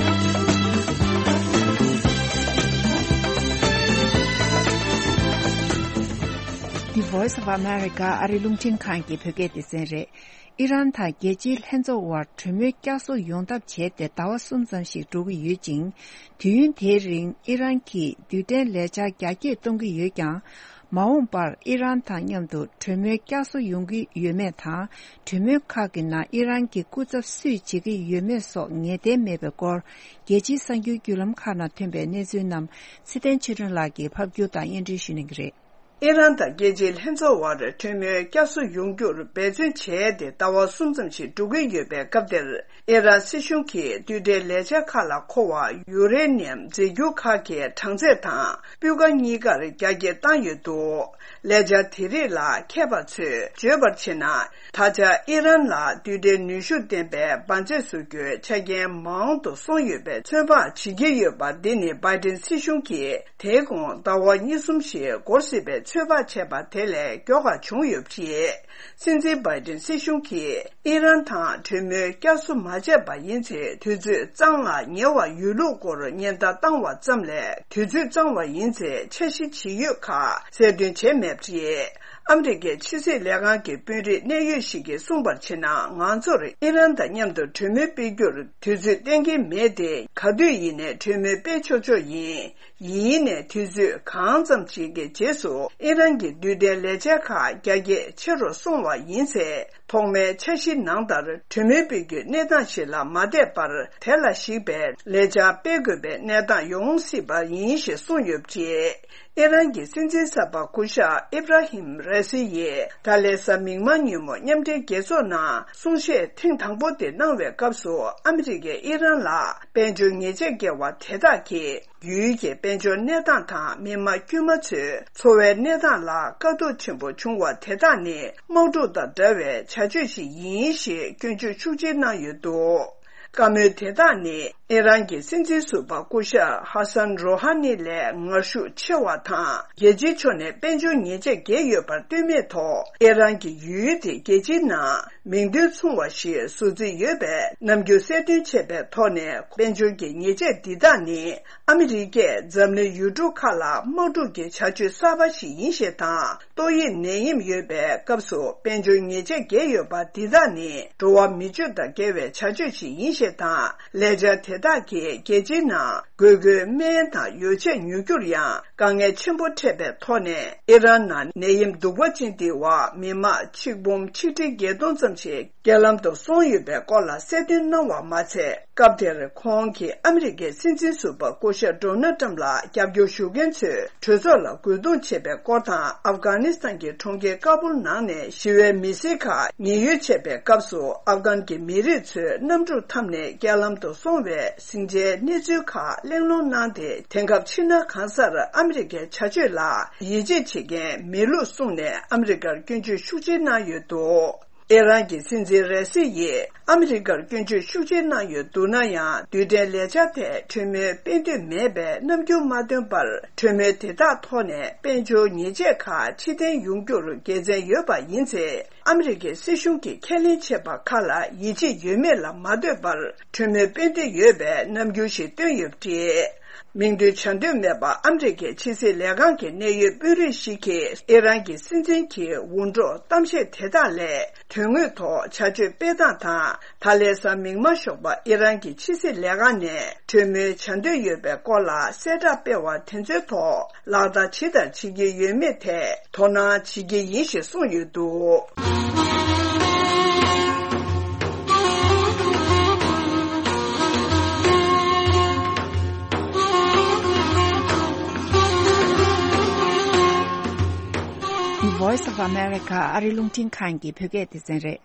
The Voice of America ཨ་རི་རླུང་འཕྲིན་ཁང་གི་བོད་སྐད་སྡེ་ཚན་རེད། ཨི་རན་དང་རྒྱལ་སྤྱིའི་ལྷན་ཚོགས་དབར་གྲོས་མོལ་བསྐྱར་གསོ་ཡོང་ཐབས་བྱས་ཏེ་ཟླ་བ་གསུམ་ཙམ་ཞིག་འགྲོ་གི་ཡོད་ཅིང་། དུས་ཡུན་དེའི་རིང་ཨི་རན་གྱིས་རྡུལ་ཕྲན་ལས་འཆར་རྒྱ་སྐྱེད་གཏོང་གི་ཡོད་ཀྱང་། མ་འོངས་པར་ཨི་རན་དང་མཉམ་དུ་གྲོས་མོལ་བསྐྱར་གསོ་ཡོང་གི་ཡོད་མེད་དང་། གྲོས་མོལ་ཁག་གི་ནང་ཨི་རན་གྱི་སྐུ་ཚབ་སུས་བྱེད་ཀྱི་ཡོད་མེད་སོགས་ངེས་གཏན་མེད་པའི་སྐོར། རྒྱལ་སྤྱིའི་གསར་འགྱུར་བརྒྱུད་ལམ་ཁག་ནང་ཐོན་པའི་གནས་ཚུལ་རྣམས་ཚེ་བརྟན་ཆོས་སྒྲོན་ལགས་ཀྱིས་ཕབ་སྒྱུར་དང་སྙན་སྒྲོན་ཞུ་གནང་གི་རེད། ཨི་རན་དང་རྒྱལ་སྤྱིའི་ལྷན་ཚོགས་དབར་གྲོས་མོལ་བསྐྱར་གསོ་ཡོང་རྒྱུར་འབད་བརྩོན་བྱས་ཏེ་ཟླ་བ་གསུམ་ཙམ་ཞིག་འགྲོ་གི་ཡོད་པའི་སྐབས་དེར། ཨི་རན་སྲིད་གཞུང་གིས་རྡུལ་ཕྲན་ལས་འཆར་ཁག་ལ་མཁོ་བ་ཡུ་རེ་ནི་ཡམ་རྫས་འགྱུར་ཁག་གི་གྲངས་ཚད་དང་སྤུས་ཀ་གཉིས་ཀར་རྒྱ་སྐྱེད་བཏང་ཡོད་འདུག་ལས་འཆར་དེ་རིགས་ལ་མཁས་པ་ཚོས་བརྗོད་པར་བྱས་ན། ད་ཆ་ཨི་རན་ལ་རྡུལ་ཕྲན་ནུས་ཤུགས་ལྡན་པའི་འབར་རྫས་བཟོ་རྒྱུའི་ཆ་རྐྱེན་མང་དུ་སོང་ཡོད་པའི་ཚོད་དཔག་བྱེད་ཀྱི་ཡོད་པ། འདི་ནི་བྷའི་ཏིན་སྲིད་གཞུང་གིས་དེའི་གོང་ཟླ་བ་གཉིས་གསུམ་ཞིག་འགོར་སྲིད་པའི་ཚོད་དཔག་བྱས་པ་དེ་ལས་མགྱོགས་ཁག་བྱུང་ཡོད་པ་རེད། སྲིད་འཛིན་བྷའི་ཏིན་སྲིད་གཞུང་གིས་ཨི་རན་དང་གྲོས་མོལ་བསྐྱར་གསོ་མ་བྱས་པ་ཡིན་ཚེ། དུས་ཚོད་གཙང་ལ་ཉེ་བ་ཡོད་ལུགས་སྐོར་ཉེན་བརྡ་བཏང་བ་ཙམ་ལས། དུས་ཚོད་གཙང་བ་ཡིན་ཚེ་འཆར་གཞི་ཇི་ཡོད་ཁག་གསལ་སྟོན་བྱས་མེད་པ་རེད། ཨ་མི་རི་ཀའི་ཕྱི་སྲིད་ལས་ཁང་གི་དཔོན་རིགས་གནད་ཡོད་ཞིག་གིས་གསུངས་པར་བྱས་ན། ང་ཚོར་ཨི་རན་དང་མཉམ་དུ་གྲོས་མོལ་སྤེལ་རྒྱུར་དུས་ཚོད་གཏན་འཁེལ་མེད་དེ། ག་དུས་ཡིན་ནའི་གྲོས་མོལ་སྤེལ་ཆོག་ཆོག་ཡིན། ཡིན་ནའི་དུས་ཚོད་གང་ཙམ་ཞིག་གི་རྗེས་སུ་ཨི་རན་གྱི་རྡུལ་ཕྲན་ལས་འཆར་ཁག་རྒྱ་སྐྱེད་ཆེ་རུ་སོང་བ་ཡིན་ཚེ། ཐོག་མའི་འཆར་གཞི་ནང་ལྟར་གྲོས་མོལ་སྤེལ་རྒྱུའི་གནས་སྟངས་ཤིག་ལ་མ་བསྡད་པར། དེ་ལ་གཞིགས་པའི་ལས་འཆར་སྤེལ་དགོས་པའི་གནས་སྟངས་ཡོང་སྲིད་པ་ཡིན་ཞེས་གསུངས་ཡོད་པ་རེད། ཨི་རན་གྱི་སྲིད་འཛིན་གསར་པ་སྐུ་ཞབས་ཨིབ་ར་ཧིམ་རེ་སི་ཡིས་ད་ལན་གཟའ་མིག་དམར་ཉིན་མོ་མཉམ་འབྲེལ་རྒྱལ་ཚོགས་ནང་གསུང་བཤད་ཐེངས་དང་པོ་དེ་གནང་བའི་སྐབས་སུ། ཨ་མི་རི་ཀས་ཨི་རན་ལ་དཔལ་འབྱོར་ཉེས་ཆད་བཀལ་བ་དེ་དག་གིས། ཡུལ་གྱི་དཔལ་འབྱོར་གནས་སྟངས་དང་མི་དམངས་དཀྱུས་མ་ཚོའི་འཚོ་བའི་གནས་སྟངས་ལ་དཀའ་སྡུག་ཆེན་པོ་བྱུང་བ་དེ་དག་ནི། དམག་འཁྲུག་དང་འདྲ་བའི་བྱ་སྤྱོད་ཞིག་ཡིན་ཞེས་སྐྱོན་བརྗོད་ཤུགས་ཆེ་གནང་ཡོད་འདུག་བཀའ་མོལ་དེ་དག་ནི། ཨི་རན་གྱི་སྲིད་འཛིན་ཟུར་པ་སྐུ་ཞབས་ཧ་སན་རོ་ཧ་ནི་ལས་ངར་ཤུགས་ཆེ་བ་དང་། རྒྱལ་སྤྱིའི་ཕྱོགས་ནས་དཔལ་འབྱོར་ཉེས་ཆད་བཀལ་ཡོད་པར་ལྟོས་མེད་ཐོག་ཨི་རན་གྱི་ཡུལ་དེ་རྒྱལ་སྤྱིའི་ནང་མིང་དོན་མཚུངས་པ་ཞིག་བཟོ་རྩིས་ཡོད་པའི་རྣམ་འགྱུར་གསལ་སྟོན་བྱས་པའི་ཐོག་ནས། དཔལ་འབྱོར་གྱི་ཉེས་ཆད་འདི་དག་ནི་ཨ་མི་རི་ཀས་འཛམ་གླིང་ཡུལ་གྲུ་ཁག་ལ་དམག་འཁྲུག་གི་བྱ་སྤྱོད་གསར་པ་ཞིག་ཡིན་ཞེས་དང་། ཏོག་དབྱིབས་ནད་ཡམས་ཡོད་པའི་སྐབས་སུ་དཔལ་འབྱོར་ཉེས་ཆད་བཀལ་ཡོད་པ་འདི་དག་ནི་འགྲོ་བ་མི་སྤྱོད་དང་འགལ་བའི་བྱ་སྤྱོད་ཅིག་ཡིན་ཞེས་དང་། ལས་འཆར་དེ་དག་གིས་རྒྱལ་སྤྱིའི་ནང་དགོས་མཁོའི་སྨན་དང་ཡོ་བྱད་ཉོ་རྒྱུར་ཡང་དཀའ་ངལ་ཆེན་པོ་འཕྲད་པའི་ཐོག་ནས། ཨི་རན་ནང་ནད་ཡམས་གདུག་པ་ཅན་འདིའི་འོག་མི་དམངས་ཆིག་འབུམ་ཆིག་ཁྲི་བརྒྱད་སྟོང་ཙམ་ཞིག་རྐྱེན་ལམ་དུ་སོང་ཡོད་པའི་སྐོར་ལ་གསལ་སྟོན་གནང་བ་མ་ཚད། སྐབས་དེར་ཁོང་གིས་ཨ་མི་རི་ཀའི་སྲིད་འཛིན་ཟུར་པ་སྐུ་ཞབས་ཌོ་ནལ་ཊམ་ལ་རྒྱབ་སྐྱོར་ཞུ་མཁན་ཚོའི་གྲོས་ཚོགས་ལ་རྒོལ་རྡུང་བྱས་པའི་སྐོར་དང་། ཨབ་གྷ་ནི་སི་ཐན་གྱི་གྲོང་ཁྱེར་ཀ་བུལ་ནང་ནས་ཞི་བའི་མི་སེར་ཁག་ཉེན་གཡོལ་བྱས་པའི་སྐབས་སུ། ཨབ་གྷན་གྱི་མི་རིགས་ཚོའི་གནམ་གྲུ་འཐམས་ནས་རྐྱེན་ལམ་དུ་སོང་བའི་ཟིང་ཆའི་གནས་ཚུལ་ཁག་གླེང་སློང་གནང་སྟེ། དེང་སྐབས་ཕྱི་ནང་གང་སར་ཨ་མི་རི་ཀའི་བྱ་སྤྱོད་ལ་ཡིད་ཆེས་བྱེད་མཁན་མེད་ལུགས་གསུངས་ནས། ཨ་མི་རི་ཀར་སྐྱོན་བརྗོད་ཤུགས་ཆེ་གནང་ཡོད་འདུག་ཨི་རན་གྱི་སྲིད་འཛིན་རེ་སི་ཡིས་ཨ་མི་རི་ཀར་སྐྱོན་བརྗོད་ཤུགས་ཆེ་གནང་ཡོད་འདུག་ན་ཡང་། རྡུལ་ཕྲན་ལས་འཆར་ཐད་གྲོས་མོལ་སྤེལ་འདོད་མེད་པའི་རྣམ་འགྱུར་མ་སྟོན་པར། གྲོས་མོལ་དེ་དག་ཐོག་ནས་དཔལ་འབྱོར་ཉེས་ཆད་ཁག་ཕྱིར་འཐེན་ཡོང་རྒྱུར་དགེ་མཚན་ཡོད་པ་ཡིན་ཚེ། ཨ་མི་རི་ཀའི་སྲིད་གཞུང་གིས་ཁས་ལེན་བྱས་པ་ཁག་ལ་ཡིད་ཆེས་ཡོད་མེད་ལ་མ་ལྟོས་པར། གྲོས་མོལ་སྤེལ་འདོད་ཡོད་པའི་རྣམ་འགྱུར་ཞིག་སྟོན་ཡོད་པ་རེད། མིང་འདོན་བྱ་འདོད་མེད་པ། ཨ་མི་རི་ཀའི་ཕྱི་སྲིད་ལས་ཁང་གི་གནད་ཡོད་དཔོན་རིགས་ཤིག་གིས་ཨི་རན་གྱི་སྲིད་འཛིན་གྱི་འུར་སྒྲོག་གཏམ་བཤད་དེ་དག་ལས། དོན་དངོས་ཐོག་བྱ་སྤྱོད་སྤེལ་སྟངས་དང་། ད་ལས་སམ་མིང་མ་ཞོག་པ་ཨི་རན་གྱི་ཕྱི་སྲིད་ལས་ཁང་ནས་གྲོས་མོལ་བྱ་འདོད་ཡོད་པའི་སྐོར་ལ་གསལ་བསྒྲགས་སྤེལ་བ་དེ་ཚོའི་ཐོག་ལག་བསྟར་ཇི་ལྟར་བྱེད་ཀྱི་ཡོད་མེད་ཐད་དོ་སྣང་བྱེད་ཀྱི་ཡིན་ཞེས་གསུངས་ཡོད་འདུག Voice of America ཨ་རི་རླུང་འཕྲིན་ཁང་གི་བོད་སྐད་སྡེ་ཚན་རེད།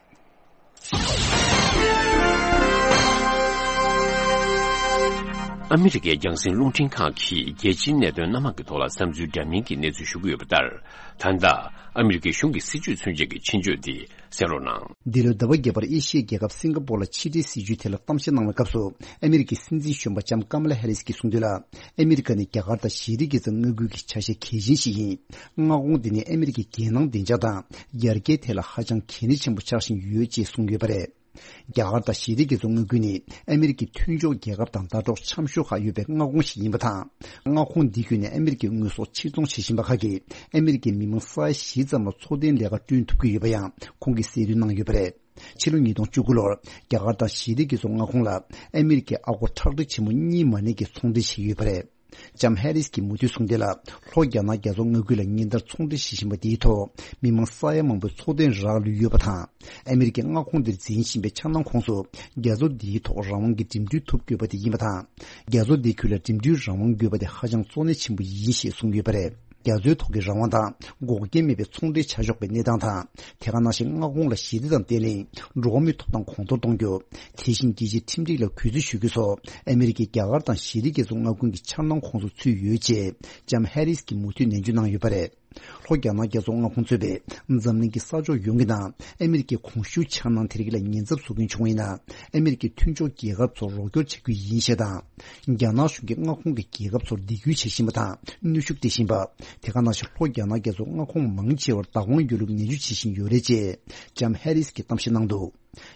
ཨ་མི་རི་ཀའི་རྒྱང་སྲིང་རླུང་འཕྲིན་ཁང་གིས་རྒྱལ་སྤྱིའི་གནད་དོན་སྣ་མང་གི་ཐོག་ལ་བསམ་ཚུལ་འདྲ་མིན་གྱི་གནས་ཚུལ་ཞུ་གི་ཡོད་པ་ལྟར། ད་ལྟ་ཨ་མི་རི་ཀའི་གཞུང་གི་སྲིད་བྱུས་མཚོན་བྱེད་ཀྱི་ཆེད་བརྗོད་འདི་གསན་རོགས་གནང་། འདི་ལོའི་ཟླ་བ་བརྒྱད་པར་ཨེ་ཤི་ཡའི་རྒྱལ་ཁབ་སིང་ག་པོར་ལ་ཕྱི་འབྲེལ་སྲིད་བྱུས་ཐད་ལ་གཏམ་བཤད་གནང་བའི་སྐབས་སུ། ཨ་མི་རི་ཀའི་སྲིད་འཛིན་གཞོན་པ་ལྕམ་ཀ་མ་ལ་ཧེ་རིས་ཀྱིས་གསུངས་དོན་ལ། ཨ་མི་རི་ཀ་ནི་རྒྱ་གར་དང་ཞི་བདེ་རྒྱ་མཚོ་མངའ་ཁུལ་གྱི་ཆ་ཤས་གལ་ཆེན་ཞིག་ཡིན། མངའ་ཁོངས་འདི་ནི་ཨ་མི་རི་ཀའི་རྒྱལ་ནང་བདེ་འཇགས་དང་ཡར་རྒྱས་ཐད་ལ་ཧ་ཅང་གལ་གནད་ཆེན་པོ་ཆགས་བཞིན་ཡོད་ཅེས་གསུངས་ཡོད་པ་རེད། རྒྱ་གར་དང་ཞི་བདེ་རྒྱ་མཚོ་མངའ་ཁུལ་ནི་ཨ་མི་རི་ཀའི་མཐུན་ཕྱོགས་རྒྱལ་ཁབ་དང་ཟླ་གྲོགས་འཆམ་ཤོས་ཁག་ཡོད་པའི་མངའ་ཁོངས་ཤིག་ཡིན་པ་དང་། མངའ་ཁོངས་འདི་བརྒྱུད་ནས་ཨ་མི་རི་ཀའི་དངོས་ཟོག་ཕྱིར་ཚོང་བྱེད་བཞིན་པ་ཁག་གིས་ཨ་མི་རི་ཀའི་མི་མང་ས་ཡ་བཞི་ཙམ་ལ་འཚོ་རྟེན་ལས་ཀ་བསྐྲུན་ཐུབ་ཀྱི་ཡོད་པ་ཡང་ཁོང་གིས་གསལ་སྟོན་གནང་ཡོད་པ་རེད། ཕྱི་ལོ་ཉིས་སྟོང་བཅུ་དགུ་ལོར་རྒྱ་གར་དང་ཞི་བདེ་རྒྱ་མཚོ་མངའ་ཁོངས་ལ་ཨ་མི་རི་ཀས་ཨ་སྒོར་ཁྲག་ཁྲིག་ཆེན་མོ་གཉིས་མ་ནས་ཀྱི་ཚོང་འབྲེལ་བྱས་ཡོད་པ་རེད། ལྕམ་ཧེ་རིས་ཀྱིས་མུ་མཐུད་གསུངས་དོན་ལ། ལྷོ་རྒྱ་ནག་རྒྱ་མཚོ་མངའ་ཁུལ་ལ་ཉིན་ལྟར་ཚོང་འབྲེལ་བྱེད་བཞིན་པ་འདིའི་ཐོག་མི་མང་ས་ཡ་མང་པོའི་འཚོ་རྟེན་རག་ལུས་ཡོད་པ་དང་། ཨ་མི་རི་ཀའི་མངའ་ཁོངས་འདིར་འཛིན་བཞིན་པའི་འཆར་སྣང་ཁོངས་སུ། རྒྱ་མཚོ་འདིའི་ཐོག་རང་དབང་གི་འགྲིམ་འགྲུལ་ཐུབ་དགོས་པ་དེ་ཡིན་པ་དང་། རྒྱ་མཚོ་འདིའི་ཁུལ་ལ་འགྲིམ་འགྲུལ་རང་དབང་དགོས་པ་དེ་ཧ་ཅང་གཙོ་གནད་ཆེན་པོ་ཡིན་ཞེས་གསུངས་ཡོད་པ་རེད། རྒྱ་མཚོའི་ཐོག་གི་རང་དབང་དང་། འགོག་རྐྱེན་མེད་པའི་ཚོང་འབྲེལ་བྱ་ཆོག་པའི་གནས་སྟངས་དང་། དེ་ག་ནང་བཞིན་མངའ་ཁོངས་ལ་ཞི་བདེ་དང་བརྟན་ལྷིང་། འགྲོ་བ་མིའི་ཐོབ་ཐང་གོང་མཐོར་གཏོང་རྒྱུ། དེ་བཞིན་རྒྱལ་སྤྱིའི་ཁྲིམས་སྒྲིག་ལ་གུས་བརྩི་ཞུ་རྒྱུ་སོགས་ཨ་མི་རི་ཀས་རྒྱ་གར་དང་ཞི་བདེ་རྒྱ་མཚོ་མངའ་ཁུལ་གྱི་འཆར་སྣང་ཁོངས་སུ་ཚུད་ཡོད་ཅེས་ལྕམ་ཧེ་རིས་ཀྱིས་མུ་མཐུད་ནན་བརྗོད་གནང་ཡོད་པ་རེད། ལྷོ་རྒྱ་ནག་རྒྱ་མཚོ་མངའ་ཁོངས་གཙོས་པའི་འཛམ་གླིང་གི་ས་ཕྱོགས་ཡོངས་ཀྱི་ནང་ཨ་མི་རི་ཀའི་གོང་ཞུས་འཆར་སྣང་དེ་རིགས་ལ་ཉེན་ཚབས་བཟོ་མཁན་བྱུང་བ་ཡིན་ན། ཨ་མི་རི་ཀའི་མཐུན་ཕྱོགས་རྒྱལ་ཁབ་ཚོར་རོགས་སྐྱོར་བྱ་རྒྱུ་ཡིན་ཞེས་དང་། རྒྱ་ནག་གཞུང་གིས་མངའ་ཁོངས་ཀྱི་རྒྱལ་ཁབ་ཚོར་སྡིགས་སྐུལ་བྱེད་བཞིན་པ་དང་གནོན་ཤུགས་སྤྲད་བཞིན་པ། དེ་ག་ནང་བཞིན་ལྷོ་རྒྱ་ནག་རྒྱ་མཚོ་མངའ་ཁོངས་མང་ཆེ་བར་བདག་དབང་ཡོད་ལུགས་ནན་བརྗོད་བྱེད་བཞིན་ཡོད་རེད་ཅེས་ལྕམ་ཧེ་རིས་ཀྱིས་གཏམ་བཤད་གནང་འདུག་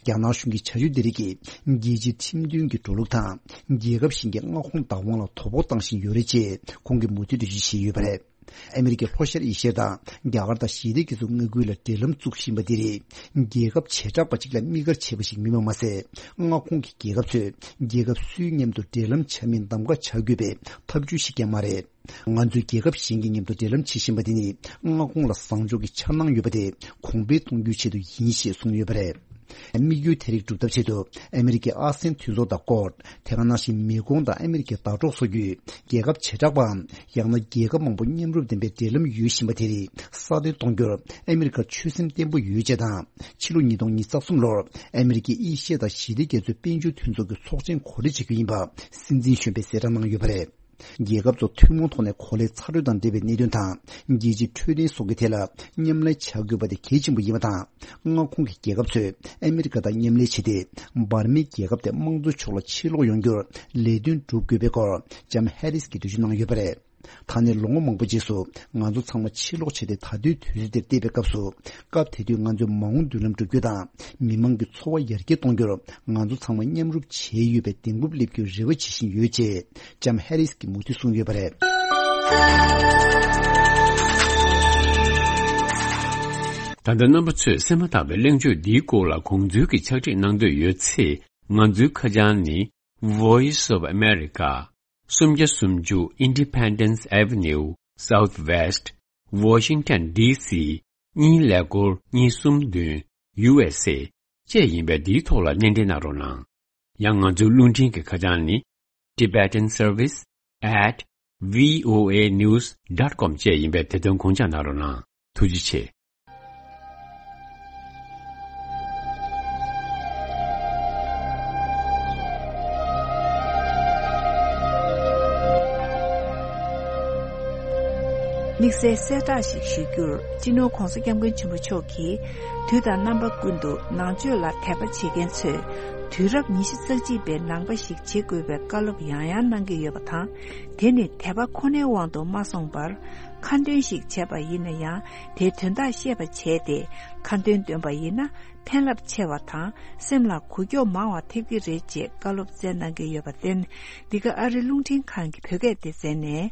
རྒྱ་ནག་གཞུང་གི་བྱ་སྤྱོད་འདི་རིགས་ཀྱིས་རྒྱལ་སྤྱིའི་ཁྲིམས་མཐུན་གྱི་འགྲོ་ལུགས་དང་། རྒྱལ་ཁབ་གཞན་གྱི་མངའ་ཁོངས་བདག་དབང་ལ་དོ་ཕོག་བཏང་བཞིན་ཡོད་རེད་ཅེས་ཁོང་གིས་མུ་མཐུད་འགྲེལ་བརྗོད་བྱས་ཡོད་པ་རེད། ཨ་མི་རི་ཀས་ལྷོ་ཤར་ཨེ་ཤི་ཡ་དང་རྒྱ་གར་དང་ཞི་བདེ་རྒྱ་མཚོ་མངའ་ཁུལ་ལ་འབྲེལ་ལམ་བཙུགས་བཞིན་པ་འདི་རིགས་རྒྱལ་ཁབ་བྱེ་བྲག་པ་གཅིག་ལ་དམིགས་བཀར་བྱས་པ་ཞིག་མིན་པ་མ་ཟད། མངའ་ཁོངས་ཀྱི་རྒྱལ་ཁབ་ཚོས་རྒྱལ་ཁབ་སུའི་མཉམ་དུ་འབྲེལ་ལམ་བྱ་མིན་གདམ་ག་བྱ་དགོས་པའི་ཐབས་ཇུས་ཤིག་ཀྱང་མ་རེད། ང་ཚོས་རྒྱལ་ཁབ་གཞན་གྱི་མཉམ་དུ་འབྲེལ་ལམ་བྱེད་བཞིན་པ་དེ་ནི་མངའ་ཁོངས་ལ་བཟང་ཕྱོགས་ཀྱི་འཆར་སྣང་ཡོད་པ་དེ་གོང་འཕེལ་གཏོང་རྒྱུའི་ཆེད་དུ་ཡིན་ཞེས་གསུངས་ཡོད་པ་རེད། དམིགས་ཡུལ་དེ་རིགས་སྒྲུབ་ཐབས་ཆེད་དུ་ཨ་མི་རི་ཀའི་ཨ་སེན་མཐུན་ཚོགས་དང་ཀོཌ། དེ་ག་ནང་བཞིན་མི་གོང་དང་ཨ་མི་རི་ཀའི་ཟླ་གྲོགས་སོགས་ཀྱི་རྒྱལ་ཁབ་བྱེ་བྲག་པའམ་ཡང་ན་རྒྱལ་ཁབ་མང་པོ་མཉམ་རུབ་ལྡན་པའི་འབྲེལ་ལམ་ཡོད་བཞིན་པ་དེ་རིགས་སྲ་བརྟན་གཏོང་རྒྱུར་ཨ་མི་རི་ཀར་ཆོད་སེམས་བརྟན་པོ་ཡོད་ཅེས་དང་། ཕྱི་ལོ་ཉིས་སྟོང་ཉི་ཤུ་རྩ་གསུམ་ལོར་ཨ་མི་རི་ཀས་ཨེ་ཤི་ཡ་དང་ཞི་བདེ་རྒྱ་མཚོའི་དཔལ་འབྱོར་མཐུན་ཚོགས་ཀྱི་ཚོགས་ཆེན་གོ་སྒྲིག་བྱེད་རྒྱུ་ཡིན་པ་སྲིད་འཛིན་གཞོན་པས་གསལ་བསྒྲགས་གནང་ཡོད་པ་རེད། རྒྱལ་ཁབ་ཚོ་ཐུན་མོང་ཐོག་ནས་གོ་ལའི་ཚ་དྲོད་དང་འབྲེལ་བའི་གནད་དོན་དང་། རྒྱལ་སྤྱིའི་འཕྲོད་བསྟེན་སོགས་ཀྱི་ཐད་ལ་མཉམ་ལས་བྱ་དགོས་པ་དེ་གལ་ཆེན་པོ་ཡིན་པ་དང་། མངའ་ཁོངས་ཀྱི་རྒྱལ་ཁབ་ཚོས་ཨ་མི་རི་ཀ་དང་མཉམ་ལས་བྱས་ཏེ། འབར་མའི་རྒྱལ་ཁབ་དེ་དམངས་གཙོའི་ཕྱོགས་ལ་ཕྱིར་ལོག་ཡོང་རྒྱུར་ལས་དོན་སྒྲུབ་དགོས་པའི་སྐོར་ལྕམ་ཧེ་རིས་ཀྱིས་འགྲེལ་བརྗོད་གནང་ཡོད་པ་རེད། ད་ནས་ལོ་ངོ་མང་པོ་རྗེས་སུ་ང་ཚོ་ཚང་མ་ཕྱིར་ལོག་བྱས་ཏེ། ད་ལྟའི་དུས་ཚོད་འདིར་བལྟས་པའི་སྐབས་སུ། སྐབས་དེ་དུས་ང་ཚོའི་མ་འོངས་མདུན་ལམ་བསྒྲུབ་རྒྱུ་དང་། མི་མང་གི་འཚོ་བ་ཡར་རྒྱས་གཏོང་རྒྱུར་ང་ཚོ་ཚང་མ་མཉམ་རུབ་བྱས་ཡོད་པའི་གདེང་སྤོབས་སླེབས་རྒྱུའི་རེ་བ་བྱེད་བཞིན་ཡོད། ཅེས་ལྕམ་ཧེ་རིས་ཀྱིས་མུ་མཐུད་གསུངས་ཡོད་པ་རེད། ད་ལྟ་རྣམ་པ་ཚོས་གསན་མ་ཐག་པའི་གླེང་བརྗོད་འདིའི་སྐོར་ལ་དགོངས་ཚུལ་གྱི་ཕྱག་བྲིས་གནང་འདོད་ཡོད་ཚེ། ང་ཚོའི་ཁ་བྱང་ནི། Voice of America, སུམ་བརྒྱ་སུམ་ཅུ་Independence Avenue, Southwest, Washington D C གཉིས་ཀླད་ཀོར་གཉིས་གསུམ་བདུན། U S A བཅས་ཡིན་པས། འདིའི་ཐོག་ལ་སྣེ་འདྲེན་གནང་རོགས་གནང་། ཡང་ང་ཚོའི་རླུང་འཕྲིན་གྱི་ཁ་བྱང་ནི། Tibetan Service at V O A news dot com བཅས་ཡིན་པས། དེ་དོན་དགོངས་འཇགས་གནང་རོགས་གནང་། ཐུགས་རྗེ་ཆེ། དམིགས་བསལ་གསལ་བསྒྲགས་ཤིག་ཞུ་རྒྱུར། སྤྱི་ནོར་༧གོང་ས་༧སྐྱབས་མགོན་ཆེན་པོ་མཆོག་གིས། དུས་དང་རྣམ་པ་ཀུན་ཏུ་ནང་ཆོས་ལ་དད་པ་བྱེད་མཁན་ཚོས། དུས་རབས་ཉི་ཤུ་རྩ་གཅིག་པའི་ནང་པ་ཞིག་བྱེད་དགོས་པའི་བཀའ་སློབ་ཡང་ཡང་གནང་གི་ཡོད་པ་དང་། དེ་ནི་དད་པ་ཁོ་ནའི་དབང་དུ་མ་སོང་བར། ཁ་འདོན་ཞིག་བྱས་པ་ཡིན་ན་ཡང་། དེའི་དོན་དག་ཤེས་པ་བྱས་ཏེ། ཁ་འདོན་འདོན་པ་ཡིན་ན། ཕན་རླབས་ཆེ་བ་དང་། སེམས་ལ་འགུལ་སྐྱོད་མང་བ་ཐེབས་ཀྱི་རེད། ཅེས་བཀའ་སློབ་སྩལ་གནང་གི་ཡོད་པར་བརྟེན། འདི་ག་ཨ་རི་རླུང་འཕྲིན་ཁང་གི་བོད་སྐད་སྡེ་ཚན་ནས།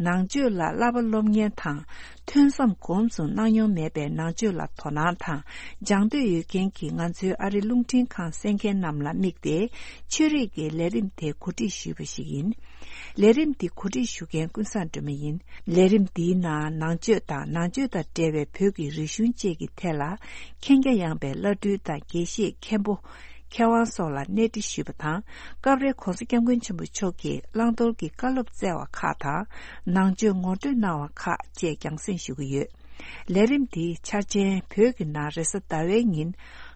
ནང་ཆོས་ལ་བསླབ་པ་སློབ་མཁན་དང་། ཐོས་བསམ་སྒོམ་གསུམ་གནང་མྱོང་མེད་པའི་ནང་ཆོས་ལ་དོ་སྣང་དང་སྦྱང་འདོད་ཡོད་མཁན་གྱི་ང་ཚོའི་ཨ་རི་རླུང་འཕྲིན་ཁང་གསན་མཁན་རྣམས་ལ་དམིགས་ཏེ། ཆོས་རིག་གི་ལས་རིམ་དེ་གོ་སྒྲིག་ཞུས་པ་ཞིག་ཡིན། ལས་རིམ་འདི་གོ་སྒྲིག་ཞུ་མཁན་ཀུན་བཟང་སྒྲོལ་མ་ཡིན། ལས་རིམ་འདིའི་ནང་ནང་ཆོས་དང་ནང་ཆོས་དང་འབྲེལ་བའི་བོད་ཀྱི་རིག་གཞུང་བཅས་ཀྱི་ཐད་ལ་མཁྱེན་རྒྱ་ཡངས་པའི་བླ་སྤྲུལ་དང་དགེ་བཤེས་མཁན་པོ། མཁས་དབང་སོགས་ལ་གནས་འདྲི་ཞུས་པ་དང་། སྐབས་རེ་༧གོང་ས་༧སྐྱབས་མགོན་ཆེན་པོ་མཆོག་གིས་བླང་དོར་གྱི་བཀའ་སློབ་སྩལ་བ་ཁག་དང་། ནང་ཆོས་ངོ་སྤྲོད་གནང་བ་ཁག་བཅས་རྒྱང་སྲིང་ཞུ་གི་ཡོད། ལས་རིམ་འདིའི་འཆར་ཅན། བོད་ཀྱི་ནང་རེས་གཟའ་ཟླ་བའི་ཉིན་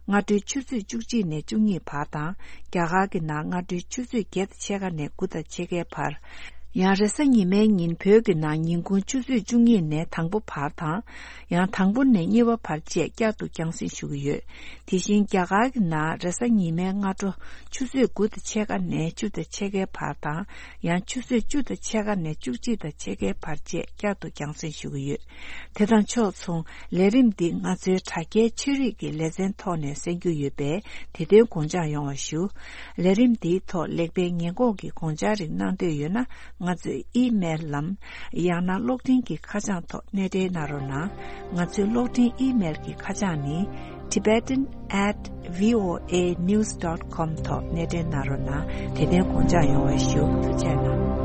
སྔ་དྲོའི་ཆུ་ཚོད་བཅུ་གཅིག་ནས་བཅུ་གཉིས་བར་དང་། རྒྱ་གར་གྱི་ནང་སྔ་དྲོའི་ཆུ་ཚོད་བརྒྱད་དང་ཕྱེད་ཀ་ནས་དགུ་དང་ཕྱེད་ཀའི་བར། ཡང་རེས་གཟའ་ཉི་མའི་ཉིན་བོད་ཀྱི་ནང་ཉིན་གུང་ཆུ་ཚོད་བཅུ་གཉིས་ནས་དང་པོ་བར་དང་། ཡང་དང་པོ་ནས་གཉིས་པ་བར་བཅས་བསྐྱར་དུ་རྒྱང་སྲིང་ཞུ་གི་ཡོད། དེ་བཞིན་རྒྱ་གར་གྱི་ནང་རེས་གཟའ་ཉི་མའི་སྔ་དྲོ་ཆུ་ཚོད་དགུ་དང་ཕྱེད་ཀ་ནས་བཅུ་དང་ཕྱེད་ཀའི་བར་དང་། ཡང་ཆུ་ཚོད་བཅུ་དང་ཕྱེད་ཀ་ནས་བཅུ་གཅིག་དང་ཕྱེད་ཀའི་བར་བཅས་བསྐྱར་དུ་རྒྱང་སྲིང་ཞུ་གི་ཡོད། དེ་དང་ཕྱོགས་མཚུངས། ལས་རིམ་འདི་ང་ཚོའི་དྲ་རྒྱའི་ཆོས་རིག་གི་ལེ་ཚན་ཐོག་ནས་གསན་རྒྱུ་ཡོད་པས། དེ་དོན་དགོངས་འཇགས་ཡོང་བ་ཞུ། ལས་རིམ་འདིའི་ཐོག་ལེགས་སྤེལ་ཉེས་འགོག་གི་དགོངས་འཆར་རིགས་གནང་འདོད་ཡོད་ན། ང་ཚོའི་ཨི་མེལ་ལམ། ཡང་ན་གློག་འཕྲིན་གྱི་ཁ་བྱང་ཐོག་གནས་འབྲེལ་གནང་རོགས་གནང་། ང་ཚོའི་གློག་འཕྲིན་ཨི་མེལ་གྱི་ཁ་བྱང་ནི། Tibetan at V O A news dot com ཐོག་གནས་འབྲེལ་གནང་རོགས་གནང་། དེ་དོན་དགོངས་འཇགས་ཡོང་བ་ཞུ། ཐུགས་རྗེ་གནང་།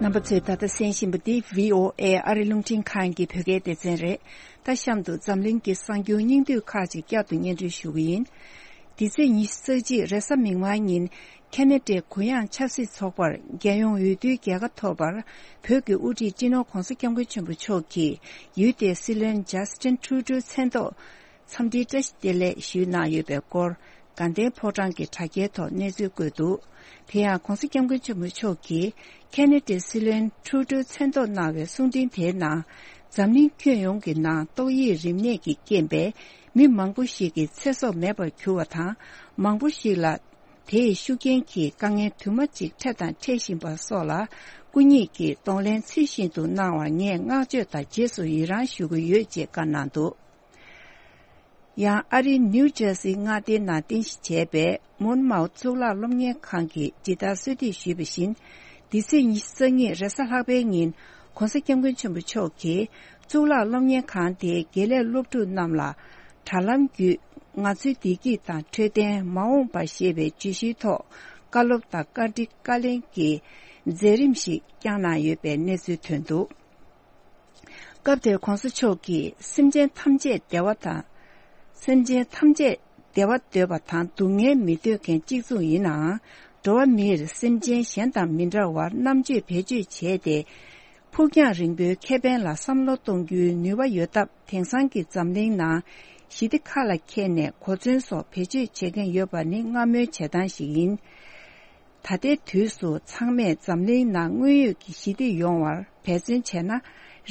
རྣམ་པ་ཚོས་ད་ལྟ་གསན་བཞིན་པ་འདི་V O A ཨ་རི་རླུང་འཕྲིན་ཁང་གི་བོད་སྐད་སྡེ་ཚན་རེད། ད་གཤམ་དུ་འཛམ་གླིང་གི་གསར་འགྱུར་སྙིང་བསྡུས་ཁག་ཅིག་བསྐྱར་དུ་སྙན་སྒྲོན་ཞུ་གི་ཡིན། འདི་ཚེས་ཉི་ཤུ་རྩ་གཅིག་རེས་གཟའ་མིག་དམར་ཉིན། ཁེ་ན་ཌའི་གུ་ཡངས་ཆབ་སྲིད་ཚོགས་པར་རྒྱལ་ཡོངས་འོས་བསྡུའི་རྒྱལ་ཁ་ཐོབ་པར། བོད་ཀྱི་དབུ་ཁྲིད་སྤྱི་ནོར་༧གོང་ས་༧སྐྱབས་མགོན་ཆེན་པོ་མཆོག་གིས་ཡུལ་དེའི་སྲིད་བློན་ཇ་སི་ཊིན་ཊུ་རུ་ཌོའི་མཚན་ཐོག་འཚམས་འདྲིའི་བཀྲ་ཤིས་བདེ་ལེགས་ཞུས་གནང་ཡོད་པའི་སྐོར། དགའ་ལྡན་ཕོ་བྲང་གི་དྲ་རྒྱའི་ཐོག་གནས་ཚུལ་བཀོད་འདུག་དེ་ཡང་༧གོང་ས་༧སྐྱབས་མགོན་ཆེན་པོ་མཆོག་གིས་ཁེ་ན་ཌའི་སྲིད་བློན་ཊུ་རུ་ཌོའི་མཚན་ཐོག་གནང་བའི་གསུང་འཕྲིན་དེའི་ནང་། འཛམ་གླིང་ཁྱོན་ཡོངས་ཀྱི་ནང་ཏོག་དབྱིབས་རིམས་ནད་ཀྱི་རྐྱེན་པས་མི་མང་པོ་ཞིག་གི་ཚེ་སྲོག་མེད་པར་གྱུར་བ་དང་། མང་པོ་ཞིག་ལ་དེའི་ཤུགས་རྐྱེན་གྱིས་དཀའ་ངལ་དུ་མ་གཅིག་འཕྲད་དང་འཕྲད་བཞིན་པ་སོགས་ལ། སྐུ་ཉིད་ཀྱིས་གདོང་ལེན་ཚུལ་བཞིན་དུ་གནང་བར་ངས་བསྔགས་བརྗོད་དང་རྗེས་སུ་ཡི་རང་ཞུ་གི་ཡོད་ཅེས་བཀའ་གནང་འདུག་ཡང་ཨ་རིའི་ནིའུ་ཇར་སིའི་མངའ་སྡེའི་ནང་རྟེན་གཞི་བྱས་པའི་མོན་མའོ་གཙུག་ལག་སློབ་གཉེར་ཁང་གིས་ཇི་ལྟར་གསོལ་འདེབས་ཞུས་པ་བཞིན། འདི་ཚེས་ཉི་ཤུ་རྩ་གཉིས་རེས་གཟའ་ལྷག་པའི་ཉིན། ༸གོང་ས་༸སྐྱབས་མགོན་ཆེན་པོ་མཆོག་གིས་གཙུག་ལག་སློབ་གཉེར་ཁང་དེའི་དགེ་ལས་སློབ་ཕྲུག་རྣམས་ལ། དྲ་ལམ་བརྒྱུད་ང་ཚོའི་བདེ་སྐྱིད་དང་འཕྲོད་བསྟེན་མ་འོངས་པ་ཞེས་པའི་བརྗོད་གཞིའི་ཐོག་བཀའ་སློབ་དང་བཀའ་འདྲི་བཀའ་ལན་གྱི་མཛད་རིམ་ཞིག་བསྐྱངས་གནང་ཡོད་པའི་གནས་ཚུལ་ཐོན་འདུག་སྐབས་དེར་༸གོང་ས་མཆོག་གིས་སེམས་ཅན་ཐམས་ཅད་བདེ་བ་དང་། སེམས་ཅན་ཐམས་ཅད་བདེ་བ་འདོད་པ་དང་སྡུག་བསྔལ་མི་འདོད་མཁན་གཅིག་མཚུངས་ཡིན་ནའང་། འགྲོ་བ་མིར་སེམས་ཅན་གཞན་དང་མི་འདྲ་བར་རྣམ་དཔྱོད་བེད་སྤྱོད་བྱས་ཏེ། ཕུགས་རྒྱང་རིང་པོའི་ཁེ་ཕན་ལ་བསམ་བློ་གཏོང་རྒྱུའི་ནུས་པ་ཡོད་སྟབས། དེང་སང་གི་འཛམ་གླིང་ནང་ཞི་བདེ་ཁ་ལ་འཁྱེར་ནས་གོ་མཚོན་སོགས་བེད་སྤྱོད་བྱེད་མཁན་ཡོད་པ་ནི་སྔ་མོའི་བྱེད་སྟངས་ཤིག་ཡིན། ད་ལྟའི་དུས་སུ་ཚང་མས་འཛམ་གླིང་ནང་དངོས་ཡོད་ཀྱི་ཞི་བདེ་ཡོང་བར་འབད་བརྩོན་བྱས་ན།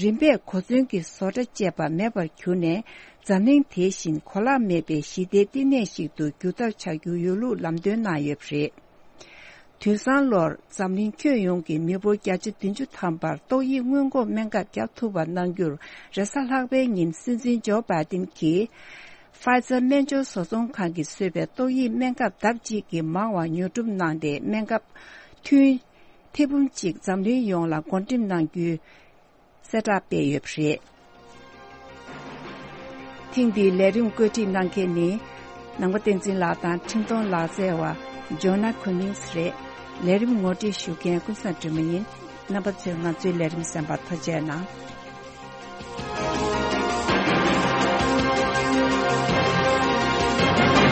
རིམ་པས་གོ་མཚོན་གྱི་བཟོ་གྲྭ་བཅས་པ་མེད་པར་གྱུར་ནས། འཛམ་གླིང་དེ་བཞིན་གོ་ལག་མེད་པའི་ཞི་བདེའི་བསྟི་གནས་ཤིག་ཏུ་འགྱུར་ཐབས་བྱ་རྒྱུ་ཡོད་ལུགས་ལམ་སྟོན་གནང་ཡོད་པ་རེད། དུས་སང་ལོར་འཛམ་གླིང་ཁྱོན་ཡོངས་ཀྱི་མི་འབོར་བརྒྱ་ཆ་བདུན་ཅུ་ཐམ་པར་ཏོག་དབྱིབས་སྔོན་འགོག་སྨན་ཁབ་བརྒྱབ་ཐུབ་པ་གནང་རྒྱུར། རེས་གཟའ་ལྷག་པའི་ཉིན་སྲིད་འཛིན་ཇོ་བྷའི་ཏིན་གྱིས། ཕའི་ཛར་སྨན་སྦྱོར་བཟོ་ཚོང་ཁང་གིས་བཟོས་པའི་ཏོག་དབྱིབས་སྨན་ཁབ་ལྡབ་གཅིག་གིས་མང་བ་ཉོ་སྒྲུབ་གནང་སྟེ། སྨན་ཁབ་ཐུན་ཐེར་འབུམ་གཅིག་འཛམ་གླིང་ཡོངས་ལ་བགོ་འགྲེམས་གནང་རྒྱུའི་གསལ་བསྒྲགས་སྤེལ་ཡོད་པ་རེད། ཐེངས་འདིའི་ལས་རིམ་བཀོད་སྒྲིག་གནང་མཁན་ནི། ནང་པ་བསྟན་འཛིན་ལགས་དང་འཕྲིན་གཏོང་ལག་རྩལ་བ་ཇོ་ན་ཁུ་མིང་སི་རེད། ལས་རིམ་ངོ་སྤྲོད་ཞུ་མཁན་ཀུན་བཟང་སྒྲོལ་མ་ཡིན། རྣམ་པ་ཚོས་ང་ཚོའི་ལས་རིམ་གསན་པར་ཐུགས་རྗེ་གནང་།